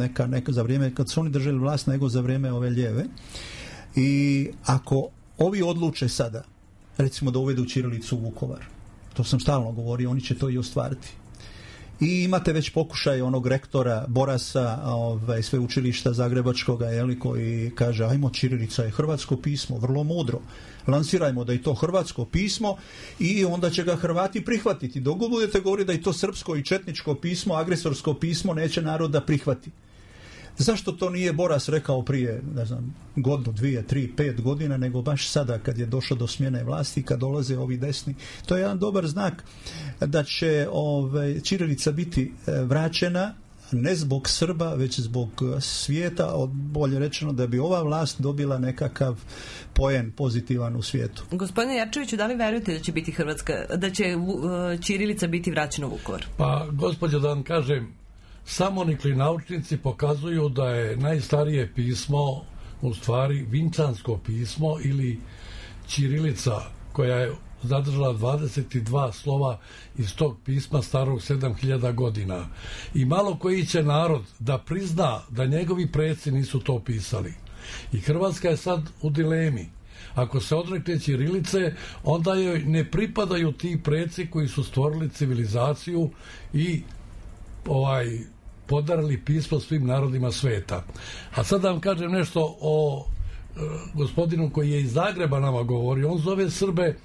S15: za vrijeme kad su oni držali vlast nego za vrijeme ove lijeve. I ako ovi odluče sada, recimo da uvedu ćirilicu u Vukovar, to sam stalno govorio, oni će to i ostvariti. I imate već pokušaj onog rektora Borasa, sveučilišta Zagrebačkoga, koji kaže ajmo, ćirilica je hrvatsko pismo, vrlo mudro. Lansirajmo da je to hrvatsko pismo i onda će ga Hrvati prihvatiti. Dok budete govoriti da je to srpsko i četničko pismo, agresorsko pismo, neće narod da prihvati. Zašto to nije Boras rekao prije, ne znam, godinu, 2, 3, 5 godina, nego baš sada kad je došlo do smjene vlasti, kad dolaze ovi desni? To je jedan dobar znak da će ćirilica biti vraćena, ne zbog Srba, već zbog svijeta, bolje rečeno da bi ova vlast dobila nekakav poen pozitivan u svijetu.
S4: Gospodine Jarčeviću, da li verujete da će biti da će ćirilica biti vraćena u Vukovar?
S16: Pa, gospođo, da vam kažem, samonikli naučnici pokazuju da je najstarije pismo u stvari vinčansko pismo ili ćirilica, koja je zadržala 22 slova iz tog pisma starog 7000 godina. I malo koji će narod da prizna da njegovi preci nisu to pisali. I Hrvatska je sad u dilemi. Ako se odrekne ćirilice, onda joj ne pripadaju ti preci koji su stvorili civilizaciju i podarili pismo svim narodima sveta. A sad da vam kažem nešto o gospodinu koji je iz Zagreba nama govori. On zove Srbe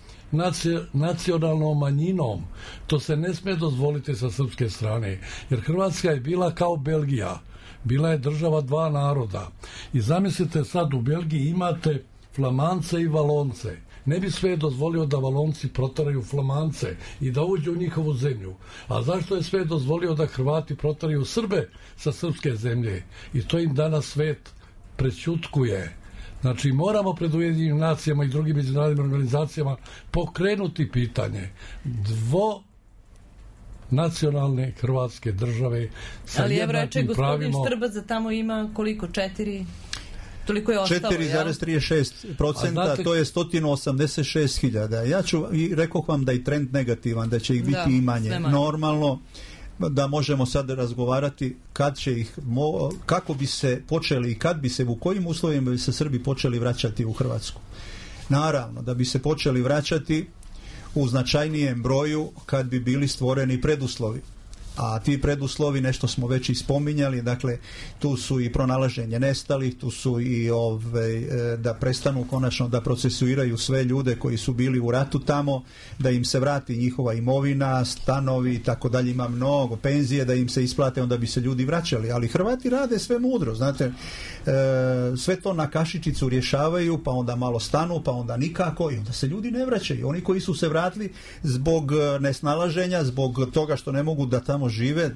S16: nacionalnom manjinom. To se ne smije dozvoliti sa srpske strane, jer Hrvatska je bila kao Belgija. Bila je država dva naroda. I zamislite sad, u Belgiji imate Flamance i Valonce. Ne bi sve dozvolio da Valonci protaraju Flamance i da uđu u njihovu zemlju. A zašto je sve dozvolio da Hrvati protaraju Srbe sa srpske zemlje? I to im danas svet prećutkuje. Znači, moramo pred Ujedinjenim nacijama i drugim međunarodnim organizacijama pokrenuti pitanje nacionalne hrvatske države sa jednakim pravima.
S4: Ali Srba za tamo ima koliko? 4? Toliko je ostalo,
S15: 4,36%, to je 186.000. Ja rekoh vam da je trend negativan, da će ih biti i manje. Normalno da možemo sad razgovarati kad će ih, kako bi se počeli i kad bi se, u kojim uslovima bi se Srbi počeli vraćati u Hrvatsku. Naravno, da bi se počeli vraćati u značajnijem broju kad bi bili stvoreni preduslovi. A ti preduslovi, nešto smo već i spominjali, dakle tu su i pronalaženje nestalih, tu su i da prestanu konačno da procesuiraju sve ljude koji su bili u ratu tamo, da im se vrati njihova imovina, stanovi i tako dalje, ima mnogo, penzije da im se isplate, onda bi se ljudi vraćali, ali Hrvati rade sve mudro, znate, sve to na kašičicu rješavaju, pa onda malo stanu, pa onda nikako i onda se ljudi ne vraćaju. Oni koji su se vratili zbog nesnalaženja, zbog toga što ne mogu da tamo žive,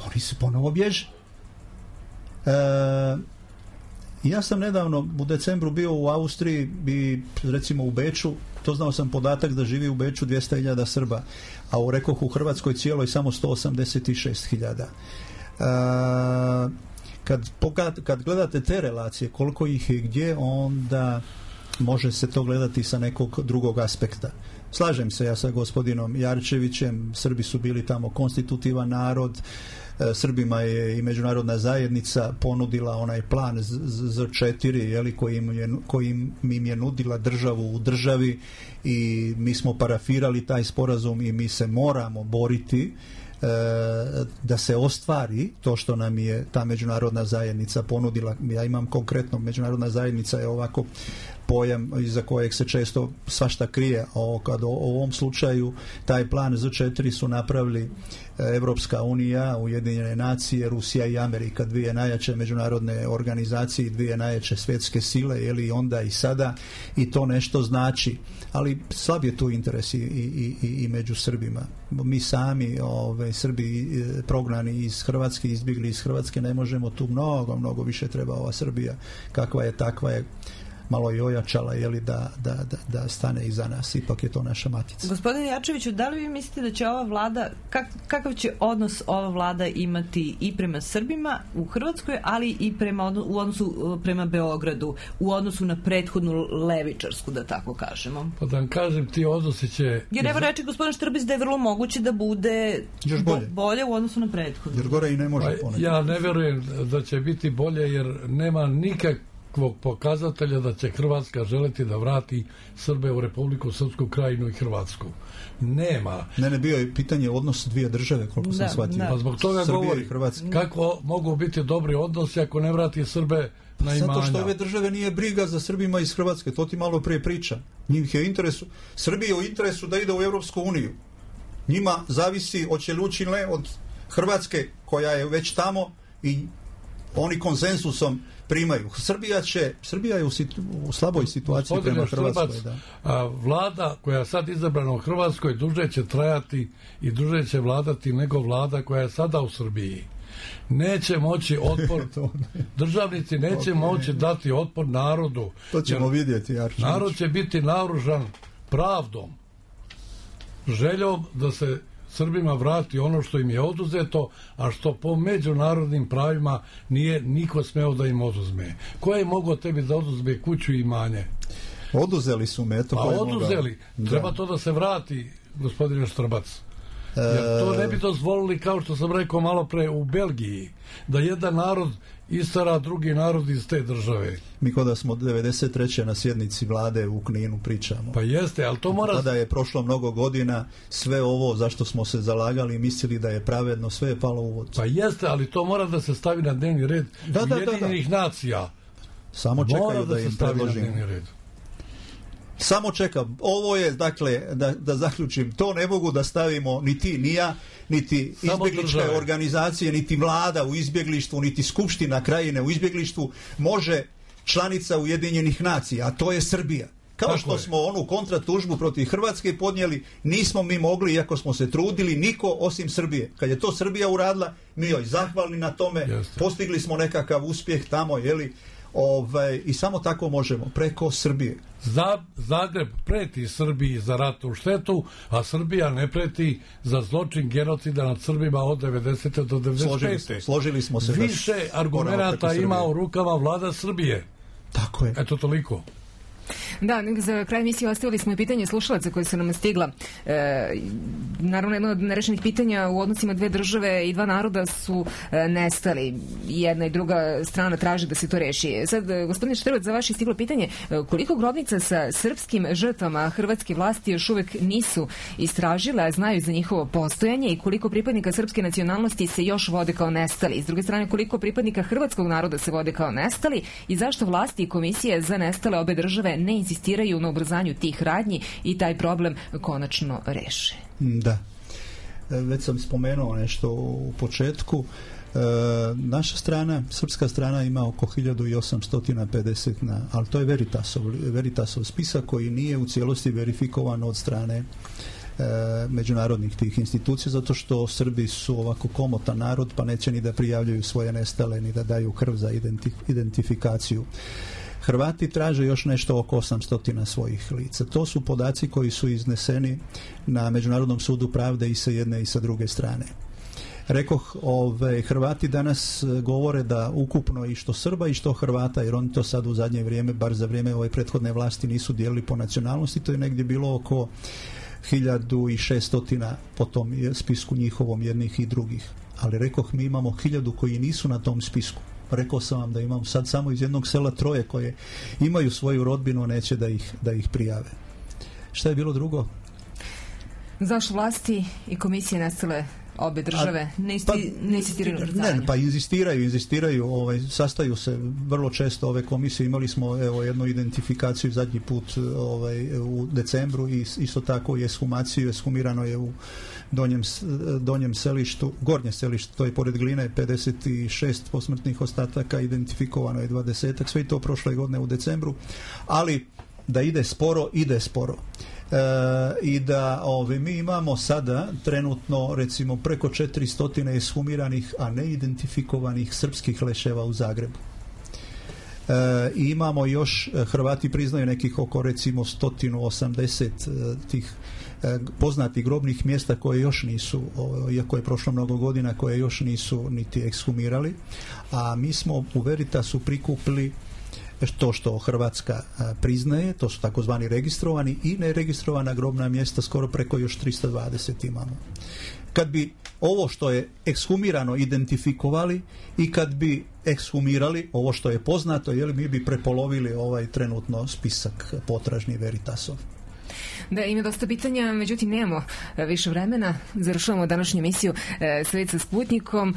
S15: oni se ponovo bježe. Ja sam nedavno u decembru bio u Austriji i recimo u Beču, to znao sam podatak da živi u Beču 200.000 Srba, a u rekoh u Hrvatskoj cijeloj samo 186.000. Kad gledate te relacije, koliko ih je gdje, onda može se to gledati sa nekog drugog aspekta. Slažem se ja sa gospodinom Jarčevićem, Srbi su bili tamo konstitutivan narod, Srbima je i međunarodna zajednica ponudila onaj plan Z4, kojim im je nudila državu u državi i mi smo parafirali taj sporazum i mi se moramo boriti da se ostvari to što nam je ta međunarodna zajednica ponudila. Ja imam konkretno, međunarodna zajednica je ovako pojam iza kojeg se često svašta krije. Kad u ovom slučaju taj plan Z4 su napravili Evropska unija, Ujedinjene nacije, Rusija i Amerika, dvije najjače međunarodne organizacije i dvije najjače svjetske sile, i onda i sada, i to nešto znači. Ali slab je tu interes i među Srbima. Mi sami, Srbi prognani iz Hrvatske, izbjegli iz Hrvatske, ne možemo tu, mnogo više treba ova Srbija, kakva je, takva je, malo i ojačala, da stane iza nas. Ipak je to naša matica.
S4: Gospodine Jarčeviću, da li vi mislite da će ova vlada, kakav će odnos ova vlada imati i prema Srbima u Hrvatskoj, ali i u odnosu prema Beogradu, u odnosu na prethodnu levičarsku, da tako kažemo?
S16: Pa da vam kažem, ti odnosi će...
S4: Jer evo reče gospodin Štrbić da je vrlo moguće da bude bolje u odnosu na prethodnu.
S15: Jer gore i ne može ponekad.
S16: Ja ne verujem da će biti bolje, jer nema nikakvog pokazatelja da će Hrvatska želiti da vrati Srbe u Republiku Srpsku Krajinu i Hrvatsku. Nema.
S15: Ne, bio je pitanje odnos dvije države, koliko sam shvatio.
S16: Pa zbog toga govori, kako mogu biti dobri odnosi ako ne vrati Srbe na imanja?
S15: Zato što ove države nije briga za Srbima iz Hrvatske, to ti malo prije priča. Njih je interesu, Srbiji je u interesu da ide u Europsku uniju. Njima zavisi hoće li ući od Hrvatske, koja je već tamo, i oni konsensusom primaju. Srbija je u slaboj situaciji prema Hrvatskoj.
S16: Vlada koja je sad izabrana u Hrvatskoj duže će trajati i duže će vladati nego vlada koja je sada u Srbiji. Neće moći otpor, državnici neće moći dati otpor narodu.
S15: To ćemo vidjeti.
S16: Narod će biti naoružan pravdom, željom da se Srbima vrati ono što im je oduzeto, a što po međunarodnim pravima nije niko smeo da im oduzme. Ko je mogao tebi da oduzme kuću i imanje?
S15: Oduzeli su me.
S16: Oduzeli. Treba to da se vrati, gospodine Štrbac. Jer to ne bi dozvolili, kao što sam rekao malo pre, u Belgiji, da jedan narod istara drugi narod iz te države.
S15: Mi kada smo 93. na sjednici vlade u Kninu pričamo.
S16: Pa jeste, ali to mora...
S15: Tada je prošlo mnogo godina, sve ovo zašto smo se zalagali i mislili da je pravedno, sve je palo u vodu.
S16: Pa jeste, ali to mora da se stavi na dnevni red Ujedinjenih nacija.
S15: Samo čekaju da im predložim. Samo čekam. Ovo je, dakle, da zaključim, to ne mogu da stavimo ni ti, ni ja, niti izbjegličke organizacije, niti vlada u izbjeglištvu, niti skupština krajine u izbjeglištvu može članica Ujedinjenih nacija, a to je Srbija. Kao što smo onu kontratužbu protiv Hrvatske podnijeli, nismo mi mogli, iako smo se trudili, niko osim Srbije. Kad je to Srbija uradila, mi joj zahvalni na tome, postigli smo nekakav uspjeh tamo, i samo tako možemo, preko Srbije.
S16: Zagreb preti Srbiji za ratnu štetu, a Srbija ne preti za zločin genocida nad Srbima od 90. do 95.
S15: Složili smo se.
S16: Više argumenata ima u rukama vlada Srbije.
S15: Tako je.
S16: Eto toliko.
S2: Da, za kraj emisije ostavili smo i pitanje slušalaca koje su nam stigla. Naravno, jedno od nerešenih pitanja u odnosima dve države i dva naroda su nestali. Jedna i druga strana traži da se to reši. Sad, gospodine Štrbac, za vaše stiglo pitanje, koliko grobnica sa srpskim žrtvama hrvatske vlasti još uvek nisu istražile, a znaju za njihovo postojanje, i koliko pripadnika srpske nacionalnosti se još vode kao nestali? S druge strane, koliko pripadnika hrvatskog naroda se vode kao nestali i zašto vlasti i komisije za nestale obe države ne insistiraju na ubrzanju tih radnji i taj problem konačno reše?
S15: Da. Već sam spomenuo nešto u početku. Naša strana, srpska strana, ima oko 1850, ali to je Veritasov spisak koji nije u cijelosti verifikovan od strane međunarodnih tih institucija, zato što Srbi su ovako komotan narod, pa neće ni da prijavljuju svoje nestale, ni da daju krv za identifikaciju. Hrvati traže još nešto oko 800 svojih lica. To su podaci koji su izneseni na Međunarodnom sudu pravde i sa jedne i sa druge strane. Rekoh, Hrvati danas govore da ukupno i što Srba i što Hrvata, jer oni to sad u zadnje vrijeme, bar za vrijeme ove prethodne vlasti, nisu dijelili po nacionalnosti, to je negdje bilo oko 1600 po tom spisku njihovom, jednih i drugih. Ali rekoh, mi imamo 1000 koji nisu na tom spisku. Rekao sam vam da imam sad samo iz jednog sela 3 koje imaju svoju rodbinu, a neće da ih prijave. Šta je bilo drugo?
S2: Zašto vlasti i komisije nestale obe države ne insistiraju na ubrzanju?
S15: Pa inzistiraju, sastaju se vrlo često ove komisije. Imali smo jednu identifikaciju zadnji put u decembru i isto tako i ekshumaciju. Ekshumirano je u donjem selištu, gornje selište, to je pored Gline, 56 posmrtnih ostataka, identifikovano je 20, sve to prošle godine u decembru, ali da ide sporo. I da mi imamo sada trenutno recimo preko 400 ekshumiranih, a ne identifikovanih srpskih leševa u Zagrebu. I imamo još, Hrvati priznaju nekih oko recimo 180 tih poznatih grobnih mjesta koje još nisu, iako je prošlo mnogo godina, koje još nisu niti ekshumirali, a mi smo u Veritasu prikupili to što Hrvatska priznaje, to su takozvani registrovani i neregistrovana grobna mjesta, skoro preko još 320 imamo. Kad bi ovo što je ekshumirano identifikovali i kad bi ekshumirali ovo što je poznato, mi bi prepolovili ovaj trenutno spisak potražni Veritasov.
S2: Da, ima dosta pitanja, međutim nemamo više vremena. Završavamo današnju emisiju Svet sa Sputnikom.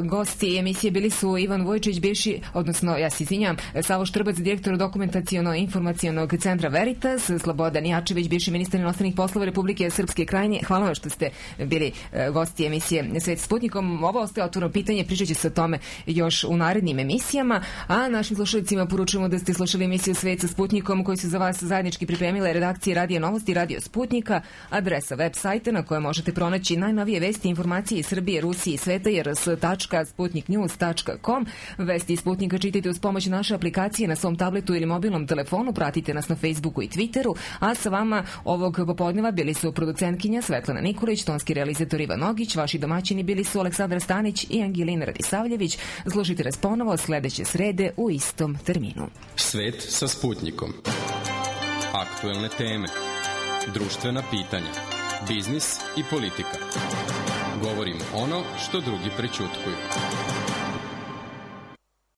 S2: Gosti emisije bili su Ivan Vujčić, bivši, odnosno ja se izvinjam, Savo Štrbac, direktor dokumentaciono-informacionog centra Veritas, Slobodan Jačević, bivši ministar inostranih poslova Republike Srpske Krajine. Hvala vam što ste bili gosti emisije Svet sa Sputnikom. Ovo ostaje otvoreno pitanje, pričat će se o tome još u narednim emisijama, a našim slušalicima poručujemo da ste slušali emisiju Svet sa Sputnikom koju su za vas zajednički pripremile redakcije Radija Novosti, Radio Sputnika, adresa web sajta na kojoj možete pronaći najnovije vesti i informacije iz Srbije, Rusije i sveta je rs.sputniknews.com. Vesti iz Sputnika čitajte uz pomoć naše aplikacije na svom tabletu ili mobilnom telefonu, pratite nas na Facebooku i Twitteru, a sa vama ovog popodneva bili su producentkinja Svetlana Nikolić, tonski realizator Ivan Nogić, vaši domaćini bili su Aleksandar Stanić i Angelina Radisavljević. Slušajte nas ponovo sledeće srede u istom terminu.
S1: Svet sa Sputnikom. Aktuelne teme, društvena pitanja, biznis i politika. Govorimo ono što drugi prećutkuju.